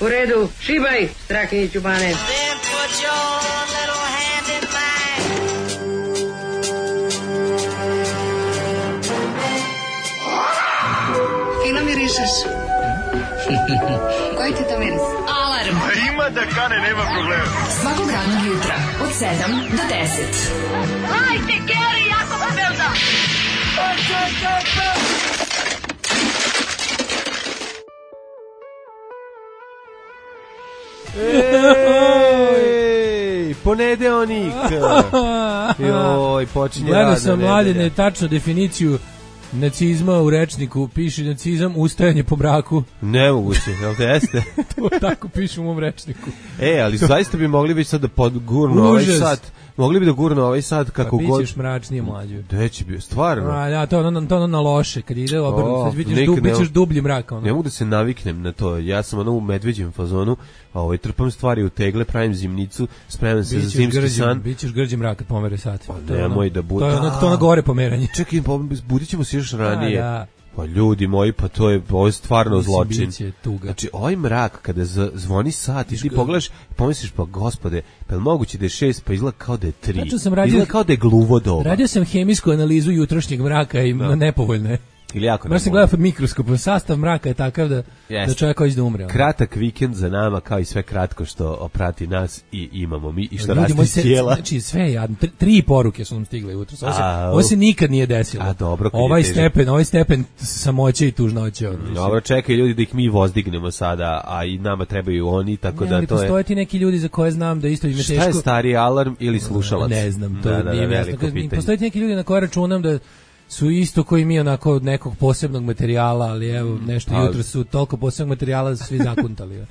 U redu, šibaj, Strahinjiću Bane. Fino mirišeš. Koji ti to miris? Alarm. Ima da kane, nema problema. Svakog radnog jutra od 7 do 10. Hajde, Geri, jako se velda. Ej, ponedeonik. Joj, počinje Gledao radna sam, nedelja. Mladene, tačno definiciju nacizma u rečniku. Piše nacizam, ustajanje po mraku. Nemoguće, jel te jeste? To tako piše u mom rečniku. Ali zaista bi mogli već sad da podgurnu ovaj sat. Mogli bi da gurnu ovaj sat kako god. Pa bićeš mračnije, mlađe. Gde će bi, stvarno? Da, to ono na loše, kad ide obrnuto, bićeš dublji mrak. Ono. Ne mogu da se naviknem na to, ja sam u medveđem fazonu, trpam stvari u tegle, pravim zimnicu, spremam se za zimski san. Bićeš grđi mrak kad pomere sat. Pa nemoj da bude. To je ono gore pomeranje. Čekaj, budit ćemo se još ranije. Pa ljudi moji, pa ovo je stvarno zločin. Znači, ovaj mrak, kada zvoni sat i ti pogledaš, pomisliš, pa gospode, pa je moguće da je 6, pa izgleda kao da je 3. Izgleda kao da je gluvo doba. Radio sam hemijsku analizu jutrošnjeg mraka i nepovoljne. Ili jako nepovoljne. Sam gledao pod mikroskopom, sastav mraka je takav da čovjek hoće da umre. Kratak vikend za nama, kao i sve kratko što oprati nas i imamo mi i što raste iz tijela. Znači, sve jadno. 3 poruke su nam stigle jutro. Ovo se nikad nije desilo. A dobro, ovaj stepen samoće i tužnoće. Dobro, čekaj ljudi da ih mi vozdignemo sada, a i nama trebaju oni, tako da to je... Postoje ti neki ljudi za koje znam da isto im je teško... Šta je stariji alarm ili slušalac? Ne znam, to nije jasno. Postoje ti neki ljudi na koje računam da su isto koji mi onako od nekog posebnog materijala, ali evo nešto jutro su toliko posebnog materijala da su svi zakuntali.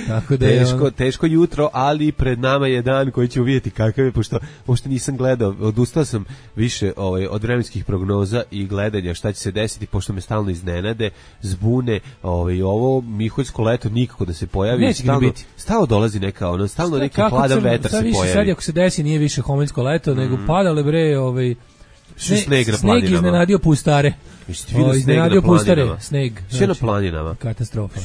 Tako da teško jutro, ali pred nama je dan koji ćemo vidjeti kakav je, pošto uopšte nisam gledao, odustao sam više od vremenskih prognoza i gledanja šta će se desiti, pošto me stalno iznenade, zbune, ovo miholjsko leto nikako da se pojavi. Neće ga biti. Stalno dolazi neka, stalno neki hladan vetar se pojavi. Sad ako se desi nije više homoljsko leto, nego padale bre, sneg iznenadio pustare. Iznenadio pustare, sneg. Sve na planinama. Katastrofa.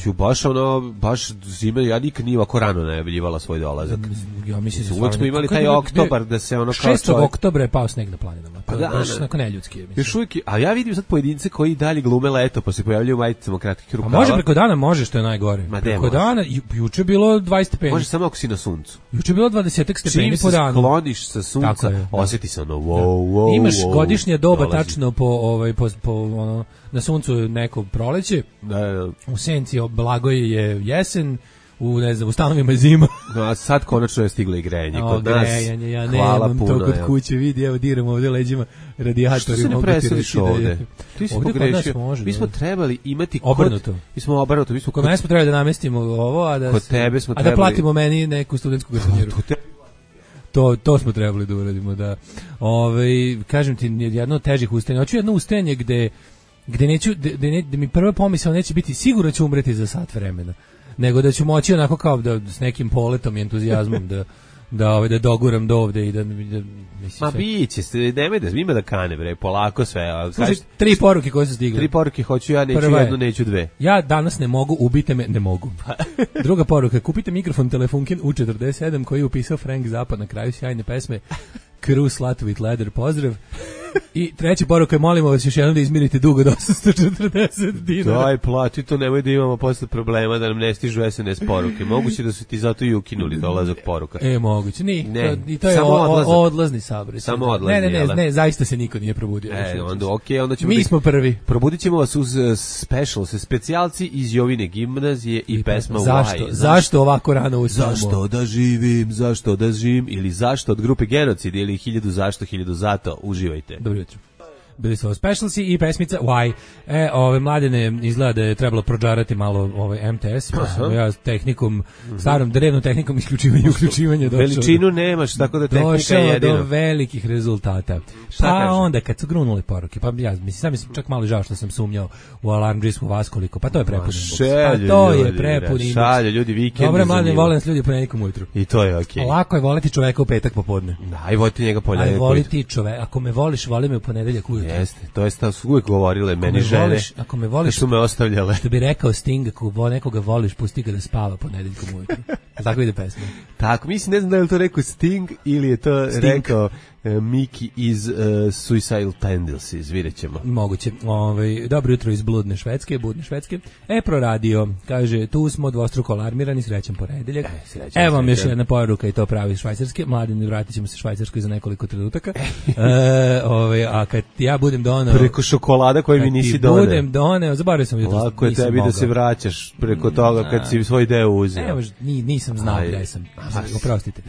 Baš zime, ja nikad nije ovako rano najavljivala svoj dolazak. Ja mislim da uvek smo imali taj oktobar da se ono kao 6. oktobra je pao sneg na planinama. Pa da, onako neljudski je. Još uvijek, a ja vidim sad pojedince koji dalje glume leto, pa se pojavljaju u majicama kratkih rukava. A može preko dana, može, što je najgore. Preko dana, juče je bilo 20 stepeni. Može samo ako si na suncu. Juče je bilo 20 stepeni po danu. Čim se skloniš sa sunca, osjeti se ono wow. Imaš godišnje doba tačno po na suncu neko proleće, u senci blagoj je jesen, u stanovima je zima. No, a sad konačno je stiglo i grejanje kod nas. Grejanje, ja nemam to kod kuće, vidi, evo diram ovdje leđima radijatori. Što se ne preseliš ovde? Ti si pogrešio. Mi smo trebali imati obrnuto. Mi smo obrnuto. Kod mene smo trebali da namestimo ovo, a da platimo meni neku studentsku garsonjeru. To smo trebali da uradimo, da. Kažem ti, jedno od težih ustajanja. Hoću jedno ustajanje gde neću, da mi prva pomisao neće biti sigurno ću umreti za sat vremena, nego da ću moći onako kao da s nekim poletom i entuzijazmom da doguram do ovde i da mislim. Ma biće se, nemoj da ima da kane bre, polako sve. Slušaj, 3 poruke koje su stigle. 3 poruke hoću ja, neću jednu, neću 2. Ja danas ne mogu, ubite me, ne mogu. Druga poruka, kupite mikrofon Telefunken U47 koji je upisao Frank Zappa na kraju sjajne pesme Cruise Slut with Leather, pozdrav. I treća poruka je, molimo vas još jednom da izmirite dug od 840 dinara. Daj, plati to, nemoj da imamo posle problema da nam ne stižu SNS poruke. Moguće da su ti zato i ukinuli dolazak poruka. Moguće, i to je odlazni sabor. Samo odlazni, ne, zaista se niko nije probudio. Onda ćemo mi smo prvi. Probudit ćemo vas uz specijalci iz Jovine gimnazije i pesma Why. Zašto ovako rano ustajemo? Zašto da živim, ili zašto od grupe Genocid, ili 1000 zašto, 1000 zato. Uživajte. Dobro jutro. Bili su ovo specialsi i pesmica Why. Mladene, izgleda da je trebalo prođarati malo MTS. Ja tehnikom, starom drevnom tehnikom uključivanja veličinu nemaš, tako da tehnika je jedino. Do velikih rezultata. Pa onda kad su grunule poruke, pa ja mislim, sam čak malo žao što sam sumnjao u alarmdžisku vas koliko, pa to je prepun inbox. Šalje ljudi vikend. Dobre, mladene, volim nas ljudi ponedjeljkom ujutru. I to je okej. Lako je voliti čoveka u petak popodne. Aj voliti njega ponedjeljak ujutru. Ako me voliš, voli me u ponedeljak ujutru. Jeste, to je su uvijek govorile meni žene. Ako me voliš, su me ostavljale. Što bi rekao Sting, ako nekoga voliš, pusti ga da spava ponedeljkom ujutru. Tako ide pesma. Tako, mislim, ne znam da je to rekao Sting ili je to rekao Miki iz Suicidal Tendencies, vidjet ćemo. Moguće. Dobro jutro iz budne Švedske. Pro radio, kaže, tu smo dvostruko alarmirani, srećan ponedeljak. Evo vam još jedna poruka i to pravi Švajcarske. Mladini, vratit ćemo se Švajcarskoj za nekoliko trenutaka. A kad ja budem doneo... Preko šokolada koji mi nisi doneo. Budem doneo, zaboravio sam jutro. Lako je tebi da se vraćaš preko toga kad si svoj deo uzeo. Evo, nisam znao gde sam. Oprostite.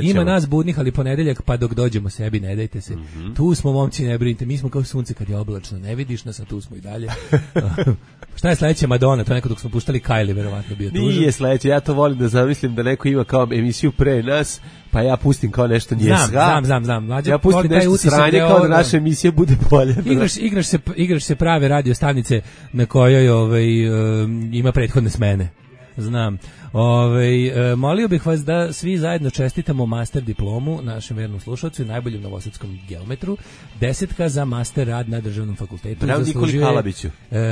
Ima nas budnih, ali ponedeljak, pa dok dođemo sebi, ne dajte se. Tu smo, momci, ne brinite, mi smo kao sunce kad je oblačno, ne vidiš nas, a tu smo i dalje. Šta je sledeće? Madonna, to neko dok smo puštali Kylie, verovatno bio tužan. Nije sledeće, ja to volim da zamislim da neko ima kao emisiju pre nas, pa ja pustim kao nešto njesga. Znam. Mlađe, ja pustim nešto sranje kao da naša emisija bude bolja. Igraš se prave radio stanice na kojoj ima prethodne smene. Znam. Molio bih vas da svi zajedno čestitamo master diplomu našem vernom slušalcu i najboljem novosadskom geometru. 10 za master rad na državnom fakultetu. Bravo Nikoli Kalabiću.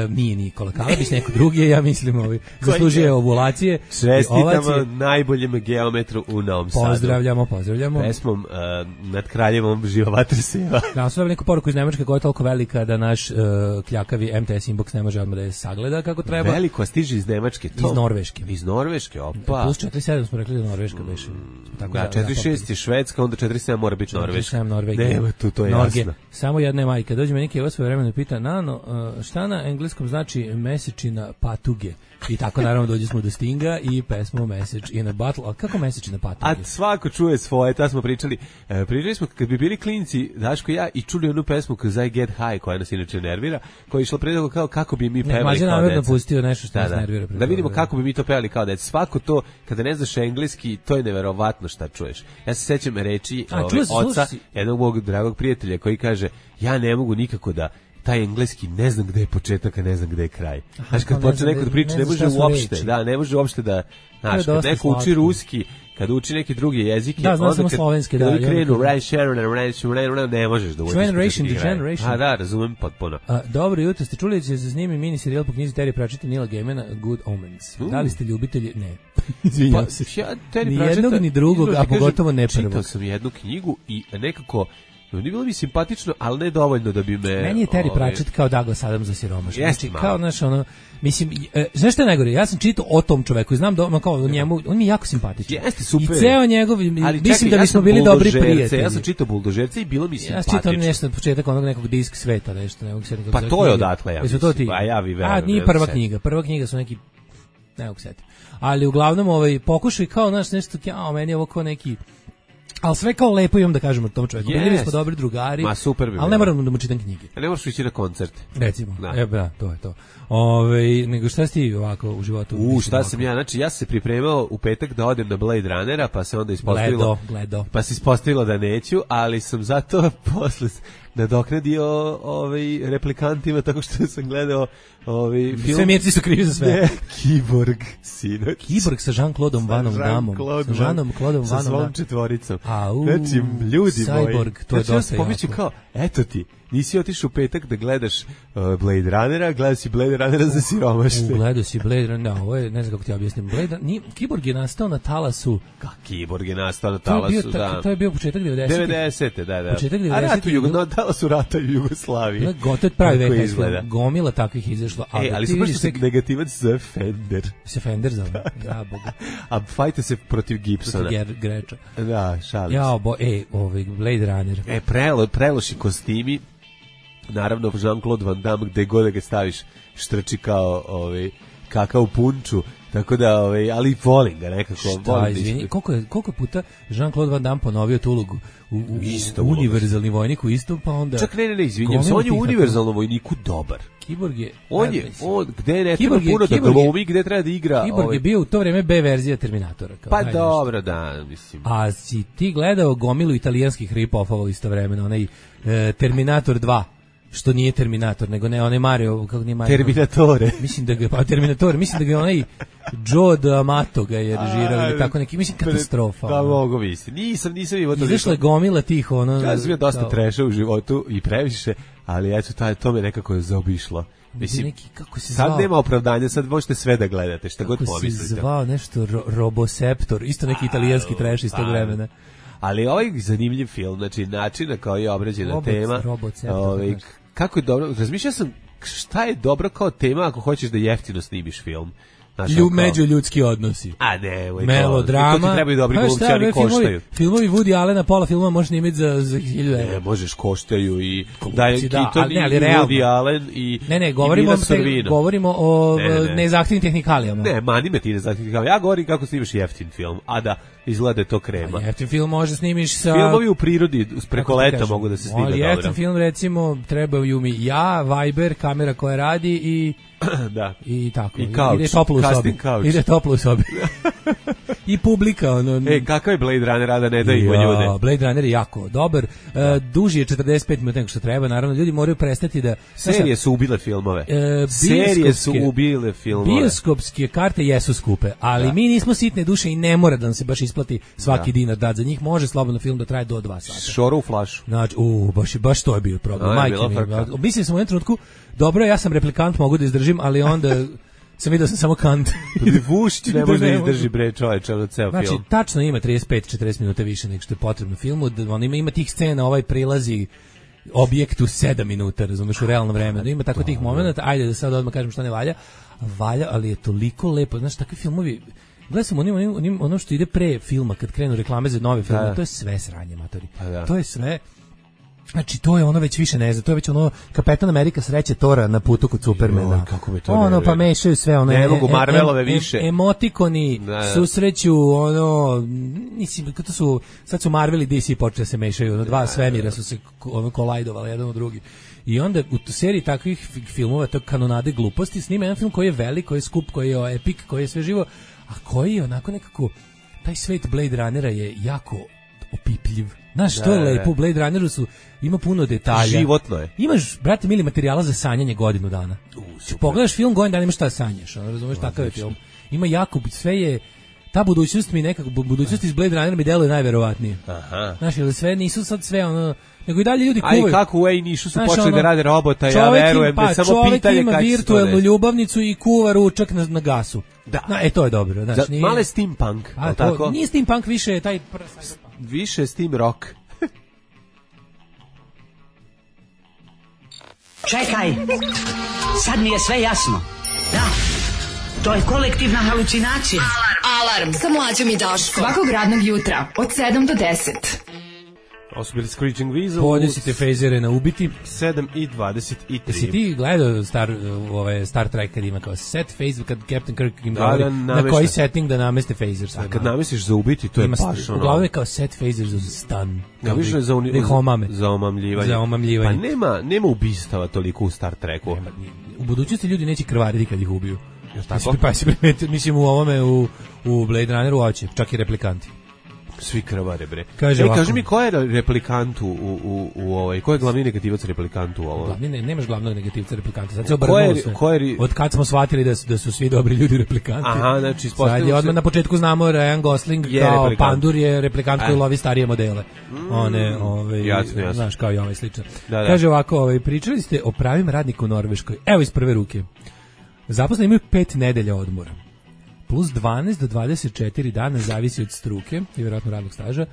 Nije Nikola Kalabić, neko drugi je, ja mislim, zaslužuje ovulacije. Čestitamo najboljem geometru u Novom Sadu. Pozdravljamo. Pesmom nad kraljevom Živa vatra seva. Da, su neku poruku iz Nemačke koja je toliko velika da naš kljakavi MTS inbox ne može odmah da je sagleda kako treba. Veliko, a stiže iz Nemačke. Iz Norveške, opa. Plus 47 smo rekli da Norveška beše. Da, 47 je Švedska, onda 47 mora biti Norveška. 47 Norvegija. Nema tu, to je jasno. Samo jedna je majka. Dođe me neki evo svoje vremena i pita, Nano, šta na engleskom znači mesečina patuge? I tako naravno dođe smo do Stinga i pesmu Message in a Bottle. A kako mesečina patuge? A svako čuje svoje, ta smo pričali. Pričali smo kad bi bili klinci, Daško i ja, i čuli onu pesmu Cause I Get High, koja nas inače nervira, koja je išla predalgo kao kako bi mi pevali kao deca. Mađe pustio nešto što nas nervira. Da vidimo kako bi mi to pevali kao deca. Svako to, kada ne znaš engleski, to je neverovatno šta čuješ. Ja se sećam reči oca, jednog mog dragog prijatelja koji kaže, ja ne mogu nikako da taj engleski ne znam gde je početak, a ne znam gde je kraj. Znaš, kad počne neko da priča, ne može uopšte da, znaš, kad neko uči ruski, kad uči neki drugi jezike, da, znam samo slovenski, da. Kad krenu, ne možeš da učiš. Generation. A da, razumem potpuno. Dobro jutro, ste čuli da će se snimi mini serijal po knjizi Terry Pratchetta Nila Gaimana, Good Omens. Da li ste ljubitelji? Ne. Izvinjam se. Ni jednog, ni drugog, a pogotovo ne prvog. Čitao sam jednu knjigu i nekako nije bilo mi simpatično, ali ne dovoljno da bi me... Meni je Terry Pratchett kao Douglas Adams za siromašno. Znači, kao, znaš, mislim, znaš što je najgore? Ja sam čitao o tom čoveku i znam da kao njemu, on mi je jako simpatičan. Jeste, super. I ceo njegov, mislim da bismo bili dobri prijatelji. Ja sam čitao Buldožerce i bilo mi simpatično. Ja čitao nešto na početak onog nekog Disk sveta, nešto. Pa to je odatle, ja mislim. A ja vi verujem. A nije prva knjiga. Prva knjiga su neki, ne mogu setiti. Ali uglavnom pokušaj kao, znaš, nešto, meni je ovo kao neki... Ali sve kao lepo imam da kažemo tom čovjeku. Bili smo dobri drugari, ali ne moram da mu čitam knjige. Ne moraš ići na koncerte. Recimo, to je to. Nego šta si ti ovako u životu? Šta sam ja, znači ja sam se pripremao u petak da odem na Blade Runnera, pa se onda ispostavilo... Pa se ispostavilo da neću, ali sam zato posle nadoknadio replikantima tako što sam gledao film. Sve mirci su krivi za sve. Kiborg, sinoć. Kiborg sa Jean-Claude Van Damme. Sa Jean-Claude Van Damme. Sa svom četvoricom. Znači, ljudi moji. Cyborg, to je dosta jako. Kao, eto ti, nisi otišao u petak da gledaš Blade Runnera, gledao si Blade Runnera za siromašne. Gledao si Blade Runnera, ovo je, ne znam kako ti objasnim. Kiborg je nastao na talasu. Kiborg je nastao na talasu, da. To je bio početak 90. Da. Početak 90. Na talasu rata u Jugoslaviji. Gotovo pravi vek, gomila takvih izašlo. Ali su baš negativac za Fender. Se Fender zove, ja boga. A fajte se protiv Gibsona. Protiv Greča. Da, šalim se. Blade Runner. Preloši kostimi. Naravno, Jean-Claude Van Damme, gde god da ga staviš, štrči kao kakao punču. Tako da, ali volim ga nekako. Šta, izvini, koliko puta Jean-Claude Van Damme ponovio tu ulogu u univerzalni vojnik u istom, pa onda... Čak ne, izvinjam se, on je u univerzalnom vojniku dobar. Kiborg je... Gde ne treba puno da glumi, gde treba da igra... Kiborg je bio u to vreme B verzija Terminatora. Pa dobro, da, mislim. A si ti gledao gomilu italijanskih rip-offova istovremeno, onaj Terminator 2, što nije Terminator, nego ne, onaj Mario, kako nije Mario. Terminatore. Mislim da ga, Terminator, mislim da ga onaj Joe D'Amato ga je režirao ili tako neki, mislim katastrofa. Da, mogu misliti. Nisam imao to. Izašla je gomila tih, ono. Ja sam bio dosta treša u životu i previše, ali eto, to me nekako je zaobišlo. Mislim, kako se zvao? Sad nema opravdanja, sad možete sve da gledate, šta god pomislite. Kako se zvao nešto Roboseptor, isto neki italijanski trash iz tog vremena. Ali ovaj zanimljiv film, znači način na koji je obrađena tema, kako je dobro, razmišljao sam šta je dobro kao tema ako hoćeš da jeftino snimiš film. Međuljudski odnosi. A ne, melodrama. To ti trebaju dobri glumci, ali koštaju. Filmovi Woody Allena, pola filmova možeš snimiti za 1000 €. Ne, možeš, koštaju i Diane Keaton i Woody Allen i govorimo o nezahtevnim tehnikalijama. Ne, mani me ti nezahtevnim tehnikalijama. Ja govorim kako snimaš jeftin film, a da izgleda to krema. Jeftin film može snimiš sa... Filmovi u prirodi preko leta mogu da se snime dobro. Jeftin film, recimo, trebaju mi Viber, kamera koja radi i... Da. I tako. I couch. Ide toplo u sobi. I publika. Kakav je Blade Runner, a da ne daju ljude? Blade Runner je jako dobar. Duži je 45 minuta nego što treba. Naravno, ljudi moraju prestati da... Serije su ubile filmove. Bioskopske karte jesu skupe, ali mi nismo sitne duše i ne mora da nam se baš isplati svaki dinar dati za njih. Može slobodno film da traje do 2 sata. Šoro u flašu. Znači, baš to je bio problem. Mislim sam u jednom trenutku, dobro, ja sam replikant, mogu da izdržim, ali onda sam vidio sam samo kant. Vušić ne može da izdrži, bre, čoveče, ono ceo film. Znači, tačno ima 35-40 minuta više nego što je potrebno filmu. On ima tih scena, prilazi objektu 7 minuta, razumeš, u realnom vremenu. Ima tako tih momenata, ajde da sad odmah kažem šta ne valja. Valja, ali je toliko lepo. Znaš, takvi filmovi, gledaj sam ono što ide pre filma, kad krenu reklame za nove filme, to je sve sranje, matori. To je sve... Znači, to je ono već više ne znam, to je već ono Kapetan Amerika sreće Tora na putu kod Supermana. Kako mi to ne pa mešaju sve ono. Ne mogu Marvelove više. Emotikoni susreću, mislim, to su, sad su Marvel i DC počeli da se mešaju, dva svemira su se kolajdovali jedan u drugi. I onda u seriji takvih filmova, to kanonade gluposti, snima jedan film koji je velik, koji je skup, koji je epik, koji je sve živo, a koji je onako nekako, taj svet Blade Runnera je jako opipljiv. Znaš, što je lepo, u Blade Runneru ima puno detalja. Životno je. Imaš, brate mili, materijala za sanjanje godinu dana. Pogledaš film, godinu dana imaš šta sanjaš, razumeš, takav je film. Ima jako, sve je, ta budućnost mi nekako, budućnost iz Blade Runnera mi deluje najverovatnije. Znaš, jer sve nisu sad sve nego i dalje ljudi kuvaju. A i kako u Nišu su počeli da rade robota, ja verujem, da samo pitanje kad će to. Čovjek ima virtualnu ljubavnicu i kuva ručak na gasu. Da. To je dobro. Znači, male steampunk, tako? Nije steampunk, više je taj... Više steam rock. Čekaj, sad mi je sve jasno. Da, to je kolektivna halucinacija. Alarm sa Mlađom i Daškom. Svakog radnog jutra od 7 do 10. Ovo su bili Screeching Weasel. Podesite fejzere na ubiti. 7:23. Jesi ti gledao Star Trek kad ima kao set phaser, kad Captain Kirk im govori na koji setting da nameste phaser. A kad namestiš za ubiti, to je baš ono. Uglavnom je kao set phaser za stun. Ja više za omamljivanje. Pa nema ubistava toliko u Star Treku. U budućnosti ljudi neće krvariti kad ih ubiju. Mislim u ovome, u Blade Runneru hoće, čak i replikanti. Svi krvare, bre. Kaži mi, ko je replikant ko je glavni negativac replikant u ovom? Nemaš glavnog negativca replikanta, sad se obrnulo sve. Od kad smo shvatili da su svi dobri ljudi replikanti. Aha, znači, sad je odmah na početku znamo Ryan Gosling kao Pandur je replikant koji lovi starije modele. Jasno. Znaš, kao i ovaj slično. Kaže ovako, pričali ste o pravim radniku u Norveškoj. Evo iz prve ruke. Zaposleni imaju 5 nedelja odmora. Plus 12 do 24 dana, zavisi od struke i vjerojatno radnog staža.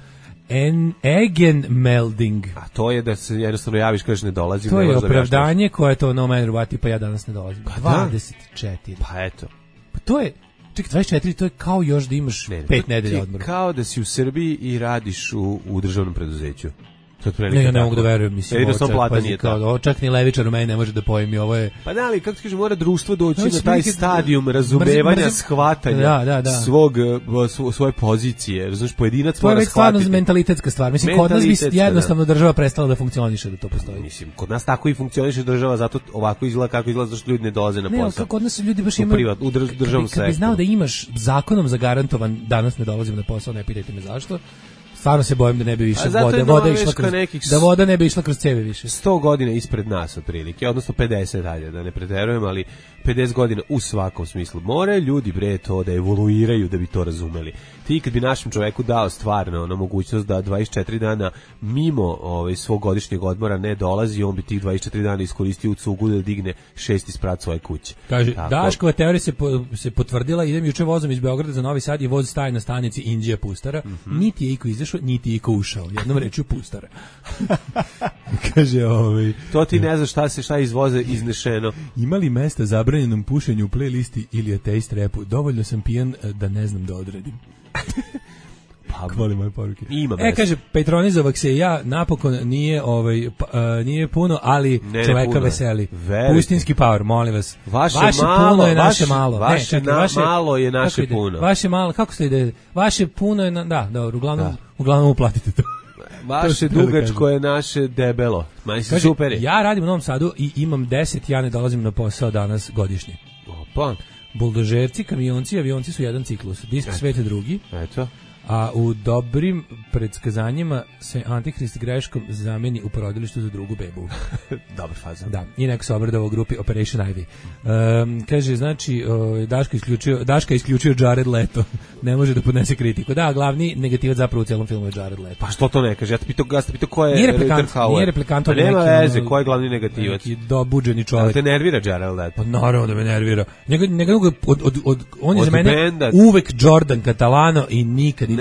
Egenmelding. A to je da se jednostavno javiš, kažeš ne dolazim. To je opravdanje koje to no matter what, pa ja danas ne dolazim. 24. Pa eto. Pa to je, čekaj, 24, to je kao još da imaš 5 nedelja odmora. Kao da si u Srbiji i radiš u državnom preduzeću. Ne, ja ne mogu da verujem, mislim, čak ni levičar u meni ne može da pojmi, ovo je... Pa da, ali kako ti kažeš, mora društvo doći na taj stadijum razumevanja, shvatanja svoje pozicije, razumiješ, pojedinac mora shvatiti. To je već stvarno mentalitetska stvar, mislim, kod nas bi jednostavno država prestala da funkcioniše da to postoji. Mislim, kod nas tako i funkcioniše država, zato ovako izgleda kako izgleda, zašto ljudi ne dolaze na posao. Ne, kod nas ljudi baš imaju... U državnom sektoru. Kad bi znao da imaš zakonom zagarantovan danas ne dolazim na posao, ne pitajte me zašto, Stvarno se bojim da ne bi više voda ne bi išla kroz ceve više. 100 godina ispred nas otprilike, odnosno 50 dalje, da ne preterujem, ali 50 godina u svakom smislu. More ljudi bre to da evoluiraju da bi to razumeli. Ti kad bi našem čoveku dao stvarno ono mogućnost da 24 dana mimo svog godišnjeg odmora ne dolazi, on bi tih 24 dana iskoristio u cugu da digne 6 sprat svoje kuće. Kaže, Daškova teorija se potvrdila, idem juče vozom iz Beograda za Novi Sad i voz staje na stanici Inđija Pustara, niti je iko izašao, niti je iko ušao. Jednom rečju Pustara. Kaže, to ti ne znaš šta je iz voza iznešeno. Ima li mesta zabranjenom pušenju u playlisti ili ateist repu? Dovoljno sam pijan da ne znam da odredim. Hvali moje poruke. Kaže, Petronizovak se ja napokon nije puno, ali čoveka puno. Veseli. Pustinski power, molim vas. Vaše puno je naše malo. Vaše malo je naše puno. Vaše malo, kako se ide? Vaše puno je, da, dobro, uglavnom uplatite to. Vaše dugačko je naše debelo. Kaže, super je. Ja radim u Novom Sadu i imam 10, ja ne dolazim na posao danas godišnje. Opa. Buldožerci, kamionci, avionci su jedan ciklus. Disk svete drugi. Eto. A u dobrim predskazanjima se Antihrist greškom zameni u porodilištu za drugu bebu. Dobar faza. Da, i neko se obradao u grupi Operation Ivy. Kaže, znači, Daška isključio Jared Leto. Ne može da podnese kritiku. Da, glavni negativac zapravo u cijelom filmu je Jared Leto. Pa što to ne kaže? Ja te pitao ko je Nije replikant. Pa nema veze, ko je glavni negativac? Neki dobuđeni čovjek. Ali te nervira Jared Leto? Pa naravno da me nervira. On je za mene uvek Jordan Catalano i nikad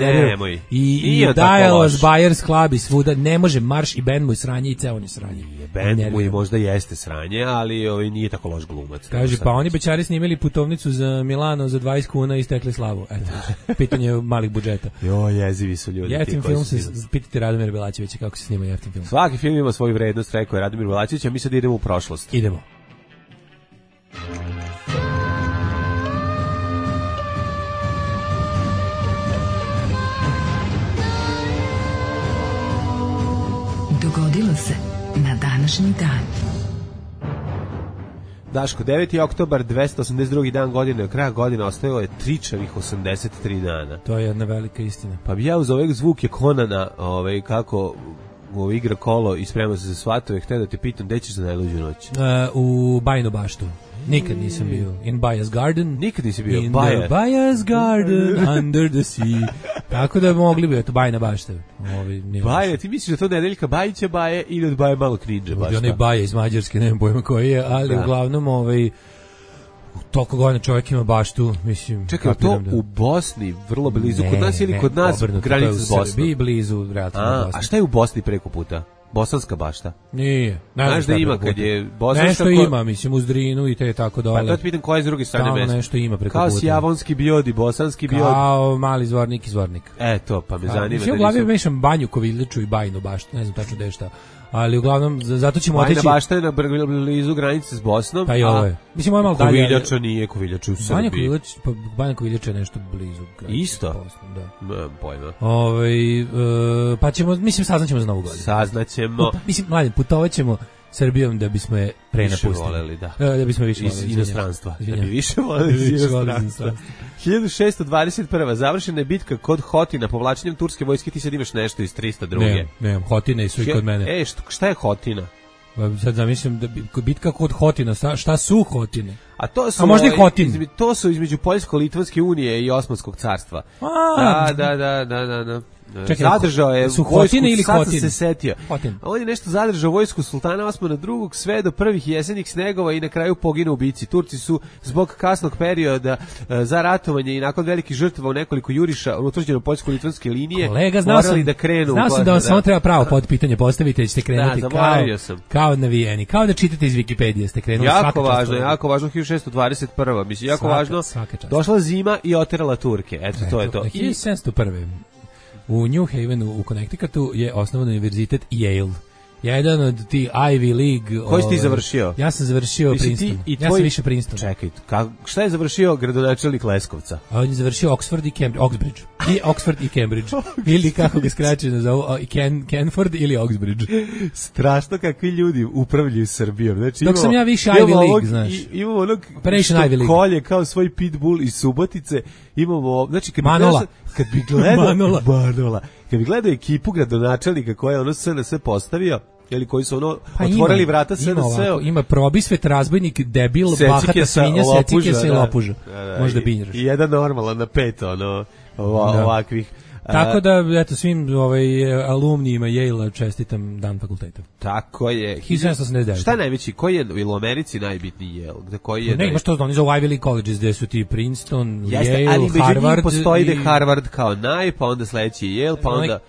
i Dialos, Buyers Club i svuda, ne može marš i band mu je sranje i ceo on je sranje. Band mu je možda jeste sranje, ali nije tako loš glumac. Kaže, pa oni bećari snimili putovnicu za Milano za 20 kuna i stekli slavu. Eto, pitanje malih budžeta. Jezivi su ljudi. Jeftin film se, pitajte Radomira Belačevića kako se snima jeftin film. Svaki film ima svoju vrednost, rekao je Radomir Belačević, a mi sad idemo u prošlost. Idemo. Dogodilo se na današnji dan. Daško, 9. oktobar, 282. dan godine, od kraja godine ostajalo je tričavih 83 dana. To je jedna velika istina. Pa bi ja uz oveg zvuk je Konana, kako igra kolo i sprema se za svatove, htio da te pitam, gde ćeš za najluđu noć? U Bajinu baštu. Nikad nisam bio. In Baja's Garden. Nikad nisi bio. In the Baja's Garden, under the sea. Tako da mogli bi, eto, Bajna bašta. Baja, ti misliš da to Nedeljka Bajića Baje ili od Baje malo krinđa bašta? Onaj Baja iz Mađarske, nemam pojma koji je, ali uglavnom, toliko godina čovjek ima baštu, mislim... Čekaj, to u Bosni, vrlo blizu, kod nas ili kod nas granica s Bosnom? Srbiji blizu, relativno Bosni. A šta je u Bosni preko puta? Bosanska bašta? Nije. Znaš da ima kad je bosanska... Nešto ima, mislim, uz Drinu i te tako dole. Pa to ti pitam koja je s druge strane mesta. Tamo nešto ima preko puta. Kao Sjavonski biodi, bosanski biodi. Kao mali zvornik i zvornik. To, pa me zanima. Mislim, u glavi mešam Banju, Koviljiču i Bajinu baštu, ne znam tačno gde je šta. Ali uglavnom, zato ćemo otići... Bajna bašta je na blizu granice s Bosnom. Pa i ovo je. Mislim, ovo je malo dalje. Koviljača nije, Koviljača u Srbiji. Banja Koviljača je nešto blizu. Isto? Bosnom, da. Nemam pojma. Pa ćemo, mislim, saznaćemo za Novu godinu. Saznaćemo. Mislim, mladen, putovat Srbijom da bismo je prenapustili. Više voleli, da. Da bismo više voleli. Iz inostranstva. Da bi više voleli iz inostranstva. 1621. Završena je bitka kod Hotina, povlačenjem turske vojske. Ti sad imaš nešto iz 302. Nemam, Hotine su i kod mene. Šta je Hotina? Sad zamislim da bitka kod Hotina, šta su Hotine? A to su možda i Hotin. To su između Poljsko-Litvanske unije i Osmanskog carstva. Da. Čekaj, zadržao je su Hotine ili Hotin? Se setio. Hotin. On je nešto zadržao vojsku sultana Osmana II sve do prvih jesenjih snegova i na kraju poginu u bici. Turci su zbog kasnog perioda za ratovanje i nakon velikih žrtava u nekoliko juriša utvrđeno poljsko-litvanske linije morali da krenu. Znao sam da vam samo treba pravo pod pitanje postaviti, da ćete krenuti kao navijeni. Kao da čitate iz Wikipedije ste krenuli. Jako važno, 1621. Mislim, jako važno. Došla zima i oterala Turke. Eto, to je to. 1701. U New Havenu u Connecticutu je osnovan univerzitet Yale. Jedan od ti Ivy League. Koji si ti završio? Ja sam završio Princeton. Ja sam više Princeton. Čekaj, šta je završio gradonačelnik Leskovca? On je završio Oxford i Cambridge. Oxbridge. i Oxford i Cambridge. Ili kako ga skraćeno zovu, Canford ili Oxbridge. Strašno kakvi ljudi upravljaju Srbijom. Znači, dok sam ja više Ivy League, znaš. Imamo onog što kolje kao svoj pitbull iz Subotice. Imamo, znači, Manola. Kad bi gledao Manola. Kad bi gledao ekipu gradonačelnika koja je ono SNS postavio, ili koji su ono otvorili vrata SNS-u. Ima probisvet, razbojnik, debil, bahata svinja, secike i lopuža. Možda binjeraš. I jedan normalan na 5 ovakvih. Tako da, eto, svim alumnijima Yale-a čestitam dan fakulteta. Tako je. 1789. Šta je najveći? Koji je u Americi najbitniji Yale? Ne, imaš to oni zovu Ivy League colleges, gde su ti Princeton, Yale, ali Harvard. Ali postoji da Harvard kao pa onda sledeći Yale, pa onda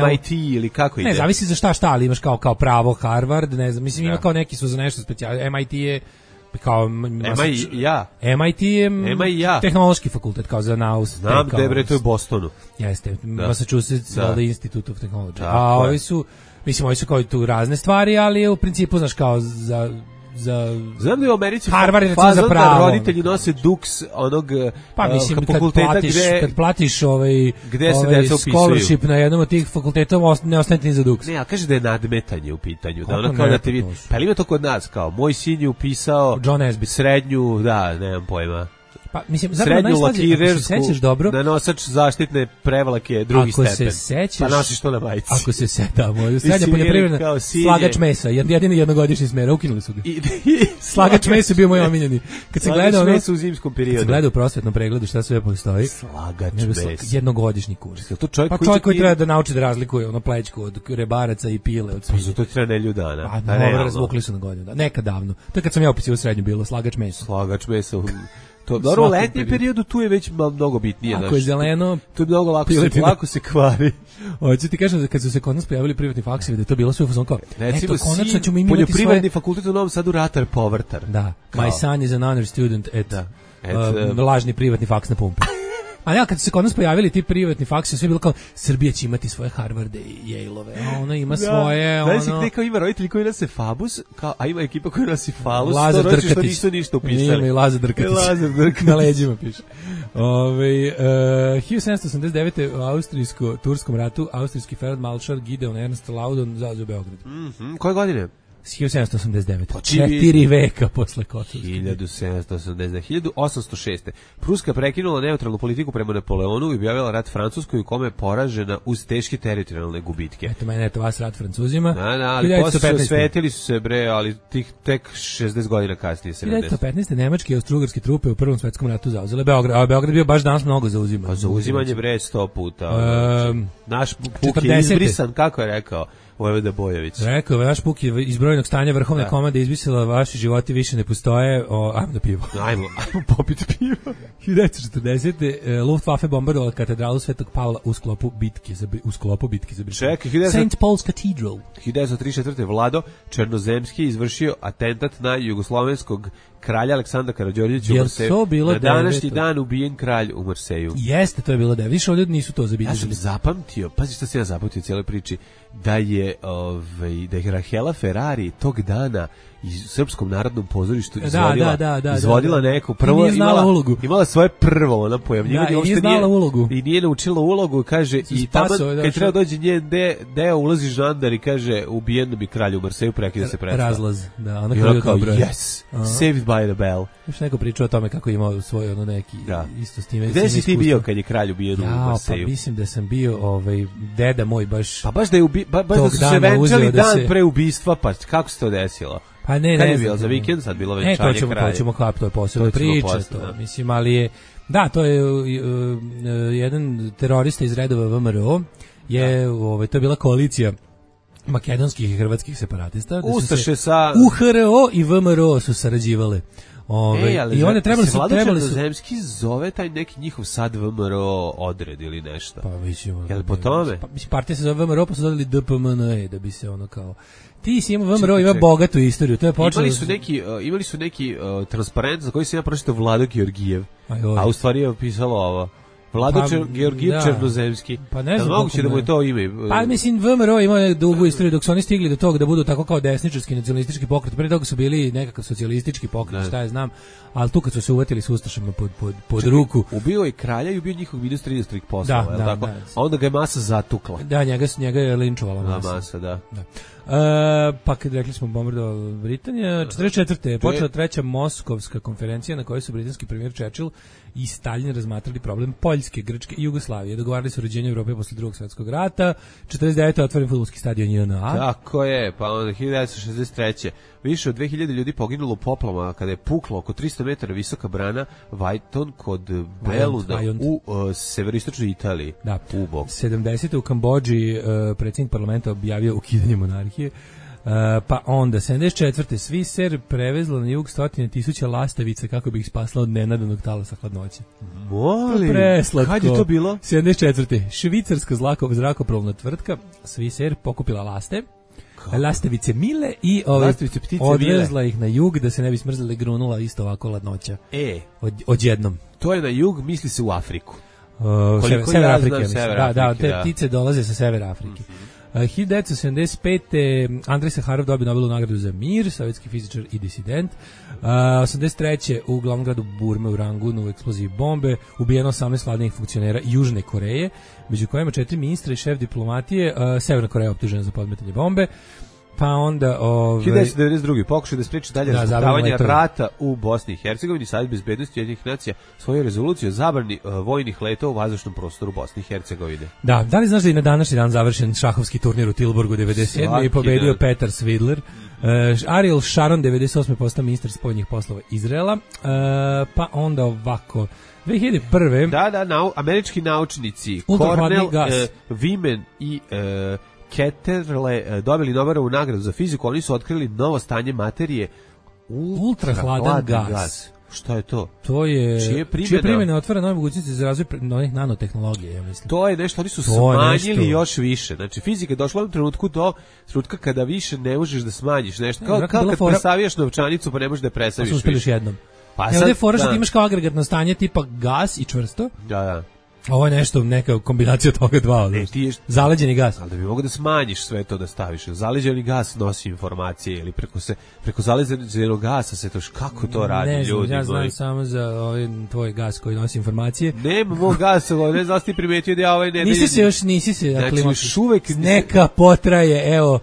MIT ili kako ide? Ne, zavisi za šta, ali imaš kao pravo Harvard, ne znam, mislim ima kao neki su za nešto specijalno. MIT je kao MIT je tehnološki fakultet kao za naus. Znam da je to u Bostonu. Jeste, Massachusetts Institute of Technology. A ovi su, mislim, ovi su kao tu razne stvari, ali je u principu, znaš, kao za znam da je u Americi Harvard je za pravo. Da roditelji nose duks onog fakulteta kad platiš gde se deca upisuju. Scholarship na jednom od tih fakulteta ne ostane ni za duks. Ne, a kaže da je nadmetanje u pitanju. Da ono kao da te vidi. Pa ima to kod nas kao moj sin je upisao John Nesbitt srednju, nemam pojma. Pa mislim srednju lakirersku na nosač zaštitne prevlake drugi stepen. Pa nosiš to na majici. Ako se setamo, srednja poljoprivredna slagač mesa, jedini jednogodišnji smera, ukinuli su ga. Slagač mesa bio moj omiljeni. Kad se gleda u zimskom periodu. Kad se gleda u prosvetnom pregledu šta sve postoji. Slagač mesa. Jednogodišnji kurs. To čovjek koji treba da nauči da razlikuje plećku od rebaraca i pile od svinja. To treba nedelju dana. A dobro, razvukli su na godinu. Nekad davno. To je kad sam ja upisio u srednju bilo slagač mesa. Slagač mesa. Dobro, u letnjem periodu tu je već mnogo bitnije. Ako je zeleno, tu je mnogo lako se kvari. Hoću ti kažem da kad su se kod nas pojavili privatni faksevi, da je to bilo sve u fazonu kao, recimo, konačno ćemo imati poljoprivredni fakultet u Novom Sadu ratar povrtar. Da, my son is an honor student lažni privatni faks na pumpi. A ja, kad su se kod nas pojavili ti privatni faksi, sve bilo kao, Srbija će imati svoje Harvarde i Yale-ove, a ona ima svoje, Znaš si gde kao ima roditelji koji nose Fabus, a ima ekipa koji nosi Falus, Lazar Drkatić. Što nisu ništa upisali. Ima i Lazar Drkatić. Na leđima piše. 1789. u austrijsko-turskom ratu, austrijski feldmaršal Gideon Ernst Laudon zauzeo Beograd. Koje godine? 1789. 4 veka posle Kosovske. 1806. Pruska prekinula neutralnu politiku prema Napoleonu i objavila rat Francuskoj u kome je poražena uz teške teritorijalne gubitke. Eto mene, vas rat Francuzima. Ali posle osvetili su se ali tek 60 godina kasnije. 1915. nemačke i austrougarske trupe u Prvom svetskom ratu zauzele Beograd. A Beograd bio baš danas mnogo zauziman. Pa zauzimanje 100 puta. Naš puk je izbrisan, kako je rekao Vojvoda Bojović. Rekao, vaš puk je iz brojnog stanja vrhovne komande izbrisala, vaši životi više ne postoje, ajmo da pivo. Ajmo popiti pivo. 1940. Luftwaffe bombardovala katedralu Svetog Pavla u sklopu bitke za Brisel. Čekaj, St. Paul's Cathedral. 1934. Vlado Černozemski izvršio atentat na jugoslovenskog kralja Aleksandra Karađorđevića u Marseju. Na današnji dan ubijen kralj u Marseju. Jeste, to je bilo 9. Više ovdje nisu to zabilježili. Ja sam zapamtio, pazi šta se ja zapamtio u cijeloj priči, da je Rahela Ferrari tog dana iz Srpskom narodnom pozorištu izvodila neku prvo, imala svoje prvo ona pojavljivanje, i nije naučila ulogu, kaže, i tamo kad treba dođe njen deo ulazi žandar i kaže, ubijen bi kralj u Marseju, prekida se predstav. Razlaz, da, ona kao dobro. Yes, saved by the bell. Još neko pričao o tome kako je imao svoj neki isto s time. Gde si ti bio kad je kralj ubijen u Marseju? Pa mislim da sam bio deda moj baš. Pa baš da su se venčali dan pre ubistva, pa kako se to desilo? Pa ne, kad je bilo za vikend, sad bilo venčanje kralja. To ćemo to je posebna priča, mislim, ali je, da, to je jedan terorista iz redova VMRO, to je bila koalicija makedonskih i hrvatskih separatista. Ustaše sa UHRO i VMRO su sarađivale. I one trebali su Zemski zove taj neki njihov sad VMRO odred ili nešto. Pa mislimo. Jel po tome? Pa partija se zove VMRO, pa su dodali DPMNE da bi se ono kao ti si ima VMRO, ima bogatu istoriju. To je počelo. Imali su neki transparent za koji se ja pročitao Vlado Georgijev. A u stvari je pisalo ovo. Vlado Georgijev Černozemski. Pa ne znam. Moguće da mu je to ime. Pa mislim, VMRO ima dugu istoriju dok su oni stigli do toga da budu tako kao desničarski nacionalistički pokret. Pre toga su bili nekakav socijalistički pokret, šta ja znam. Ali tu kad su se uvatili s ustašama pod ruku. Ubio je kralja i ubio njihov ministra inostranih poslova, tako? A onda ga je masa zatukla. Da, njega je linčovala masa. Da. Pa kad rekli smo bombardovali Britanija, 44. je počela treća Moskovska konferencija na kojoj su britanski premijer Churchill i Stalin razmatrali problem Poljske, Grčke i Jugoslavije. Dogovarali su uređenje Evrope posle Drugog svjetskog rata. 49. otvoren fudbalski stadion JNA. Tako je, pa onda 1963. Više od 2000 ljudi poginulo u poplavama kada je puklo oko 300 metara visoka brana Vajton kod Beluna u severoistočnoj Italiji. Da. U bok. 70. u Kambodži predsjednik parlamenta objavio ukidanje monarhije. Pa onda 74. Sviser prevezla na jug 100.000 lastavica kako bi ih spasla od nenadanog talasa hladnoće. Molim, kad je to bilo? 74. Švicarska zrakoplovna tvrtka Sviser pokupila lastavice Mile i odvezla ih na jug da se ne bi smrzle, grunula isto ovako hladnoća. Odjednom. To je na jug, misli se u Afriku. Sever Afrike. Da, te ptice dolaze sa Severa Afrike. 1975. Andrej Saharov dobio Nobelovu nagradu za mir, sovjetski fizičar i disident. 83. u glavnom gradu Burme u Rangunu u eksploziji bombe ubijeno 18 vladinih funkcionera Južne Koreje, među kojima 4 ministra i šef diplomatije. Severna Koreja optužena za podmetanje bombe. Pa onda 1992. pokušaj da spriječi dalje razbutavanje rata u Bosni i Hercegovini. Savjet bezbednosti Ujedinjenih nacija svoju rezoluciju o zabrani vojnih letova u vazdušnom prostoru Bosne i Hercegovine. Da li znaš da je na današnji dan završen šahovski turnir u Tilburgu 97. i pobedio Petar Svidler. Ariel Sharon 98. postao ministar spoljnih poslova Izraela. Pa onda ovako 2001. Američki naučnici Cornell, Wiman i Ketterle dobili Nobelovu nagradu za fiziku. Oni su otkrili novo stanje materije ultrahladan gas. Šta je to? To je čije primjene otvara nove mogućnosti za razvoj novih nanotehnologija, ja mislim. To je nešto, oni su smanjili još više. Znači fizika je došla u trenutku do trenutka kada više ne možeš da smanjiš nešto. Kao kad presavijaš novčanicu pa ne možeš da je presaviš. Pa uspjeliš jednom. Ovdje je fora što imaš kao agregatno stanje tipa gas i čvrsto. Da. Ovo je nešto, neka kombinacija toga dva. Zaleđeni gas. Ali da bi mogo da smanjiš sve to da staviš. Zaleđeni gas nosi informacije ili preko zaleđenog gasa se to kako to radi ljudi. Ne znam, ja znam samo za ovaj tvoj gas koji nosi informacije. Nema mog gasa, ne znam ti primetio da ja ovaj ne... Nisi se. Znači još uvek... Neka potraje, evo...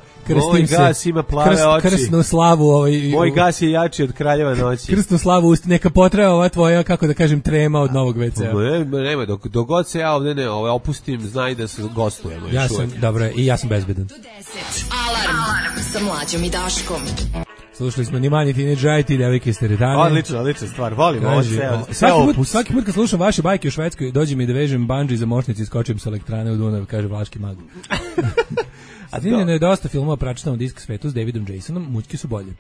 Moj gas ima plave oči. Krsnu slavu moj gas je jači od kraljeva noći. Krsnu slavu neka potraje ova tvoja, kako da kažem, trema od novog WC-a. Nema, dok god se ja ovdje ne opustim, znaj da se gostujemo. Dobro, i ja sam bezbedan. Alarm sa Mlađom i Daškom. Slušali smo ni manje Teenage devojke iz teretane. Odlična stvar, volimo ovo svaki put kad slušam vaše bajke u Švedskoj, dođem i da vežem bungee za mošnici i skočim sa elektrane u Dunav, kaže Vlaški mag. Snimljeno je dosta filmova pračitamo disk svetu s Davidom Jasonom, mućke su bolje.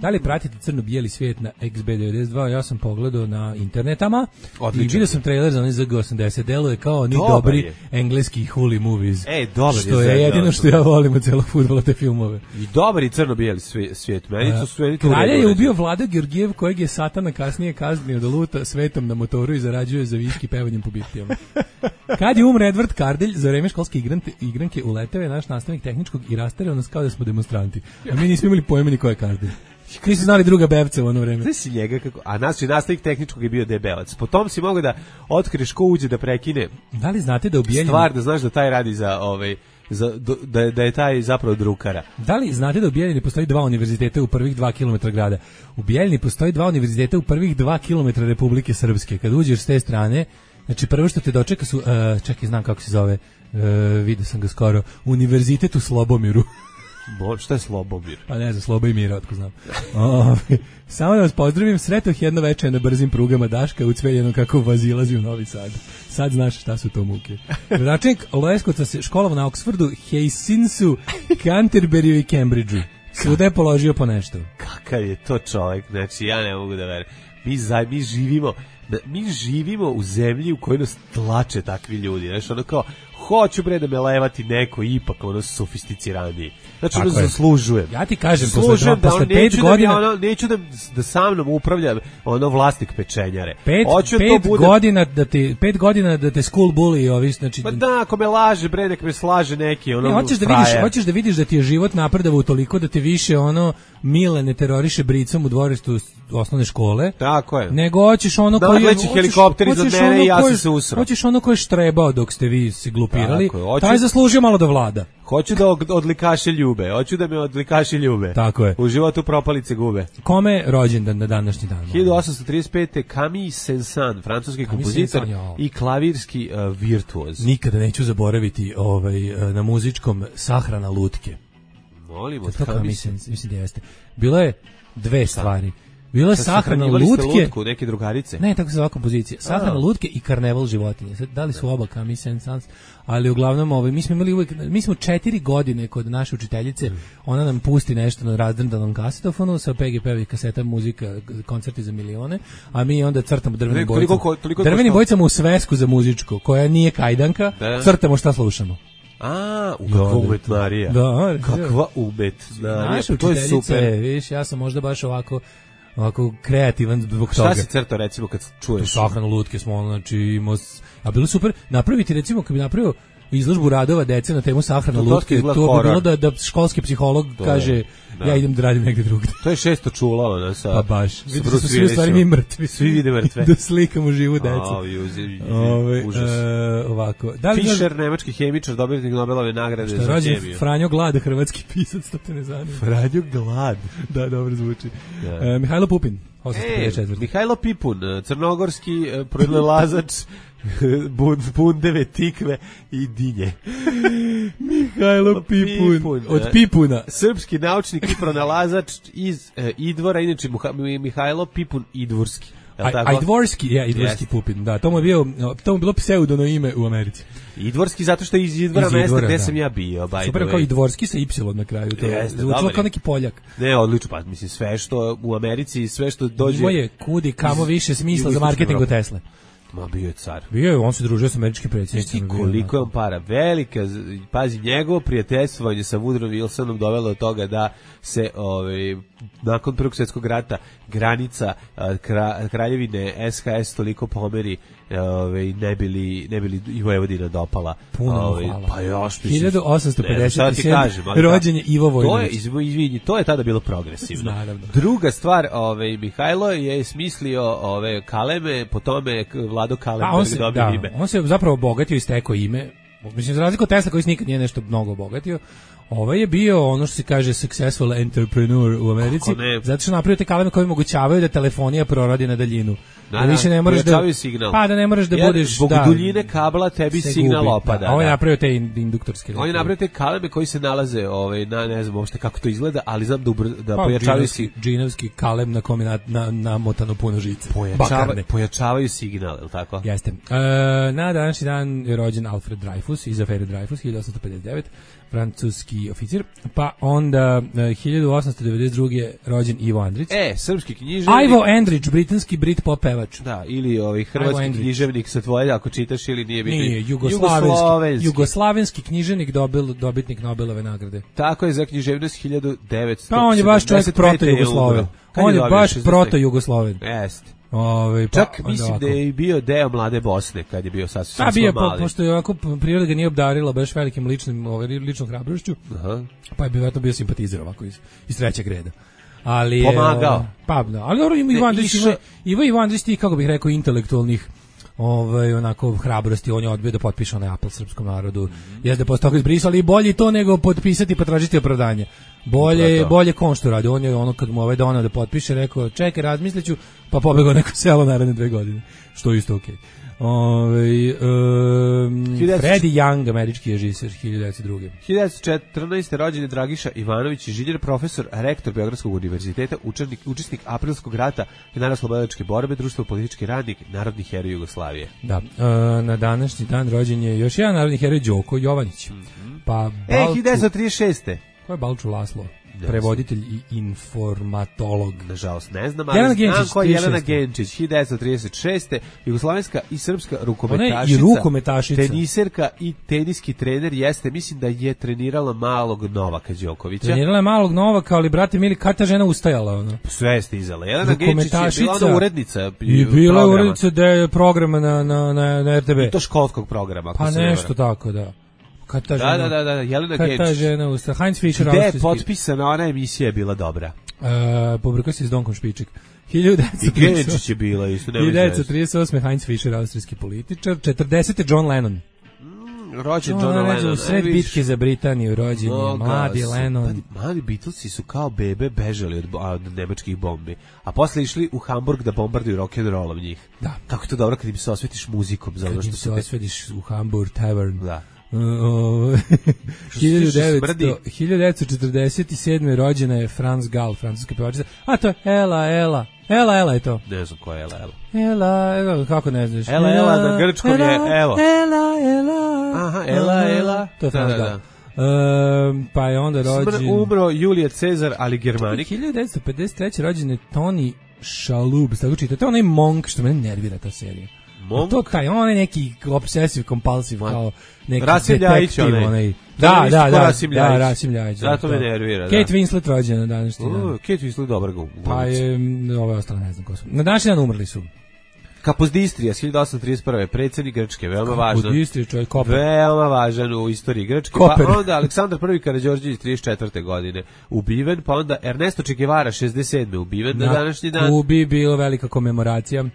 Da li pratite crno-bijeli svijet na XB92? Ja sam pogledao na internetama. Odlično. I vidio sam trailer za onaj ZG80. Deluje kao ni dobri engleski holy movies. Dobar što je jedino što ja volim od celog fudbala, te filmove. I dobar i crno-bijeli svijet. Kralja je ubio Vlada Georgijev, kojeg je Satana kasnije kaznio da luta svetom na motoru i zarađuje za viški pevanjem po birtijama. Kad je umre Edward Kardelj, za vreme školske igranke uleteo je naš nastavnik tehničkog i rastareo nas kao da smo demonstranti. A mi nismo imali pojma ni ko je Kardelj. Koji su znali druga bebca u ono vreme. Znaš si njega kako... A nastavnik tehničkog je bio debelac. Potom si mogao da otkriješ ko uđe da prekine. Da li znate da u Bijeljini... Stvar da znaš da taj radi da je taj zapravo drukara. Da li znate da u Bijeljini postoji 2 univerziteta u prvih 2 km grada? U Bijeljini postoji 2 univerziteta u prvih 2 km Republike Srpske. Kad uđeš s te strane, znači prvo što te dočeka su, čekaj, znam kako se zove, vidio sam ga skoro, Univerzitet u Slobomiru. Šta je Slobomir? Pa ne znam, Slobo i Mira, otko znam. Samo da vas pozdravim, sretoh jedno večer na brzim prugama Daška ucveljeno kako vazilazi u Novi Sad. Sad znaš šta su to muke. Gradonačelnik Leskovca se školovao na Oxfordu, Hastingsu, Canterburyu i Cambridgeu. Svuda je položio po nešto. Kakav je to čovjek, znači ja ne mogu da verujem. Mi živimo u zemlji u kojoj nas tlače takvi ljudi, znači ono kao hoću bre da me levati neko ipak ono sofisticiraniji. Znači ono zaslužujem. Ja ti kažem, posle 5 godina... neću da sa mnom upravlja ono vlasnik pečenjare. 5 godina da te school bully ovi, znači... Pa da, ako me laže, bre, nek me slaže neki, ono, hoćeš da vidiš da ti je život napredavao toliko da te više, ono, Mile ne teroriše bricom u dvorištu osnovne škole. Tako je. Nego hoćeš ono koji... Leći helikopter iznad mene i ja sam se usrao. Hoćeš ono koji je štrebao dok ste vi se glupirali, taj zaslužio malo da vlada. Hoću da odlikaše ljube, hoću da me odlikaše ljube. Tako je. U životu propalice gube. Kome rođendan na današnji dan? 1835. Camille Saint-Saëns, francuski kompozitor i klavirski virtuoz. Nikada neću zaboraviti na muzičkom Sahrana lutke. Molim, od Camille Saint-Saëns. Mislim da jeste. Bilo je dve stvari. Bilo je sahrana lutke, neke drugarice. Ne, tako se zove kompozicija. Sahrana lutke i karneval životinja. Sad, da li su oba Camille Saint-Saëns, ali uglavnom mi smo imali uvijek, mi smo 4 godine kod naše učiteljice, ona nam pusti nešto na razdrndanom kasetofonu sa PGP-ovih kaseta, muzika, koncerti za milione, a mi onda crtamo drvenim bojicama. Drvenim bojicama u svesku za muzičko, koja nije kajdanka, crtamo šta slušamo. Kakva umetnarija. Da, kakva umetnarija. Naša učiteljica, viš, ja sam možda baš ovako kreativan zbog toga. Šta si crtao, recimo, kad čuješ? Sahranu lutke smo, znači, a bilo super napraviti, recimo, kad bi napravio izložbu radova dece na temu sahrana lutke, to bi bilo da školski psiholog kaže, ja idem da radim negde drugde. To je 600 čula, ona sa... Pa baš, vidite su svi u stvari mi mrtvi. Svi vide mrtve. Da slikamo živu decu. Užas. Ovako. Fischer, nemački hemičar, dobitnik Nobelove nagrade za hemiju. Rođen Franjo Glad, hrvatski pisac, to te ne zanima. Franjo Glad. Da, dobro zvuči. Mihajlo Pupin. Mihajlo Pipun, crnogorski pronalazač bundeve, tikve i dinje. Mihajlo Pipun. Od Pipuna. Srpski naučnik i pronalazač iz Idvora, inače Mihajlo Pipun Idvorski. Idvorski Pupin, da, to mu je bilo pseudono ime u Americi. Idvorski zato što je iz Idvora mesta gde sam ja bio. Super, kao Idvorski sa Y na kraju. To je zvučilo kao neki Poljak. Ne, odlično, pa mislim sve što u Americi, sve što dođe... Ima je kudi kamo više smisla za marketing od Tesle. Ma bio je car. Bio je, on se družio sa američkim predsjednicima. Koliko je on para? Velika, pazi, njegovo prijateljstvovanje sa Woodrow Wilsonom dovelo do toga da se nakon Prvog svjetskog rata granica kraljevine SHS toliko pomeri, ne bili i Vojvodina dopala. Puno hvala. Pa još 1857. rođen je Ivo Vojinović. To je tada bilo progresivno. Naravno. Druga stvar, Mihajlo je smislio kaleme, po tome Vlado Kalemberg dobio ime. On se zapravo obogatio i stekao ime. Mislim, za razliku od Tesla koji nikad nije nešto mnogo obogatio, ovaj je bio ono što se kaže successful entrepreneur u Americi, zato što napravio te kaleme koje omogućavaju da telefonija proradi na daljinu. Da više ne moraš da ne moraš da budeš zbog duljine kabla tebi signal opada. On je napravio te induktorske. On je napravio te kaleme koji se nalaze na ne znam uopšte kako to izgleda, ali znam da pojačavaju džinovski kalem na kome namotano puno žice. Pojačavaju signal, je li tako? Jeste. Na današnji dan je rođen Alfred Dreyfus iz afere Dreyfus 1859. francuski oficir, pa onda 1892. rođen Ivo Andrić. Srpski književnik. Ivo Andrić, britanski Britpop pevač. Da, ili hrvatski književnik sa tvoje, ako čitaš ili nije bitno. Nije, jugoslavenski književnik, dobitnik Nobelove nagrade. Tako je, za književnost 1975. Pa on je baš čovjek proto-Jugosloven. On je baš proto-Jugosloven. Jeste. Čak mislim da je bio deo Mlade Bosne kad je bio sasvim mali. Pošto je ovako priroda ga nije obdarila baš velikim ličnom hrabrošću, pa je bio simpatizer ovako iz trećeg reda. Ali pomagao. Ali dobro, Ivo Andrić ti, kako bih rekao, intelektualnih onako hrabrosti, on je odbio da potpiše onaj apel srpskom narodu. Jeste posle toga izbrisali, bolje to nego potpisati pa tražiti opravdanje. Bolje kon što radi. On je ono kad mu donao da potpiše, rekao čekaj, razmisliću, pa pobegao neko selo naredne 2 godine. Što je isto okej. Freddie Young, američki režiser, 1902. 1914. rođen je Dragiša Ivanović, inženjer, profesor, rektor Beogradskog univerziteta, učesnik Aprilskog rata, narodnooslobodilačke borbe, društvo politički radnik, narodni heroj Jugoslavije. Da, na današnji dan rođen je još jedan narodni heroj, Đoko Jovanić. 1936. Ko je Balču Laslo? prevoditelj i informatolog. Nažalost, ne znam, ali znam ko je Jelena Genčić, 1936. Jugoslovenska i srpska rukometašica, teniserka i teniski trener jeste, mislim da je trenirala malog Novaka Đokovića. Trenirala je malog Novaka, ali brate mili, kad ta žena ustajala? Ono? Sve je stizala. Jelena Genčić je bila ona urednica. I bila je urednica programa na RTB. I to školskog programa. Pa nešto tako, da. Da, Jelena Genčić. Kad ta žena usta, Heinz Fischer, gde je potpisana, ona emisija je bila dobra. Pobrkao se s Donkom Špiček. I Genčić je bila isto. 1938. Heinz Fischer, austrijski političar. 40. John Lennon. Rođen John Lennon. U sred bitke za Britaniju rođen je mladi Lennon. Mladi Beatlesi su kao bebe bežali od nemačkih bombi, a posle išli u Hamburg da bombarduju rock'n'rollom njih. Da. Kako je to dobro kad im se osvetiš muzikom. Kad im se osvetiš u Hamburg Tavern. Da. 1947. rođena je Franz Gall, francuska pevačica. A to je Ela je to. Ne znam ko je Ela, kako ne znaš? Ela na grčkom je evo. Ela. Aha, Ela. To je Franz Gall. Pa je onda rođen... Umro Julije Cezar, ali Germanik. 1953. rođen je Tony Shalhoub, tako čitate, onaj Monk, što mene nervira ta serija. To taj, on je neki obsesiv, kompulsiv, kao neki detektiv, onaj. Da, Rasim Ljajić. Zato me nervira, da. Kate Winslet rođena na današnji dan. Kate Winslet dobar glumac. Pa je, ove ostale ne znam ko su. Na današnji dan umrli su. Kapozdistrija, 1831. predsjednik Grčke, veoma važan. Kapozdistrija, čovjek, Koper. Veoma važan u istoriji Grčke. Koper. Pa onda Aleksandar I Karađorđević 34. godine ubiven, pa onda Ernesto Che Guevara 67. ubiven na današnji dan. Kubi bilo velika komemoracija.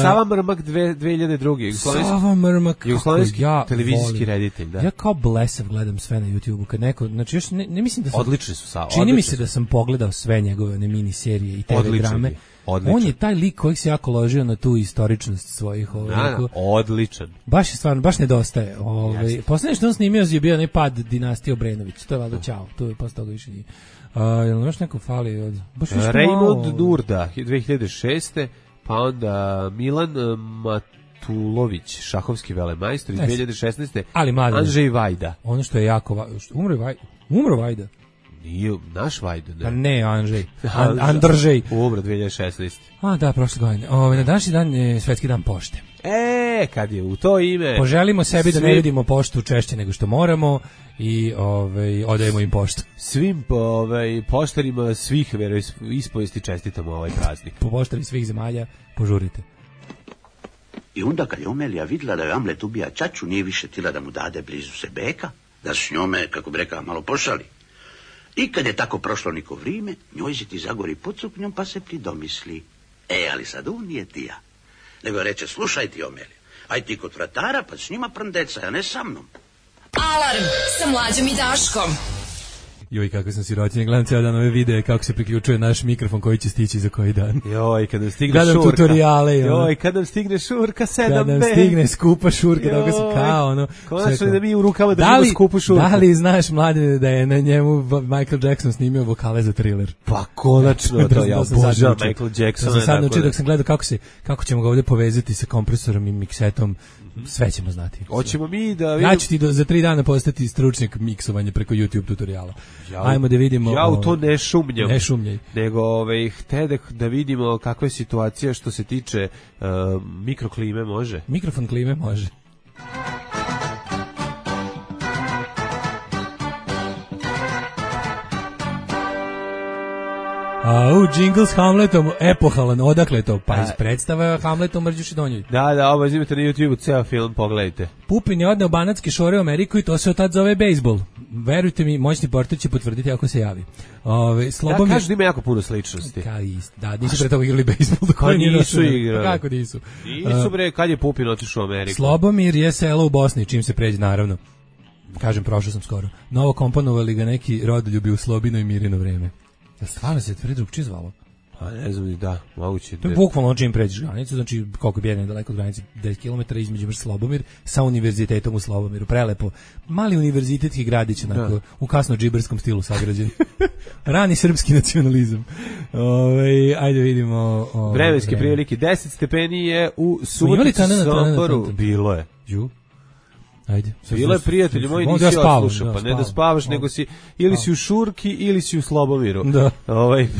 Sava Mrmak 2002. Sava Mrmak, jugoslovenski televizijski reditelj, da. Ja kao blesav gledam sve na YouTubeu, kad neko, znači još ne mislim da sam... Odlični su Sava. Čini mi se da sam pogledao sve njegove one mini serije i TV drame. Odličan. On je taj lik koji se jako ložio na tu istoričnost svojih odličan. Baš je stvarno, baš nedostaje. Poslednje što on snimio je bio onaj pad dinastije Obrenović. To je valjda ćao. To je posle toga više nije. Jel još neko fali od... Raymond Durda 2006. Pa onda Milan Matulović, šahovski velemajstor iz 2016. Ali mladen. Andrzej Vajda. Ono što je jako... Umro Vajda. Nije naš Vajda, ne. Pa ne, Andrzej. Andržej. Umro 2016. A da, prošle godine. Na današnji dan je Svetski dan pošte. Kad je u to ime... Poželimo sebi da ne vidimo poštu češće nego što moramo i odajemo im poštu. Svim poštarima svih veroispovesti čestitamo ovaj praznik. Po poštari svih zemalja požurite. I onda kad je Omelija vidjela da je Amlet ubija ćaću, nije više tila da mu dade blizu se beka, da s njome, kako bi rekao, malo pošali. I kad je tako prošlo neko vrijeme, njoj se ti zagori pod suknjom pa se pridomisli. Ali sad on nije ti ja. Nego reče, slušaj ti Omelija, aj ti kod vratara pa s njima prndeca, a ne sa mnom. Alarm sa Mlađom i Daškom. Joj, kako sam sirotinja, gledam cijel dan ove videe kako se priključuje naš mikrofon koji će stići za koji dan. Joj, kad nam stigne gledam šurka. Tutoriale. Joj, kad nam stigne šurka 7B. Kad nam stigne skupa šurka, da ga sam kao ono. Konačno da mi u rukama držimo skupu šurku. Da li znaš, Mladine, da je na njemu Michael Jackson snimio vokale za Thriller? Pa konačno, to ja obožavam Michael Jacksona. Da sam sad naučio dok sam gledao kako ćemo ga ovdje povezati sa kompresorom i miksetom. Sve ćemo znati. Hoćemo mi da vidimo... Ja ću ti za 3 dana postati stručnjak miksovanja preko YouTube tutoriala. Ajmo da vidimo... Ja u to ne šumnjam. Ne šumnjaj. Nego htede da vidimo kakva je situacija što se tiče mikroklime, može? Mikrofon klime može. Jingle s Hamletom, epohalan, odakle to? Pa iz predstava Hamletom Mrđuši Donjovi. Da, ovo izimite na YouTube-u, ceo film, pogledajte. Pupin je odneo banatske šore u Ameriku i to se od tad zove bejsbol. Verujte mi, moćni portir će potvrditi ako se javi. Slobomir... kažu da ima jako puno sličnosti. Da, nisu pre toga igrali bejsbol. Pa nisu igrali. Kako nisu? Nisu bre, kad je Pupin otišao u Ameriku? Slobomir je selo u Bosni, čim se pređe, naravno. Kažem, prošao sam skoro. Novo komponovali ga neki rodoljubi u Slobino i Mirino vreme. Stvarno se tvrdi drugčije zvalo? Pa ne znam, da, moguće. To je bukvalno čim pređeš granicu, znači koliko bi jedan daleko od granice, 10 km između vrš Slobomir sa univerzitetom u Slobomiru, prelepo. Mali univerzitetski gradić, onako, u kasno džiberskom stilu sagrađen. Rani srpski nacionalizam. Ajde vidimo... Vremenske prilike, 10 stepeni je u Subotici, Somboru. Bilo je. Ajde. Bilo je prijatelji moji, nisi odslušao, pa ne da spavaš, nego si, ili si u Šurki, ili si u Slobomiru. Da.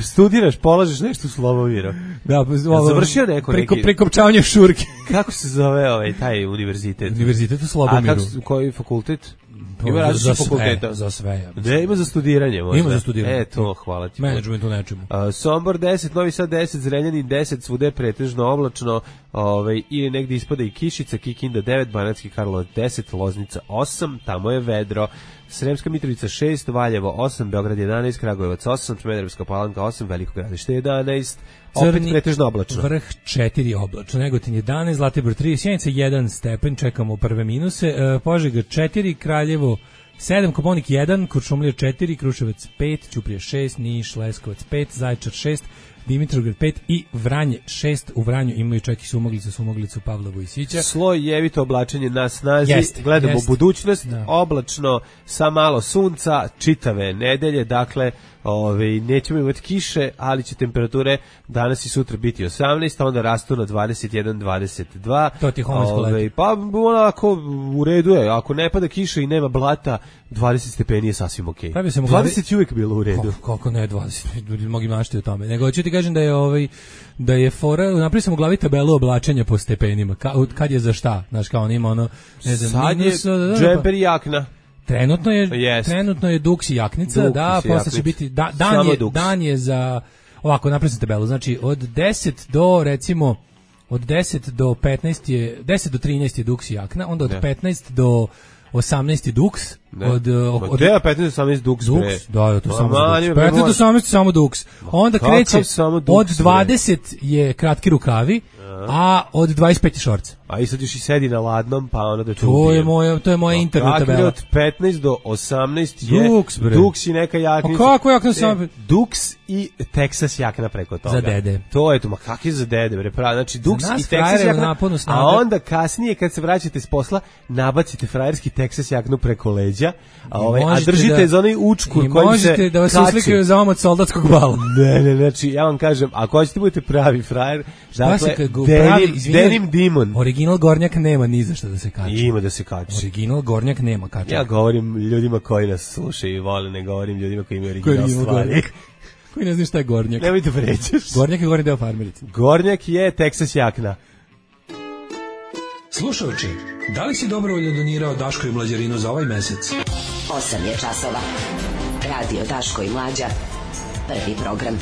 Studiraš, polažeš nešto u Slobomiru. Da, završio neko neki... Prekopčavanje Šurke. Kako se zove taj univerzitet? Univerzitet u Slobomiru. A koji fakultet? Ima različitih fakulteta. Za sve. Ne, ima za studiranje možda. Ima za studiranje. To, hvala ti. Menadžment u nečemu. Sombor 10, Novi Sad 10, Zrenjanin 10, svude pretežno oblačno, ili negdje ispada i kišica, Kikinda 9, Banatski Karlovac 10, Loznica 8, tamo je vedro. Sremska Mitrovica 6, Valjevo 8, Beograd 11, Kragujevac 8, Smederevska Palanka 8, Veliko Gradište 11, opet pretežno oblačno. Vrh 4 oblačno, Negotin 11, Zlatibor 3, Sjenica 1 stepen, čekamo prve minuse, Požega 4, Kraljevo 7, Koponik 1, Kuršumlija 4, Kruševac 5, Ćuprija 6, Niš, Leskovac 5, Zaječar 6, Dimitrovgrad 5 i Vranje 6. U Vranju imaju čak i Sumoglicu Pavla Vojsića. Slojevito oblačenje na snazi, gledamo budućnost, oblačno sa malo sunca, čitave nedelje, dakle nećemo imati kiše, ali će temperature danas i sutra biti 18, a onda rastu na 21, 22. To ti je homosko leto. Pa onako u redu je, ako ne pada kiša i nema blata, 20 stepeni je sasvim okej. 20 je uvijek bilo u redu. Kako ne 20, mogu maštiti o tome. Nego ću ti kažem da je fora, napravili sam u glavi tabelu oblačenja po stepenima, kad je za šta, znaš kao on ima ono, ne znam, sad je džemper i jakna. Trenutno je duks i jaknica, posle će biti, dan je za, ovako, napravim sam tabelu, znači od 10 do, recimo, od 10 do 15 je, 10 do 13 je duks i jakna, onda od 15 do 18 duks, od 15 do 18 duks, da, to samo duks. 15 do 18 samo duks. Onda kreće, od 20 je kratki rukavi, a od 25 je šorc. A i sad još i sedi na ladnom, pa onda da te ubije. To je moja internet tabela. Od 15 do 18 je duks i neka jaknica. A kako jakna sam? Duks i Texas jakna preko toga. Za dede. To je to, ma kak je za dede, bre, pravi. Znači, duks i Texas jakna, a onda kasnije, kad se vraćate s posla, nabacite frajerski Texas jaknu preko leđa, a držite za onaj učkur kojim se možete da vas uslikaju za omot soldatskog bala. Ne, znači, ja vam kažem, ako hoćete budete pravi frajer, dakle, denim dimon. Original gornjak nema ni za što da se kače. Ima da se kače. Original gornjak nema kače. Ja govorim ljudima koji nas slušaju i vole, ne govorim ljudima koji imaju original stvari. Koji ne znaju šta je gornjak. Nemoj te vrećeš. Gornjak je gornji deo farmerice. Gornjak je Texas jakna. Slušajući, da li si dobrovoljno donirao Daško i Mlađarinu za ovaj mesec? 8 je časova. Radio Daško i Mlađa. Prvi program.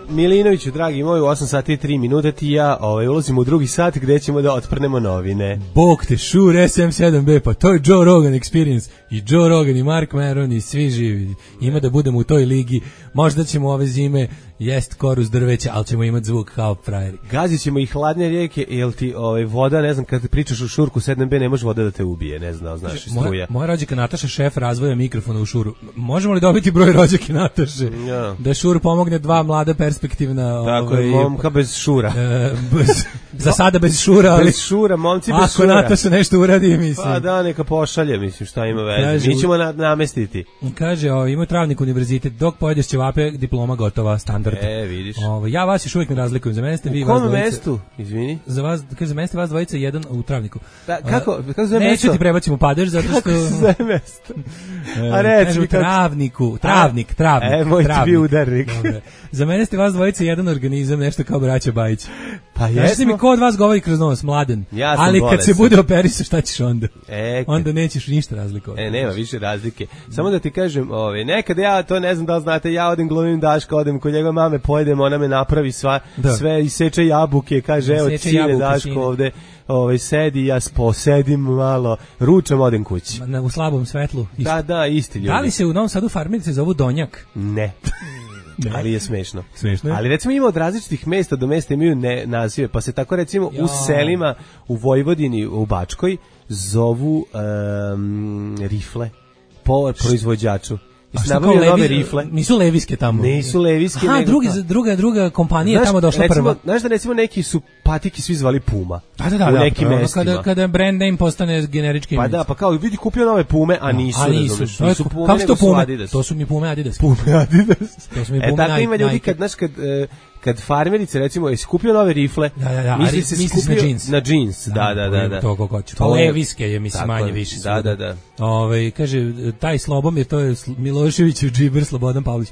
Milinoviću, dragi moji, u 8 sati i 3 minute ti ja ulazimo u drugi sat gde ćemo da otprnemo novine. Bog te, Shure SM7B, pa to je Joe Rogan Experience. I Joe Rogan i Mark Maron i svi živi. Ima da budemo u toj ligi. Možda ćemo ove zime jest koruz drveća, ali ćemo imati zvuk kao frajeri. Gazit ćemo i hladne rijeke, jel ti voda, ne znam, kad pričaš u Šurku 7B, ne može voda da te ubije, ne znam, znaš, struja. Moja rođaka Nataša, šef razvoja mikrofona u Šuru. Možemo li dobiti broj rođake Nataše? Ja. Da Šur pomogne dva mlada perspektivna... Tako je, momka bez Šura. Za sada bez Šura, ali... Bez Šura, momci bez Šura. Ako Nataša nešto uradi, mislim. Pa da, neka pošalje, mislim, šta ima veze. Mi ćemo namestiti. Kaže, ima Travnik univerzitet, dok pojedeš ćevape, diploma gotova, standard. Vidiš. Ja vas još uvijek ne razlikujem. Za mene ste vi vas dvojica. U kom mestu? Izvini. Za mene ste vas dvojica, jedan u Travniku. Kako zove mesto? Neću ti prebacim u padež, zato što... Kako se zove mesto? A reći mi Travniku. Travnik. Moj ti bi udarnik. Za mene ste vas dvojica jedan organizam, nešto kao braća Bajić. Pa jesmo. Kažete mi ko od vas govori kroz nos, Mladen. Ja sam ali bolestan. Kad se bude operisao, šta ćeš onda? Onda nećeš ništa razlikovati. Nema više razlike. Samo da ti kažem, nekad ja, to ne znam da li znate, ja odem glumim Daška, odem kod njegove mame, pojedem, ona me napravi sve, iseče jabuke, kaže, evo sine Daško ovde, sedi, ja posedim malo, ručam, odem kući. U slabom svetlu. Da, isti ljudi. Da li se u Novom Sadu farmerice zovu Donjak? Ne. Ali je smešno. Smešno. Ali recimo ima od različitih mesta do mesta imaju nazive, pa se tako recimo u selima u Vojvodini, u Bačkoj zovu rifle po proizvođaču. Nisu leviske tamo. Nisu leviske. Aha, druga kompanija je tamo došla prva. Znaš da recimo neki su patiki svi zvali Puma. Da. U nekim mestima. Kada brand name postane generički ime. Pa da, pa kao vidi kupio nove Pume, a nisu. Nisu Pume, kako su to nego su Pume? Adidas. To su mi Pume Adidas. Pume Adidas. Tako ima ljudi kad kad farmerice recimo je skupio nove rifle, misli se skupio na džins. Da. To kako hoće. To Leviske je mislim manje više. Da. Kaže taj Slobomir, to je Miloševićev džiber Slobodan Pavlović.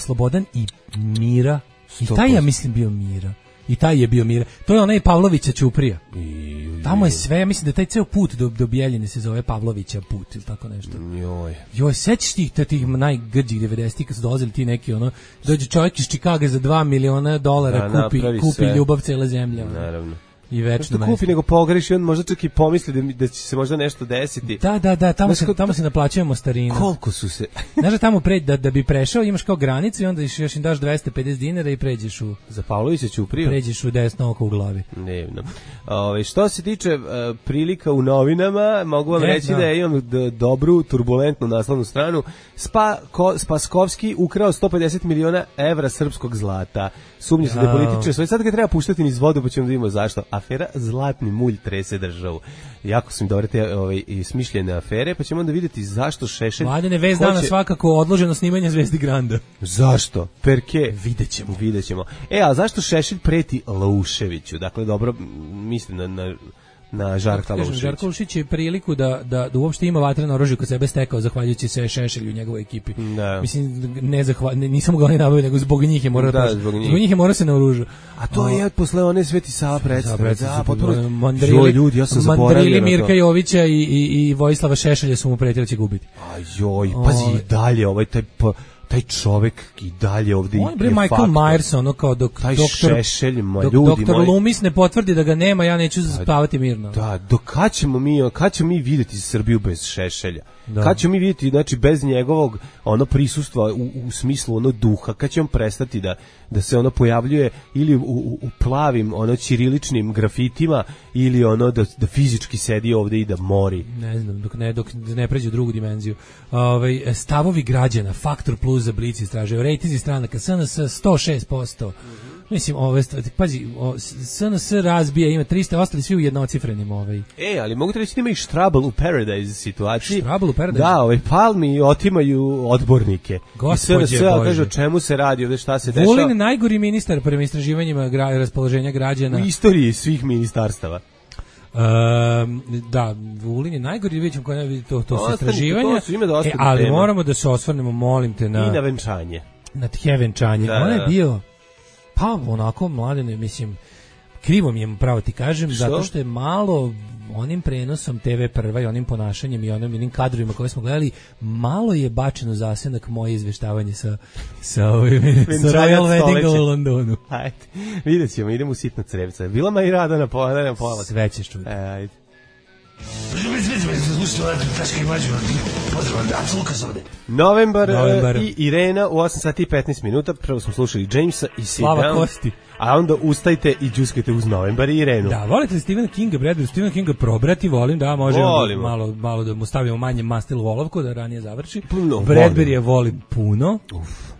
Slobodan i Mira. I taj ja mislim bio Mira. I taj je bio Mira. To je onaj Pavlovića Ćuprija. Tamo je sve, ja mislim da taj ceo put do Bijeljine se zove Pavlovića put ili tako nešto. Joj, sećaš tih najgrđih 90-ih kad su dolazili ti neki dođe čovjek iz Čikaga za $2 miliona kupi ljubav cele zemlje. Naravno. I večno mesto. Kupi nego pogreši, on možda čak i pomisli da će se možda nešto desiti. Da, tamo se naplaćujemo starinu. Koliko su se... Znaš da tamo da bi prešao, imaš kao granicu i onda još im daš $250 i pređeš u... Za Pavlovića Ćupriju? Pređeš u desno oko u glavi. Nevno. Što se tiče prilika u novinama, mogu vam reći da imam dobru, turbulentnu naslovnu stranu. Spaskovski ukrao 150 miliona evra srpskog zlata. Sumnje se da političar svoj sad ga treba puštati niz vodu, pa ćemo da vidimo zašto. Afera Zlatni mulj trese državu. Jako su mi dobre te smišljene afere, pa ćemo onda vidjeti zašto Šešelj... Mladene, vez dana svakako odloženo snimanje Zvezdi Granda. Zašto? Perke? Vidjet ćemo. A zašto Šešelj preti Lauševiću? Dakle, dobro, mislim na Žarka Lauševića. Žarko Laušić je priliku da uopšte ima vatreno oružje kod sebe stekao zahvaljujući se Šešelju u njegovoj ekipi. Da. Mislim, nisam mogao ni nabaviti, nego zbog njih je morao zbog njih je morao se naoružu. A to je posle one Sveti Sava predstave. Mandrili Mirka Jovića i Vojislava Šešelja su mu pretili da će gubiti. Pazi i dalje taj čovjek i dalje ovdje on je Michael Myers, ono kao taj Šešelj, doktor Loomis ne potvrdi da ga nema, ja neću spavati mirno. Da, kad ćemo mi vidjeti Srbiju bez Šešelja? Kad ćemo mi vidjeti, znači, bez njegovog prisustva u smislu duha, kad će on prestati da se pojavljuje ili u plavim ćiriličnim grafitima ili da fizički sedi ovdje i da mori. Ne znam, dok ne pređe u drugu dimenziju. Stavovi građana, Faktor Plus za Blic istražuje, rejtinzi stranaka, SNS 106%. Mislim, pazi, SNS razbija, ima 300, ostali svi u jednocifrenim. Ali mogu te reći da ima i Štrabel u Paradise situaciji. Štrabel u Paradise? Da, Palmi otimaju odbornike. Gospodje Bože. Kaže o čemu se radi, ovdje šta se dešava. Vulin je najgori ministar prema istraživanjima raspoloženja građana. U istoriji svih ministarstava. Da, Vulin je najgori, vidjet ćemo koje to su istraživanja. Ali moramo da se osvrnemo, molim te, i na venčanje. Na tjevenčanje. On je bio... Pa onako, Mladene, mislim, krivo mi je, pravo ti kažem, zato što je malo onim prenosom TV Prva i onim ponašanjem i onim kadrovima koje smo gledali, malo je bačeno zasenak moje izveštavanje sa Royal Weddinga u Londonu. Ajde, vidjet ćemo, idemo u sitno crevca. Bila ma i rada na pola. Sve ćeš čuti. Ajde. Novembar i Irena u 8 sati i 15 minuta. Prvo smo slušali Jamesa i Sit Slava Kosti. A onda ustajte i džuskajte uz Novembar i Irenu. Da, volite li Stephena Kinga, Bradbury, Stephena Kinga probrati, volim, da, možemo malo da mu stavimo manje mastil u olovku, da ranije završi. Bradbury je volim puno.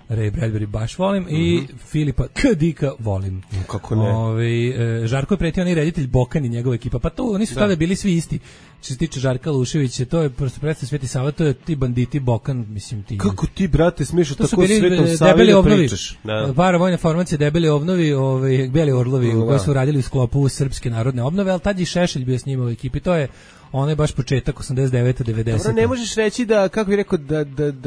Ray Bradbury baš volim i Filipa K. Dicka volim. Kako ne? Žarko je pretio onaj reditelj Bokan i njegova ekipa, pa to nisu tada bili svi isti. Što se tiče Žarka Luševića, to je prosto predstav Sveti Sava, to je ti banditi Bokan, mislim ti. Kako ti, brate, smiješ tako Svetom Savi da pričaš? Paravojne formacije, debeli obnovi, beli orlovi, koji su radili u sklopu Srpske narodne obnove, ali tad je Šešelj bio s njima u ekipi, to je onaj baš početak 89. 90. Dobro, ne možeš reći da, kako bih rekao,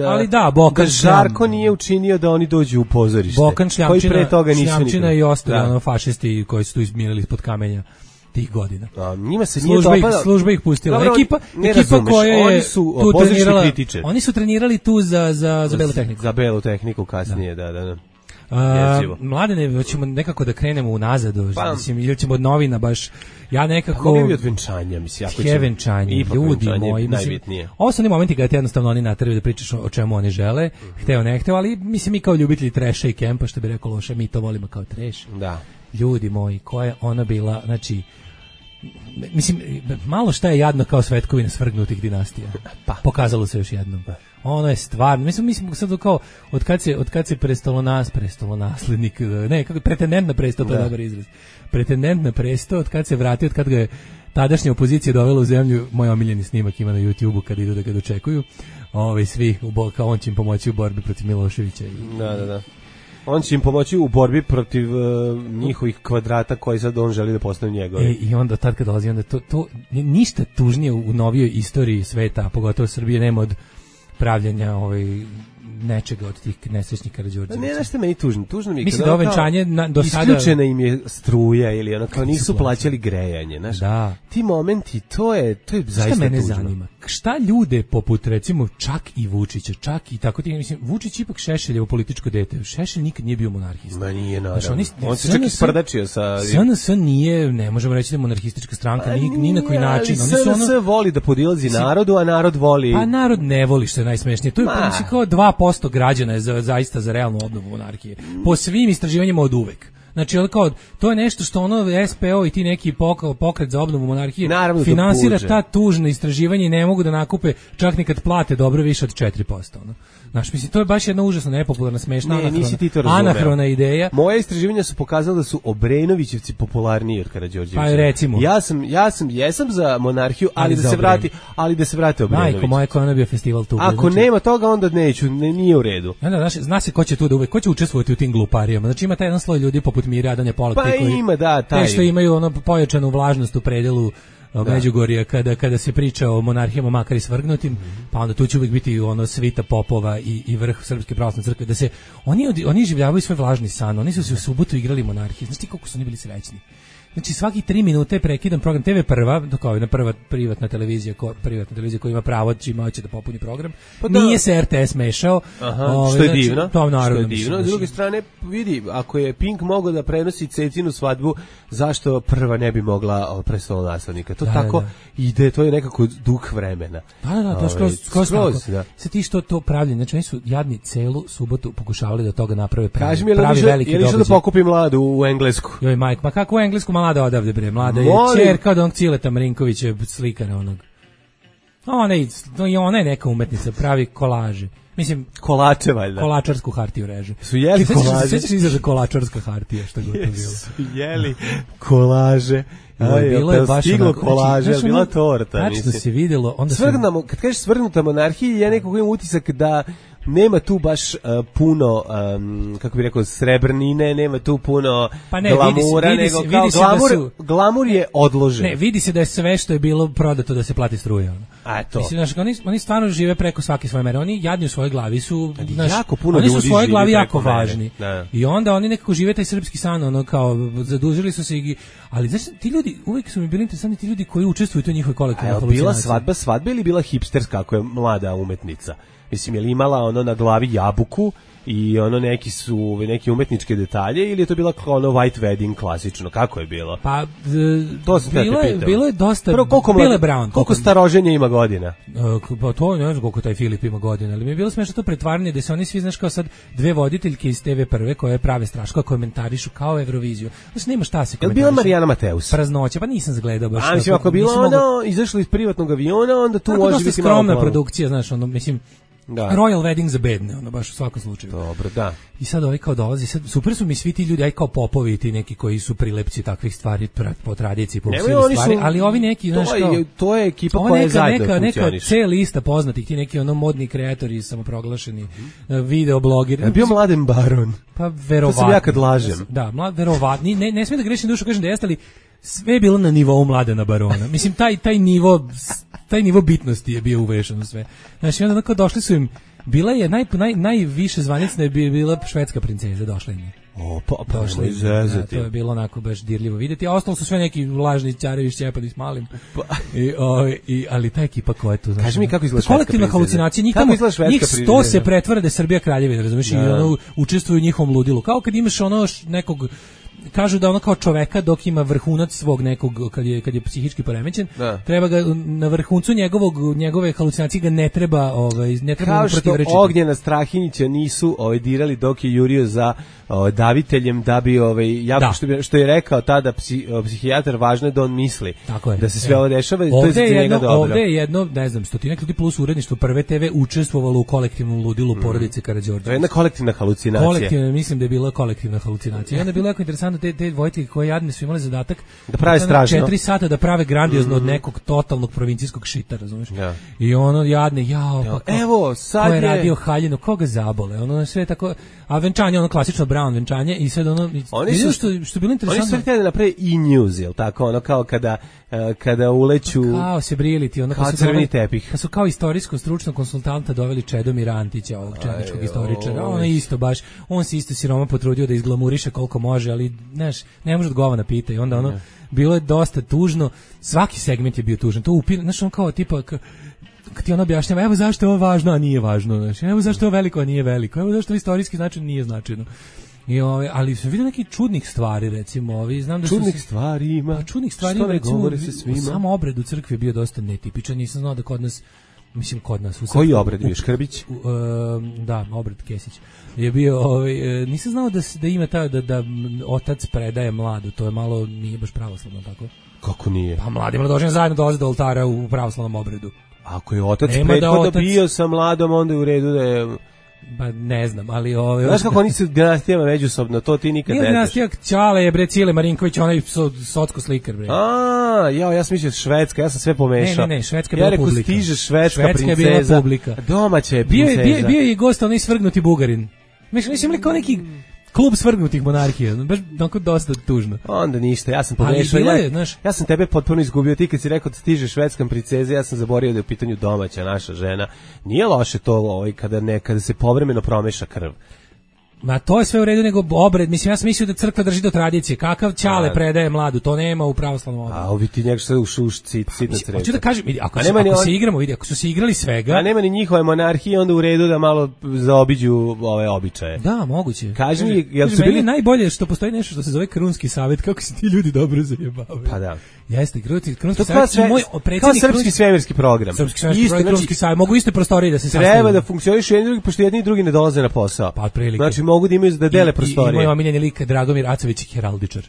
ali da, Bokan Žarko nije učinio da oni dođu u pozorište. Bokan Šljamčina i ostali fašisti koji su tu izmirali ispod kamenja tih godina. Njima se nije dopada. Služba ih pustila. Dobro, ekipa koja je oni su tu trenirala. Oni su trenirali tu za belu tehniku. Za belu tehniku kasnije, da. Mladene, hoćemo nekako da krenemo unazad, mislim, ili ćemo od novina baš, ja nekako... Pa od venčanja, mislim, ako ćemo... venčanje, ljudi moji, mislim, ovo su oni momenti kada te jednostavno oni nateraju da pričaš o čemu oni žele, hteo ne hteo, ali mislim mi kao ljubitelji treša i kempa, što bi rekao Loša, mi to volimo kao treš. Da. Ljudi moji, koja je ona bila, znači, mislim, malo šta je jadno kao svetkovina svrgnutih dinastija. Pokazalo se još jednom. Ono je stvarno, mislim sad kao od kad se prestolonaslednik, ne, kako pretendent na presto, to je dobar izraz. Pretendent na presto, od kad se vratio, od kad ga je tadašnja opozicija dovela u zemlju, moj omiljeni snimak ima na YouTubeu kad idu da ga dočekuju. Svi kao on će im pomoći u borbi protiv Miloševića. Da. On će im pomoći u borbi protiv njihovih kvadrata koji sad on želi da postane njegovi. I onda tad kad dolazi, onda to ništa tužnije u novijoj istoriji sveta, a pogotovo Srbije, nema od pravljenja nečega od tih nesrećnih Karađorđevića. Ne, nešto meni tužno. Tužno mi je mislim da venčanje do sada isključena im je struja ili ono kao nisu plaćali grejanje, znaš. Da. Ti momenti, to je zaista tužno. Šta mene zanima? Šta ljude poput recimo čak i Vučića, čak i tako ti mislim Vučić ipak Šešeljevo političko dete. Šešelj nikad nije bio monarhista. Ma nije naravno. On se čak i sprdačio sa SNS nije, ne možemo reći da je monarhistička stranka ni na koji način. SNS voli da podilazi narodu, a narod voli. Pa narod ne voli, što je najsmešnije. To je kao 2% građana je zaista za realnu obnovu monarhije. Po svim istraživanjima od uvek. Znači, to je nešto što SPO i ti neki pokret za obnovu monarhije naravno finansira ta tužna istraživanja i ne mogu da nakupe čak ni kad plate dobro više od 4%. Znaš, mislim, to je baš jedna užasno nepopularna, smešna, anahrona ideja. Moje istraživanja su pokazala da su Obrenovićevci popularniji od Karađorđevića. Pa recimo. Jesam za monarhiju, ali da se vrati Obrenović. Majko moja, ko je bio festival tu. Ako nema toga, onda neću, nije u redu. Zna se ko će tu da uvek, ko će učestvovati u tim gluparijama. Znači, ima taj jedan sloj ljudi poput Mire Adanja Polak, taj što imaju pojačanu vlažnost u predelu Međugorja kada se priča o monarhijama makar i svrgnutim, pa onda tu će uvijek biti svita popova i vrh Srpske pravoslavne crkve, da se oni življavaju svoj vlažni san, oni su se u subotu igrali monarhije, znači koliko su oni bili srećni. Znači svaki 3 minute je prekidan program TV Prva, kao je prva privatna televizija koja ima pravo čime hoće da popuni program. Nije se RTS mešao. Što je divno. To naravno. Što je divno. S druge strane, vidi, ako je Pink mogao da prenosi Cecinu svadbu, zašto Prva ne bi mogla prestolonaslednika? To tako ide, to je nekako duh vremena. Da, to skroz tako. Sad ti što to pravljenje, znači oni su jadni celu subotu pokušavali da toga naprave pravi veliki događaj. Je li išao da pokupi Mladu u Englesku? Joj, majk, ma kako u Englesku? Mlada odavde bre, Mlada je ćerka od onog Cileta Marinkovića, slikara onog. Ona je neka umetnica, pravi kolaže. Mislim, kolače valjda. Kolačarsku hartiju reže. Su jeli kolaže? Sećaš izraza kolačarska hartija, što god to bilo? Su jeli kolaže. Bilo je baš stiglo kolaže, bila torta. Tačno se videlo. Kad kažeš svrgnuta monarhija, ja nekako imam utisak da nema tu baš puno, kako bih rekao, srebrnine, nema tu puno glamura, nego kao glamur je odložen. Ne, vidi se da je sve što je bilo prodato da se plati struja. A to. Mislim, oni stvarno žive preko svake svoje mere. Oni jadni u svojoj glavi su, jako puno oni su u svojoj glavi jako važni. I onda oni nekako žive taj srpski san, kao zadužili su se ali znači ti ljudi uvijek su mi bili interesantni, ti ljudi koji učestvuju u toj njihovoj kolektivnoj halucinaciji. Bila svadba ili bila hipsterska ako je Mlada umetnica? Mislim, je li imala na glavi jabuku i neki umetničke detalje ili je to bila kao white wedding klasično? Kako je bilo? Pa, bilo je dosta Bile Brown. Koliko staroženja ima godina? Pa to ne znam koliko taj Filip ima godina, ali mi je bilo smešno to pretvaranje da se oni svi, znaš, kao sad dve voditeljke iz TV Prve koje prave strašno, komentarišu kao Euroviziju. Znači, nema šta se komentariše. Je bila Marijana Mateus? Praznoća, pa nisam zagledao baš. Mislim, ako je bila izašla iz privatnog aviona, onda tu može biti skromna produkcija, znaš, mislim, Royal wedding za bedne, baš u svakom slučaju. Dobro, da. I sad kao dolazi, sad super su mi svi ti ljudi, kao popovi, ti neki koji su prilepci takvih stvari po tradiciji, po svim stvari, ali ovi neki, znaš, to je ekipa koja je zajedno funkcioniš. Neka C lista poznatih, ti neki modni kreatori, samoproglašeni, videoblogeri. Bio Mladen Baron. Pa verovatno. To sam ja kad lažem. Da, verovatno. Ne smijem da grešim dušu, kažem da jeste, ali sve je bilo na nivou Mladena Barona. Mislim, taj nivo bitnosti je bio uvešan u sve. Znači, onda kao došli su im, bila je najviše zvanicna je bila švedska princeza, došla im je. Došla izvezati. To je bilo onako baš dirljivo vidjeti, a ostalo su sve neki lažni ćarevi šćepani s malim. Ali ta ekipa koja je tu, znači, kaži mi kako izgleda švedska kolektivna halucinacija, njih 100 se pretvara da je Srbija kraljevina, razumiješ, i učestvuju u njihovom ludilu. Kao kad imaš nekog, kažu da kao čoveka dok ima vrhunac svog nekog, kad je psihički poremećen, treba ga na vrhuncu njegove halucinacije ga ne treba kao što Ognjena Strahinjića nisu dirali dok je jurio za daviteljem da bi što je rekao tada psihijatar, važno je da on misli da se sve ovo dešava i to je za njega dobro. Ovde je jedno, ne znam, stotinak ljudi plus uredništvo Prve TV učestvovalo u kolektivnom ludilu porodice Karađorđević. To je jedna kolektivna halucinacija. Mislim da je bila kolektivna halucinacija. I onda je bilo jako interesantno te dvojke koje jadne su imale zadatak da prave strašno 4 sata da prave grandiozno od nekog totalnog provincijskog šita, razumiješ? I ono jadne, pa evo sad ko je radio haljinu, koga zabole, ono sve tako, a venčanje, ono klasično Brown venčanje i sad ono, vidio što je bilo interesantno. Oni su htjeli da naprave e-news, jel tako, ono kao kada uleću kao se briliti, ono kao crveni tepih. Kad su kao istorijsko stručnog konsultanta doveli Čedomira Antića, ovog četničkog istoričara, ono isto baš, on se isto siroma potrudio da izglamuriše koliko može, ali znaš, ne može od govana pita i onda ono, bilo je dosta tužno, svaki segment je bio tužan, to znaš, on kao tipa, kad ti ono objašnjava, evo zašto je ovo važno, a nije važno, znači, evo zašto je ovo veliko, a nije veliko, evo zašto je istorijski značaj, nije značajno. Ali sam vidio nekih čudnih stvari, recimo, znam da čudnih stvari ima, recimo, samo obred u crkvi je bio dosta netipičan, nisam znao da kod nas koji obred bio, Škrbić? Da, obred Kesić je bio, nisam znao da ima da otac predaje mladu, to je malo, nije baš pravoslavno, tako? Kako nije? Pa mladi mladoženje zajedno dolaze do oltara u pravoslavnom obredu. Ako je otac prethodno bio sa mladom, onda je u redu da je... Ba ne znam, ali znaš kako oni su dinastijama međusobno, to ti nikad ne znaš. Dinastija Ćale je, bre, Cile Marinković, onaj socko slikar, bre. Ja sam mislio Švedska, ja sam sve pomešao. Ne, Švedska je bila publika. Ja rekao, stiže švedska princeza, domaća je princeza. Bio je i gost, onaj svrgnuti Bugarin. Mislim li kao neki klub svrgnutih monarhija, baš onako dosta tužno. Onda ništa, ja sam pomešao. Ja sam tebe potpuno izgubio, ti kad si rekao da stiže švedska princeza, ja sam zaboravio da je u pitanju domaća naša žena. Nije loše to kada se povremeno promeša krv. Ma to je sve u redu, nego obred, mislim, ja sam mislio da crkva drži do tradicije, kakav Ćale predaje mladu, to nema u pravoslavnom obredu. A ovi ti njega što u sitna sreća. Hoću da kažem, ako se igramo, ako su se igrali svega... A nema ni njihove monarhije, onda u redu da malo zaobiđu ove običaje. Da, moguće. Kaži mi, jel su bili... najbolje što postoji nešto što se zove Krunski savjet, kako se ti ljudi dobro zajebavaju. Pa da. Jeste, Krunski savjet je moj predsjednik... Kao srpski svemirski program. Srpski svemirski program, Krunski savjet, mogu iste prostorije da se sastavljaju. Treba da funkcionišu jedni drugi, pošto jedni i drugi ne dolaze na posao. Pa otprilike. Znači mogu da imaju da dele prostorije. I moj omiljeni lik Dragomir Acović, heraldičar.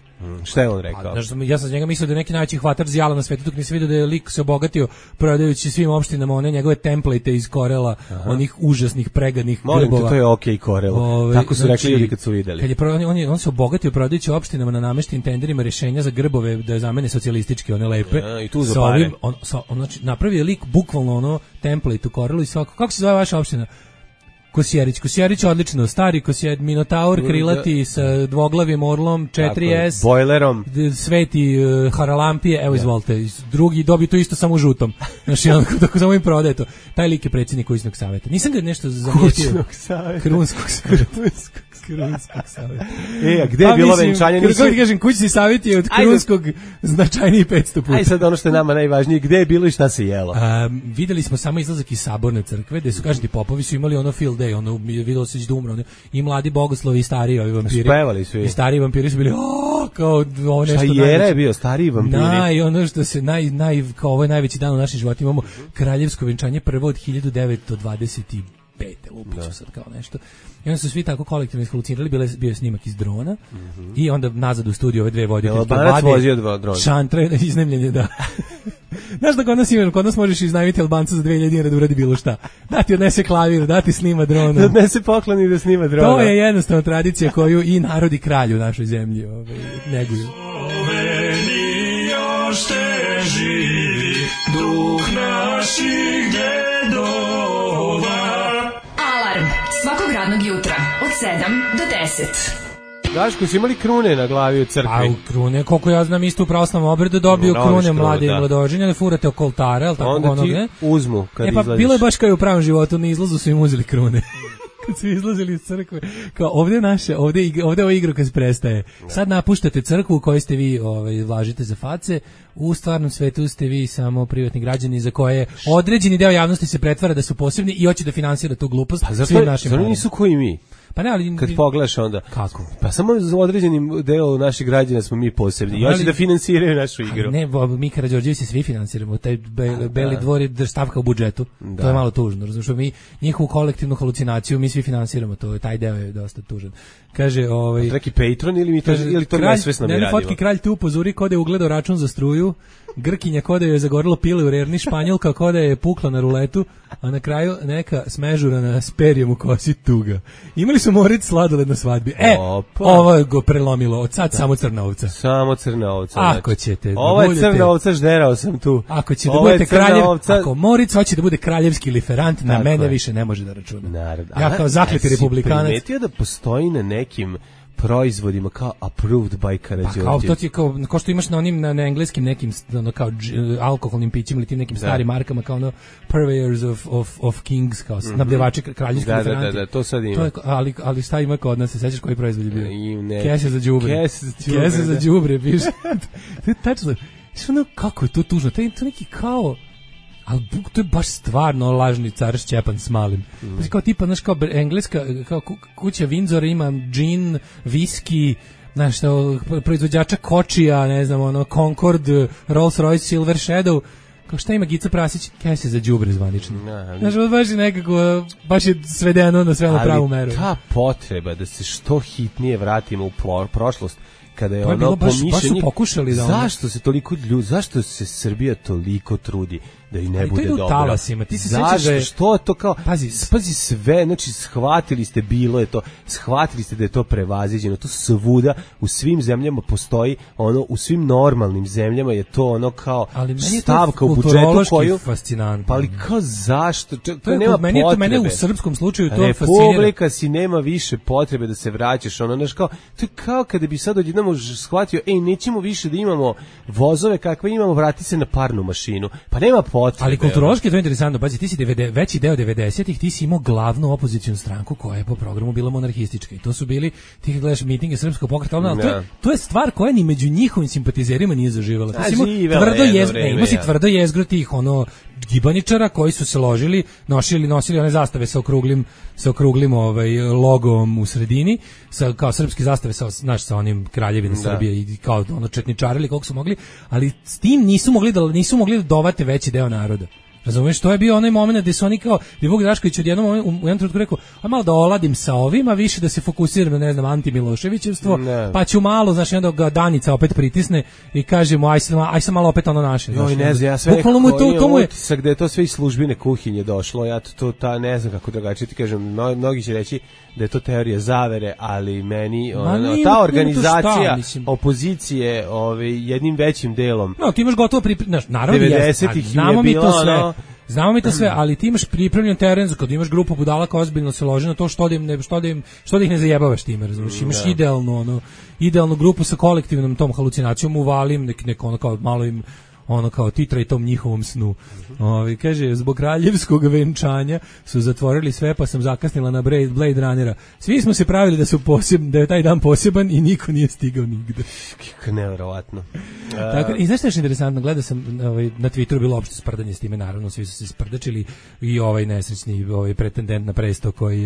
Šta je on rekao? Ja sam njega mislio da je neki najveći hvatač zijala na svetu, dok nisam vidio da je lik se obogatio prodajući svim opštinama one njegove template iz Korela, onih užasnih pregadnih grbova. Molim te, to je okej Korel. Tako su rekli ljudi kad su videli. On se obogatio prodajući opštinama na nameštenim tenderima rješenja za grbove da je zamene socijalističke, one lepe. I tu za pare. Znači, napravio lik bukvalno ono template u Korelu i svako. Kako se zove vaša opština? Kosjerić odlično, stari Kosjerić, Minotaur, krilati sa dvoglavim orlom, 4S, bojlerom, sveti Haralampije, evo izvolite, drugi dobiju to isto samo u žutom, znači onako tako samo im prodaje to. Taj lik je predsjednik kućnog savjeta. Nisam ga nešto zamijetio. Krunskog savjeta. A gde je bilo venčanje? Kako ti kažem, kućni savjet je od Krunskog značajniji 500 puta. Aj sad ono što je nama najvažnije, gde je bilo i šta se jelo? Videli smo samo izlazak iz Saborne crkve, gde su, kažem ti, popovi su imali ono field day, ono videlo se da umre, i mladi bogoslovi i stariji ovi vampiri. Spevali su i stariji vampiri su bili kao ovo nešto. Šta je bio stariji vampiri? I ono što se kao ovo je najveći dan u našem životu, imamo kraljevsko venčanje prvo od 1925. Lupiću sad kao nešto. I onda su svi tako kolektivno ishalucinirali, bio je snimak iz drona i onda nazad u studiju ove dve voditelje. Albanac vozio drona. Šantre, iznemljenje, da. Znaš da kod nas možeš iznajmiti Albanca za 2000 dinara da uradi bilo šta. Da ti odnese klavir, da ti snima drona. Da odnese poklon i da snima drona. To je jednostavno tradicija koju i narod i kralj u našoj zemlji neguju. Još te živi duh naših dedova. Alarm svakog radnog jutra od 7 do 10. Daško, su imali krune na glavi u crkvi? A u krune, koliko ja znam, isto u pravoslavnom obredu dobiju krune mlade i mladoženje, ali furate oko oltara, ali tako onda ti uzmu kad izlaziš. Bilo je baš kao i u pravom životu, na izlazu su im uzeli krune. Kad su izlazili iz crkve, kao ovdje ova igra kad se prestaje. Sad napuštate crkvu u kojoj ste vi vlažite za face, u stvarnom svetu ste vi samo privatni građani za koje određeni deo javnosti se pretvara da su posebni i hoće da finansira tu glupost svim našim parama. Nisu koji mi. Pa ne, ali kad pogledaš onda. Kako? Pa samo za određenim delu naših građana smo mi posebni. I hoće da finansiraju našu igru. Ne, mi Karađorđevići svi finansiramo. Taj Beli dvor je stavka u budžetu. To je malo tužno. Razumiješ, mi njihovu kolektivnu halucinaciju mi svi finansiramo. Taj deo je dosta tužan. Kaže, Neki Patreon ili to nesvesno mi radimo? Fotki kralj tu upozori kod je ugledao račun za struju Grkinja koda je zagorilo pile u rerni, Španjolka koda je pukla na ruletu, a na kraju neka smežurana s perjem u kosi tuga. Imali su Moritz sladoled na svadbi. Ovo je go prelomilo, od sad samo crna ovca. Samo crna ovca. Ako ćete ovo je crna ovca, žderao sam tu. Ako ćete da budete kraljev, ako Moritz hoće da bude kraljevski liferant, na mene više ne može da računa. Naravno. Ja kao zakleti republikanac. Primetio da postoji na nekim proizvodima kao approved by Karađorđević. Kao to ti kao što imaš na onim na engleskim nekim kao alkoholnim pićima ili tim nekim starim markama kao ono purveyors of kings kao snabdevači kraljevskih referanti. Da, to sad ima. To je, ali šta ima kod nas, se sećaš koji proizvod je bio? Kese za đubre. Kese za đubre, piše. To je tačno. Što kako je to tužno? To je neki kao ali to je baš stvarno lažni car Šćepan s malim. Kao tipa, znaš, kao engleska, kao kuća Windsor ima džin, viski, znaš, proizvođača kočija, ne znam, ono, Concord, Rolls Royce, Silver Shadow, kao šta ima Gica Prasić, kese za đubre zvanično. Znaš, baš je nekako, baš je svedeno na sve na pravu meru. Ali ta potreba da se što hitnije vratimo u prošlost, kada je ono pomišljanje, zašto se toliko zašto se Srbija toliko trudi da i ne bude dobro. Talasima. Ti se sećaš da je što to kao pazi sve, znači shvatili ste bilo je to, shvatili ste da je to prevaziđeno, to svuda u svim zemljama postoji, ono u svim normalnim zemljama je to ono kao stavka u budžetu koju fascinantno. Pa ali kao zašto? To nema potrebe. Mene u srpskom slučaju to fascinira. Republika si nema više potrebe da se vraćaš, ono znaš kao to je kao kada bi sad odjednom shvatio, nećemo više da imamo vozove kakve imamo, vrati se na parnu mašinu. Pa nema potrebe. Ali kulturološki je to interesantno, pazi, ti si veći deo 90-ih, ti si imao glavnu opozicionu stranku koja je po programu bila monarhistička i to su bili, ti kad gledaš mitinge Srpskog pokreta, ali to je stvar koja ni među njihovim simpatizerima nije zaživala. Ti si imao tvrdo jezgro tih ono gibaničara koji su se ložili, nosili one zastave sa okruglim logom u sredini, kao srpske zastave sa onim kraljevina Srbije i kao ono četničarili koliko su mogli, ali s tim nisu mogli da dovate veći deo naroda. Razumeš, to je bio onaj moment gde su oni kao, gde Vuk Drašković u jednom trenutku rekao, a malo da oladim sa ovima, više da se fokusiram na, ne znam, anti-Miloševićevstvo, pa ću malo, znaš, onda ga Danica opet pritisne i kažemo, aj sam malo opet ono naše. Joj, ne znam, ja sve nekako utisak gde je to sve iz službine kuhinje došlo, ja to ne znam kako drugačije ti kažem, mnogi će reći da je to teorija zavere, ali meni ta organizacija opozicije jednim većim delom. No, ti imaš gotovo naravno 90-ih je bilo Znamo mi to sve, ali ti imaš pripremljen teren, kad imaš grupu budala koja ozbiljno se loži na to što da ih ne zajebavaš time, razumiješ? Imaš idealnu grupu sa kolektivnom tom halucinacijom, uvalim neko ono kao malo im ono kao titra i tom njihovom snu. Kaže, zbog kraljevskog venčanja su zatvorili sve, pa sam zakasnila na Blade Runnera. Svi smo se pravili da je taj dan poseban i niko nije stigao nigde. Nevjerovatno. Tako, i znaš što je interesantno, gledao sam na Twitteru bilo opšte sprdanje s time, naravno, svi su se sprdačili i ovaj nesrećni pretendent na presto koji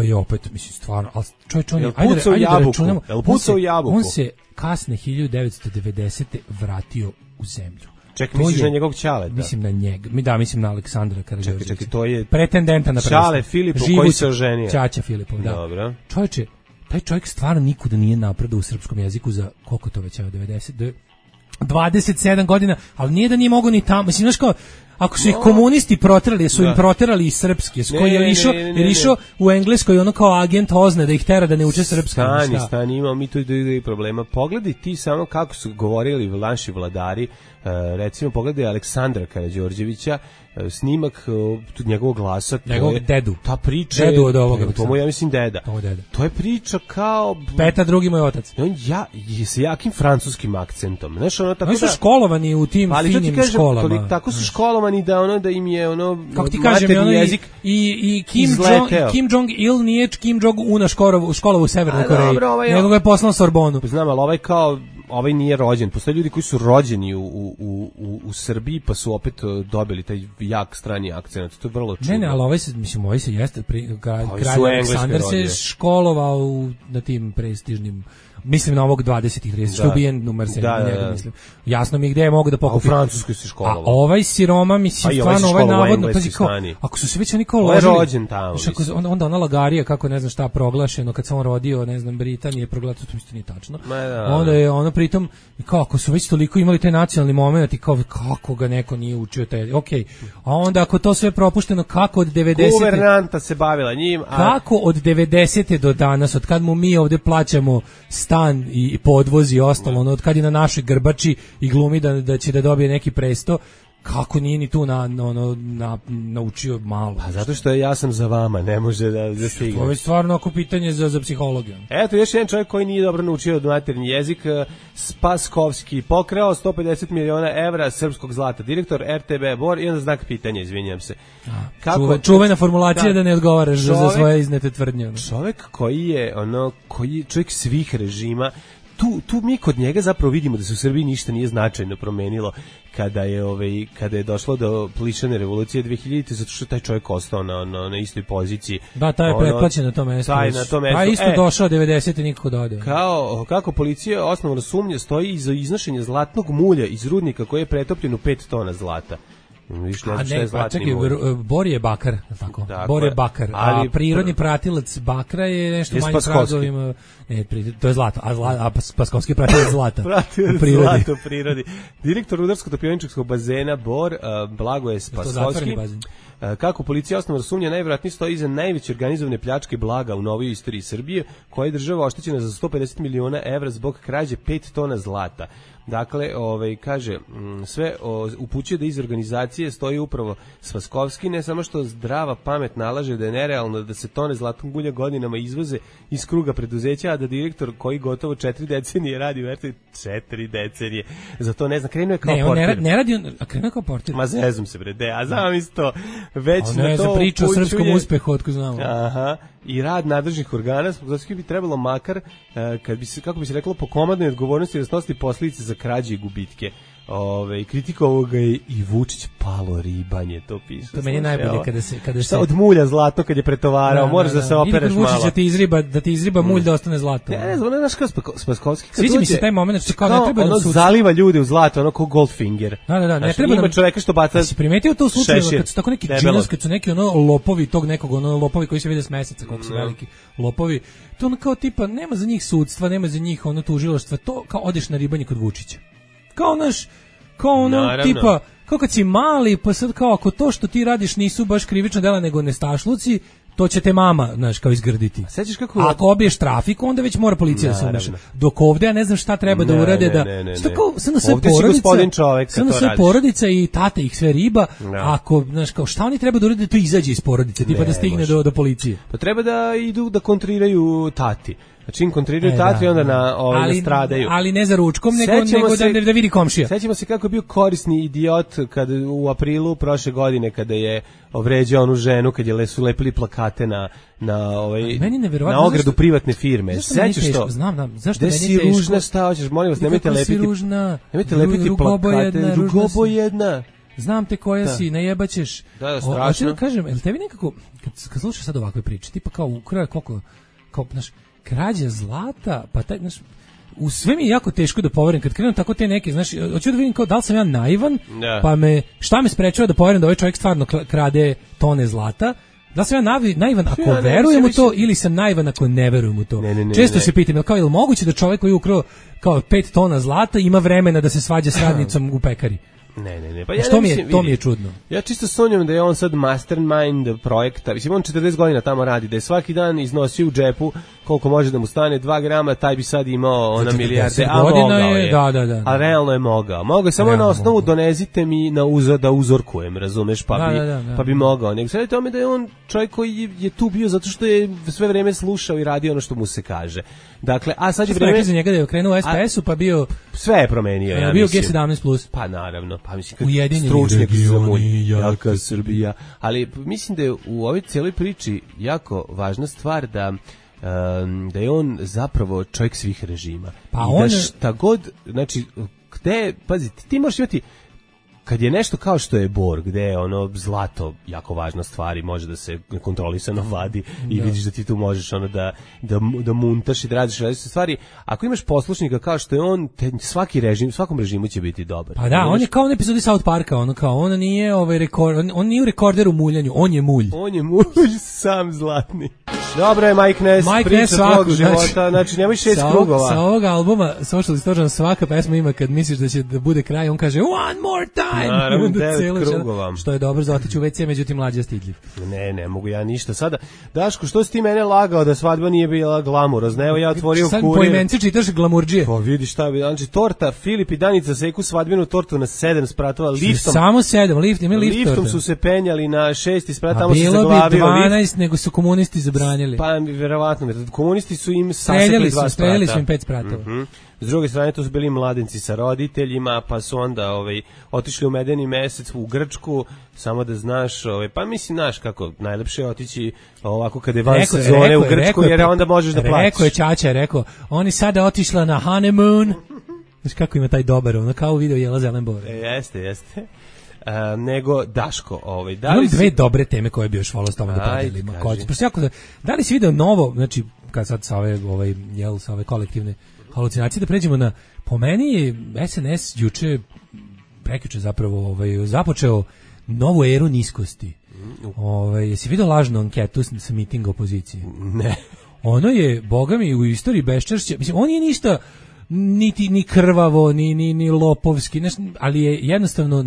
je opet, mislim, stvarno, ali čovječ, on je, ajde da računamo, on se kasne 1990. vratio u zemlju. Čekaj, misliš na njegovog Ćaleta? Mislim na njega, mislim na Aleksandra Karađorđevića. Čekaj, to je pretendenta na presto. Ćale Filipov koji se oženio. Ćaća Filipov, da. Dobro. Čovječe, taj čovjek stvarno nikuda nije napredao u srpskom jeziku za koliko to već je 27 godina, ali nije da nije mogao ni tamo, mislim, znaš kao, ako su ih komunisti proterali, su im proterali i srpski, koji je išao u Engleskoj ono kao agent Ozne da ih tera da ne uče srpski. Stani, imamo mi tu i problema. Pogledaj ti samo kako su govorili naši vladari, recimo pogledaj Aleksandra Karađorđevića, snimak njegovog glasa, njegovog dedu. Ta priča dedu od ovoga. To ja mislim deda. To je priča kao Petar drugi moj otac. On sa jakim francuskim akcentom. Znaš, ono tako da. Oni su školovani u tim finim školama. Tako su školovani da im je kako ti kažem, jezik i Kim Jong Il nije Kim Jong Una školovu u Severnoj Koreji. Nego ga je poslao Sorbonu. Znam, ali ovaj nije rođen. Postoje ljudi koji su rođeni u Srbiji pa su opet dobili taj jak strani akcent. To je vrlo čudno. Ne, ali ovaj se jeste kralj Aleksandar se školovao na tim prestižnim mislim na ovog 20-ih 30, što je ubijen numar 7, njega mislim. Jasno mi je gde je mogu da pokupi. U Francuskoj se školovao. A ovaj siroma, mislim, stvarno, ovaj navodno, pazi, ako su se već oni kao ložili, rođen tamo, onda ona lagarija, kako ne znam šta proglašeno, kad se on rodio, ne znam, Britanije proglasio, to isto nije tačno. Onda je ono pritom, kao, ako su već toliko imali taj nacionalni moment, i kao, kako ga neko nije učio taj, okej. A onda ako to sve propušteno, kako od 90. Guvernanta se bavila njim. Kako od 90. do danas, od kad mu mi ovde plaćamo stan i podvoz i ostalo, ono, od kad je na našoj grbači i glumi da će da dobije neki presto, kako nije ni tu naučio malo. Pa zato što ja sam za vama, ne može da stigne. To je stvarno ako pitanje za psihologiju. Eto, još jedan čovjek koji nije dobro naučio maternji jezik, Spaskovski, pokrao 150 miliona evra srpskog zlata, direktor RTB Bor, i onda znak pitanja, izvinjam se. Čuvena formulacija da ne odgovaraš za svoje iznete tvrdnje. Čovjek koji je čovjek svih režima, tu mi kod njega zapravo vidimo da se u Srbiji ništa nije značajno promenilo kada je došlo do plišane revolucije 2000, zato što taj čovjek ostao na istoj poziciji. Da, taj je pretplaćen na tom mjestu. A isto došao 90. nikako da ode. Kako policija osnovno sumnja stoji iza iznošenja zlatnog mulja iz rudnika koji je pretopljen u 5 tona zlata. Bor je bakar, tako. Bor je bakar, a prirodni pratilac bakra je nešto manje pragovima. Ne, to je zlato, a Spaskovski pratilac zlata. Zlato u prirodi. Direktor rudarsko-topioničarskog bazena Bor, Blagoje Spaskovski. Kako policija osnovno sumnja, najvjerojatnije stoji iza najveće organizovane pljačke blaga u novoj istoriji Srbije, koja je država oštećena za 150 miliona evra zbog krađe 5 tona zlata. Dakle, kaže, sve upućuje da iz organizacije stoji upravo Spaskovski, ne samo što zdrava pamet nalaže da je nerealno da se tone zlatnog mulja godinama izvoze iz kruga preduzeća, a da direktor koji gotovo 4 decenije radi u RTB, 4 decenije, za to ne znam, krenuo je kao portir. Ne radi on, a krenuo je kao portir. Ma zezum se bre, a znam isto, već na to ne za priču o srpskom uspehu, otko znamo. Aha, i rad nadležnih organa, Spaskovski bi trebalo makar, kako bi se reklo, po komandnoj odgovornosti da snosi posljedice za krađe i gubitke. Kritikovao ga je i Vučić, palo ribanje, to piše. To meni je najbolje kada se od mulja zlato kad je pretovarao, moraš da se opereš malo. Vučić da ti izriba mulj da ostane zlato. Ne znam, znaš kao Spaskovski. Sviđa mi se taj moment što kao ne treba da sud zaliva ljude u zlato, ono kao Goldfinger. Da, ne treba ima čoveka što baca. Si primetio to u slučaju kad su tako neki džinos, kad su neki lopovi tog nekog, lopovi koji se vide s meseca, koliko su veliki lopovi. To ono kao tipa nema za njih sudstva, nema za njih tužilaštva, to kao odeš na ribanje kod Vučića. Kao tipa, kao kad si mali, pa sad kao ako to što ti radiš nisu baš krivična dela nego nestašluci, to će te mama, znaš, kao izgrditi. Sećaš kako? Ako obiješ trafiku, onda već mora policija da se umeša. Dok ovde ja ne znam šta treba da urade da što kao sve porodica i tata ih sve riba. Ako, znaš, kao šta oni treba da urade da to izađe iz porodice, tipa da stigne do policije. Pa treba da idu da kontriraju tati. Znači im kontriraju tati onda stradaju. Ali ne za ručkom, nego da vidi komšija. Sećamo se kako je bio korisni idiot kad u aprilu prošle godine kada je ovređao onu ženu, kad je su lepili plakate na ogradu privatne firme. Sećaš to? Znam. Zašto meni je teško? Si ružna, šta hoćeš? Molim vas, nemojte lepiti plakate. Rugobojedna. Znam te koja si, najebaćeš. Da, strašno. Da kažem, jel tebi nekako, kad slušaš sad ovakve priče, tipa kao ukraja znaš, krađa zlata, pa taj, znaš, u sve mi je jako teško da poverim kad krenu tako te neke, znaš, hoću da vidim kao da li sam ja naivan, pa šta me sprečava da poverim da ovaj čovjek stvarno krade tone zlata, da li sam ja naivan ako verujem u to ili sam naivan ako ne verujem u to. Često se pitam, kao je li moguće da čovjek koji je ukrao kao 5 tona zlata ima vremena da se svađa s radnicom u pekari? Ne. Pa to mi je čudno. Ja čisto sumnjam da je on sad mastermind projekta. Mislim, on 40 godina tamo radi, da je svaki dan iznosio u džepu koliko može da mu stane 2 grama, taj bi sad imao milijarde, a mogao je. Da. A realno je mogao. Mogao je samo na osnovu donezite mi da uzorkujem, razumeš, pa bi mogao. Nego sad je tome da je on čovjek koji je tu bio zato što je sve vreme slušao i radio ono što mu se kaže. Dakle, a sad je vreme za njega da je krenuo u SPS-u, pa bio sve je promenio, ja bio G17+. Pa naravno, pa mislim stručnjak za mulj, jaka Srbija. Ali mislim da je u ovoj cijeloj priči jako važna stvar da je on zapravo čovjek svih režima. Pa i da šta god, znači, pazi, ti možeš imati kad je nešto kao što je bor, gde je ono zlato jako važna stvar i može da se kontrolisano vadi i vidiš da ti tu možeš ono da muntaš i da radiš različite stvari, ako imaš poslušnika kao što je on, svakom režimu će biti dobar. Pa da, on je kao u epizodi South Parka, ono kao, on nije on nije u rekorderu muljanju, on je mulj. On je mulj sam zlatni. Dobro je Mike Ness, priča tvog života, znači nemoj 6 krugova. Sa ovog albuma Social Distortion svaka pesma ima kad misliš da će da bude kraj, on kaže one more time. Naravno, 9 krugova. Što je dobro za otići u WC, međutim mlađa stidljiv. Ne mogu ja ništa. Sada, Daško, što si ti mene lagao da svadba nije bila glamurozna? Evo ja otvorio Kurir. Sad po imence čitaš glamurdžije. Pa vidi šta bi, znači torta, Filip i Danica seku svadbenu tortu na 7 spratova liftom. Samo 7, ima lift torta. Liftom su se penjali na 6 sprat, tamo se zaglavio. Bilo bi 12, nego su komunisti zabranili. Pa verovatno, komunisti su im sasekli 2 sprata. Streljali su im 5 spratova. S druge strane, to su bili mladenci sa roditeljima, pa su onda otišli u medeni mesec u Grčku, samo da znaš, pa mislim, znaš kako, najlepše je otići ovako kada je van sezone u Grčku, jer onda možeš da plaćiš. Rekao je Čača, oni sada otišla na honeymoon, znaš kako ima taj dobar, ono kao u video Jela Zelenbor. Jeste. Nego Daško, imam dve dobre teme koje bi još volao s tome da podelimo. Da li si video novo, znači kad sad sa ove kolektivne halucinacije, da pređemo na, po meni je SNS juče, prekjuče zapravo započeo novu eru niskosti. Jesi vidio lažnu anketu sa mitinga opozicije? Ne. Ono je, boga mi, u istoriji beščašća, mislim, on nije ništa ni krvavo, ni lopovski, ali je jednostavno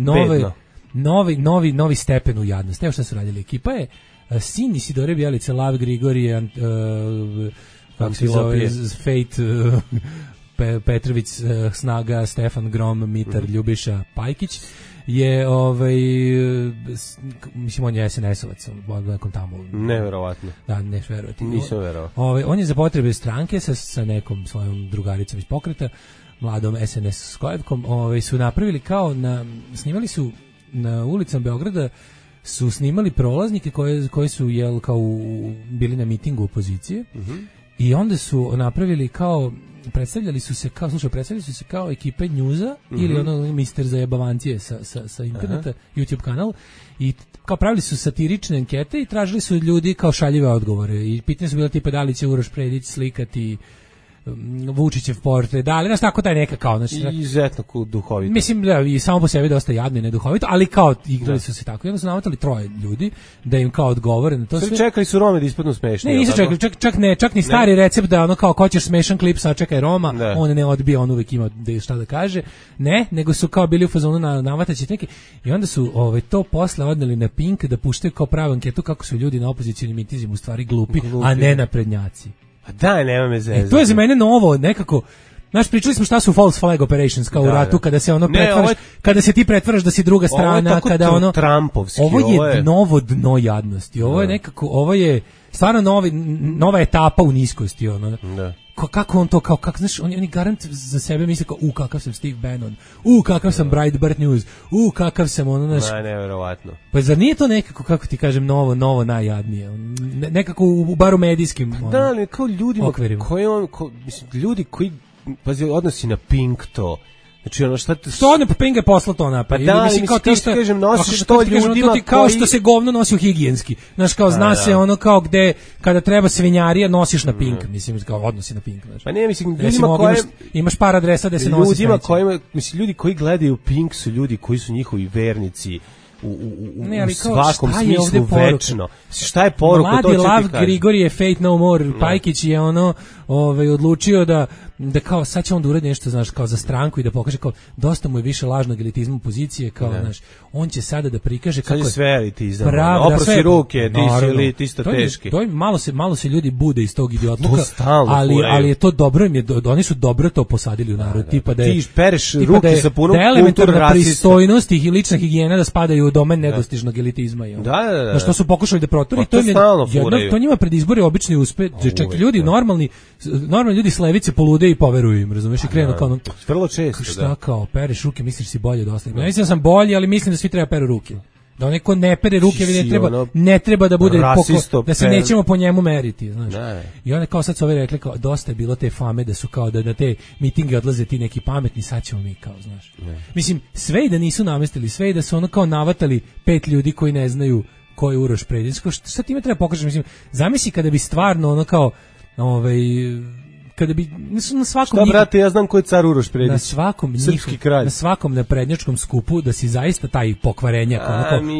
novi stepen u jadnosti. Evo šta su radili. Ekipa je sin Isidore Bjelice, Lav Grigorije, kako se zove, Fate, Petrović, Snaga, Stefan Grom, Mitar, Ljubiša, Pajkić, je, mislim, on je SNS-ovac, nekom tamo. Neverovatno. Da, neš verovati. Nisam verovao. On je za potrebe stranke sa nekom svojom drugaricom iz pokreta, mladom SNS skojevkom, su napravili kao snimali su na ulicama Beograda, su snimali prolaznike koji su bili na mitingu opozicije, i onda su napravili predstavljali su se kao ekipe njuza ili ono mister za jebavancije sa interneta, YouTube kanal, i kao pravili su satirične ankete i tražili su ljudi kao šaljive odgovore i pitanje su bila tipa da li će Uroš Predić slikati Vučićev portret, da li, znaš, tako taj neka kao, znači, izuzetno duhovito. Mislim da i samo po sebi dosta jadno i neduhovito, ali kao igrali su se tako. I onda su navatali 3 ljudi da im kao odgovore na to sve. Čekali su Rome da ispadnu smešni. Ne, nisu čekali, čak ni stari recept da ono kao hoćeš smešan klip, sačekaj Roma, on ne odbija, on uvek ima šta da kaže. Ne, nego su kao bili u fazonu navataći neki. I onda su to posle odneli na Pink da puštaju kao pravu anketu kako su ljudi na opozicionim mitizima u stvari glupi, a ne naprednjaci. A daj, nema me zezati. To je za mene novo, nekako. Znaš, pričali smo šta su false flag operations kao u ratu, kada se pretvaraš, kada se ti pretvaraš da si druga strana, kada ono Trumpovski. Ovo je novo dno jadnosti. Ovo je nekako, ovo je stvarno nova etapa u niskosti, ono. Da. Kako on to, kako, znaš, oni garant za sebe misle kao, kakav sam Steve Bannon, kakav sam Breitbart News, kakav sam ono, znaš. Nevjerovatno. Pa zar nije to nekako, kako ti kažem, novo najjadnije, nekako u baru medijskim da, ali kao ljudima ljudi koji, pazi, odnosi na Pink to. Znači ono šta ne Pink je poslao to napad. Pa da, mislim kao ti što kažem nosiš to ljudima kao što se govno nosi u higijenski. Znaš, kao zna se ono kao gde kada treba svinjarija nosiš na Pink, mislim kao odnosi na Pink, znači. Pa ne, mislim ljudima koji imaš par adresa da se nosi. Ljudima kojima, mislim, ljudi koji gledaju Pink su ljudi koji su njihovi vernici. U svakom smislu večno. Šta je poruka? Mladi Lav Grigorije, Fate No More, Pajkić je odlučio da kao sad će on da uradi nešto, znaš, kao za stranku i da pokaže kao dosta mu je više lažnog elitizma pozicije, kao, znaš, on će sada da prikaže kako je sve elitizam. Oprosti ruke, ti isto teški. To je malo se ljudi bude iz tog idiotluka, ali je to dobro, oni su dobro to posadili u narod, tipa da je ti pereš ruke sa punom elementarna pristojnost i lična higijena da spadaju u domen nedostižnog elitizma. Da. Što su pokušali da proturi, to njima pred izbore obični uspe, čak ljudi normalni ljudi s levice polude i poveruju im, razumeš, i krenu kao vrlo često. Šta kao, pereš ruke, misliš si bolje od ostalih. Ja mislim da sam bolji, ali mislim da svi treba peru ruke. Da onaj ko ne pere ruke, ne treba da bude da se nećemo po njemu meriti, znaš. I onda kao sad su ovi rekli, kao, dosta je bilo te fame da su kao da na te mitinge odlaze ti neki pametni, sad ćemo mi kao, znaš. Mislim, sve i da nisu namestili, sve i da su ono kao navatali 5 ljudi koji ne znaju ko je Uroš Predić, šta time treba pokažeš, mislim, zamisli kada bi stvarno ono kao, kada bi na svakom šta brate, ja znam ko je car Uroš Predić, na svakom srpski kralj, na svakom naprednjačkom skupu da si zaista taj pokvarenjak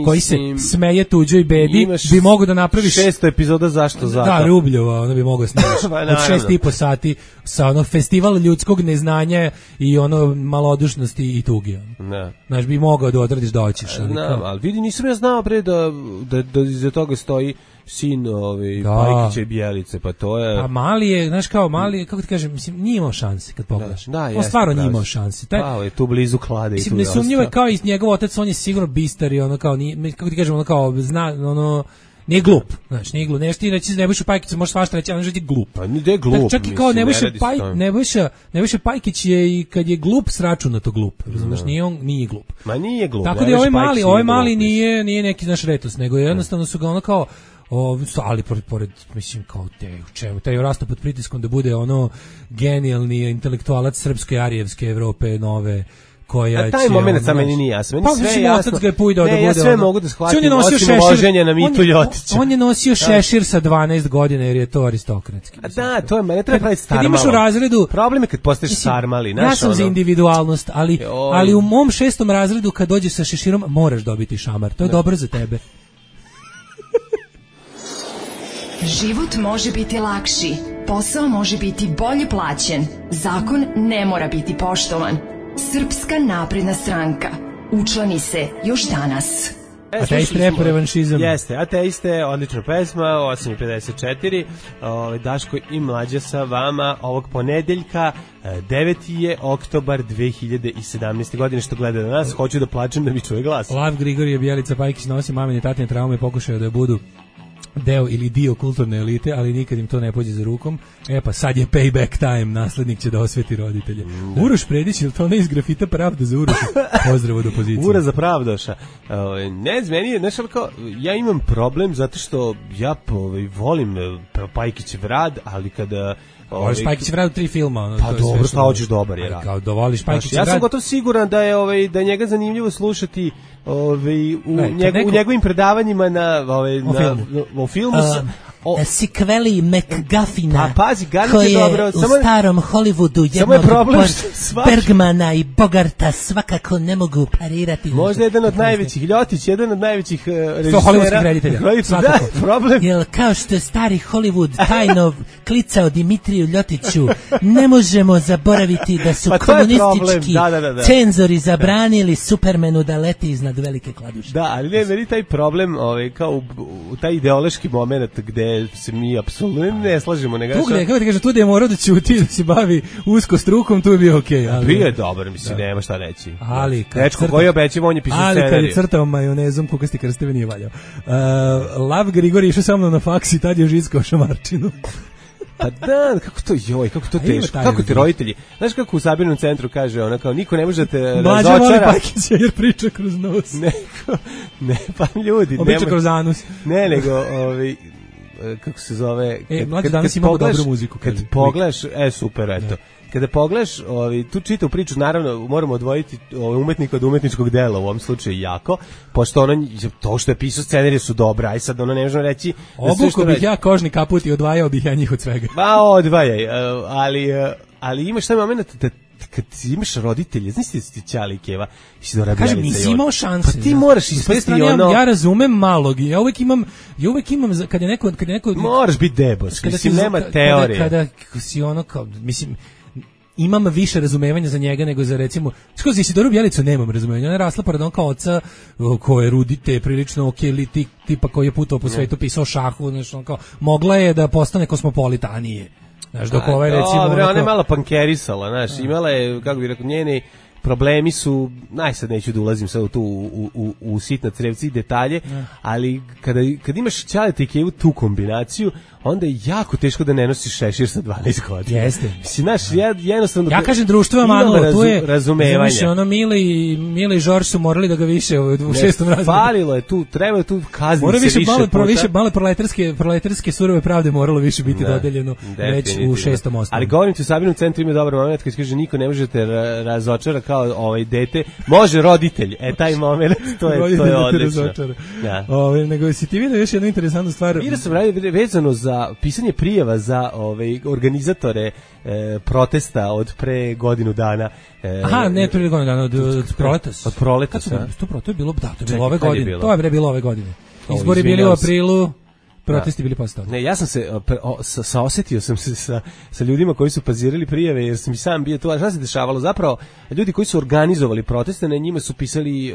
koji se smeje tuđoj bedi bi mogao da napraviš 600 epizoda zašto zato. Da, Rubljova, ono bi mogao snimati od 6,5 sati sa ono festival ljudskog neznanja i ono malodušnosti i tuge. Da. Znaš, bi mogao da odradiš da hoćeš. Ali vidi, nisam ja znao pre da iza toga stoji sin Pajkića i Bjelice, pa to je... A mali je, znaš kao mali, kako ti kažem, mislim, nije imao šanse kad pogledaš. On stvarno nije imao šanse. Pao je tu blizu klade i tu je nesumnjivo je kao i njegov otac, on je sigurno bistar i ono kao, kako ti kažem, ono kao, nije glup, znači nije glup. Nešto ti reći Nebojša Pajkić, možeš svašta reći, ali je glup. Pa nije glup. Čak i kao Nebojša Pajkić je i kad je glup sračunato glup. Razumeš, nije glup. Ma nije glup. Tako da ovaj mali nije neki naš retus, nego jednostavno su ga ono kao ali pored mislim kao taj rastu pod pritiskom da bude ono genijalni intelektualac srpske arijevske Evrope nove koja taj moment sa meni nije jasan. Meni sve jasno. Ja sve mogu da shvatim osim uloženja na Mitu Ljotića. On je nosio šešir sa 12 godina jer je to aristokratski. Da, to je mene treba praviti starmalo. Kad imaš u razredu, problem je kad postaješ sarmali. Ja sam za individualnost, ali u mom 6. razredu kad dođeš sa šeširom moraš dobiti šamar. To je dobro za tebe. Život može biti lakši, posao može biti bolje plaćen, zakon ne mora biti poštovan. Srpska napredna stranka. Učlani se još danas. Ateist rap revanšizam. Jeste, Ateiste, odlična pesma, 8:54. Daško i Mlađa sa vama ovog ponedeljka, 9. je oktobar 2017. godine, što gleda na nas, hoću da plačem da mi čuje glas. Lav Grigorije Bjelica Pajkić nosi mamine tatine traume i pokušaju da budu deo ili dio kulturne elite, ali nikad im to ne pođe za rukom. Pa sad je payback time, naslednik će da osveti roditelje. Uroš Predić, ili to ne iz grafita Pravda za Uroša? Pozdrav od opozicije. Ura za Pravdoša. Ne, meni je, znaš, ja imam problem zato što ja volim Pajkićev rad, ali kada voliš Pajkićev rad u 3 filma. Pa dobro, šta hoćeš, dobar je rad. Kao da voliš Pajkićev rad. Ja sam gotovo siguran da je njega zanimljivo slušati u njegovim predavanjima o filmu. Sikveli McGuffina koji je u starom Hollywoodu jednog Bergmana i Bogarta svakako ne mogu parirati. Možda jedan od najvećih, Ljotić, jedan od najvećih režisera. Hollywoodskih reditelja. Da, problem. Jer kao što je stari Hollywood tajno klicao Dimitriju Ljotiću, ne možemo zaboraviti da su komunistički cenzori zabranili Supermanu da leti iznad velike kladuše. Da, ali ne, meni taj problem, kao u taj ideološki moment gde se mi apsolutno ne slažemo. Kako ti kažem, tu da je morao da ćuti, da se bavi usko strukom, tu je bio okej. Bio je dobar, mislim, nema šta reći. Ali Dečko koji obećava, on je pisao scenarij. Ali kad je crtao majonezom, kukasti krsteve nije valjao. Lav Grigorije išao sa mnom na faks i tad je žiskao šamarčinu. Pa da, kako to teško, kako ti roditelji, znaš kako u Sabirnom centru kaže ona kao, niko ne može te razočara. Mlađa voli Pajkića jer priča kroz nos. Ne, pa ljudi. Priča kroz anus. Ne, nego, kako se zove, Mlađa danas imamo dobru muziku. Kad pogledaš, super, eto. Kada pogledaš tu čitavu priču, naravno moramo odvojiti umetnika od umetničkog dela, u ovom slučaju jako, pošto to što je pisao scenarije su dobra, aj sad ne možemo reći... Obuko bih ja kožni kaput i odvajao bih ja njih od svega. Pa odvajaj, ali imaš taj moment da kad imaš roditelje, znaš ti Ćali i Keva, kažem, nisi imao šanse. Pa ti moraš ispesti ja razumem malog, ja uvek imam kad je neko moraš biti debos, mislim, nema teorije. Kada si ono kao, mislim, imam više razumevanja za njega nego za, recimo, skoro za Isidoru Bjelicu nemam razumevanja. Ona je rasla pored onog oca koje rudite prilično tipa koji je putovao po svetu, pisao šahu, znači, kao, mogla je da postane kosmopolita, a nije. Znaš, dok recimo... Dobre, ona je malo pankerisala, znaš, imala je, kako bih rekao, njeni problemi su, sad neću da ulazim sad u sitna crevci i detalje, ali kad imaš Ćaleta i Kevu tu kombinaciju, onda je jako teško da ne nosiš šešir sa 12 godina. Jeste. Mislim, jednostavno... Ja kažem društvo je manulo, tu je razumevanje. Ono Mile i Žorž su morali da ga više u 6. razredu. Falilo je tu, treba je tu kazniti se više puta. Malo proletarske surove pravde moralo više biti dodeljeno već u 6. osnovu. Ali govorim ti, u Sabinom centru ima dobar moment kad kaže niko ne možete razočara kao dete, može roditelj. Taj moment, to je odlično. Ja. Nego si ti vidio još jednu interesantnu stvar. Vidio sam vezano za pisanje prijava za organizatore protesta od pre godinu dana. Ne pre godinu dana, od Proletas. Od Proletasa. To je bilo ove godine. To je bilo ove godine. Izbori bili u aprilu. Protesti bili posle toga. Ne, ja sam se saosetio sam se sa ljudima koji su pazirali prijave, jer sam i sam bio tu. A šta se dešavalo? Zapravo, ljudi koji su organizovali proteste, na njima su pisali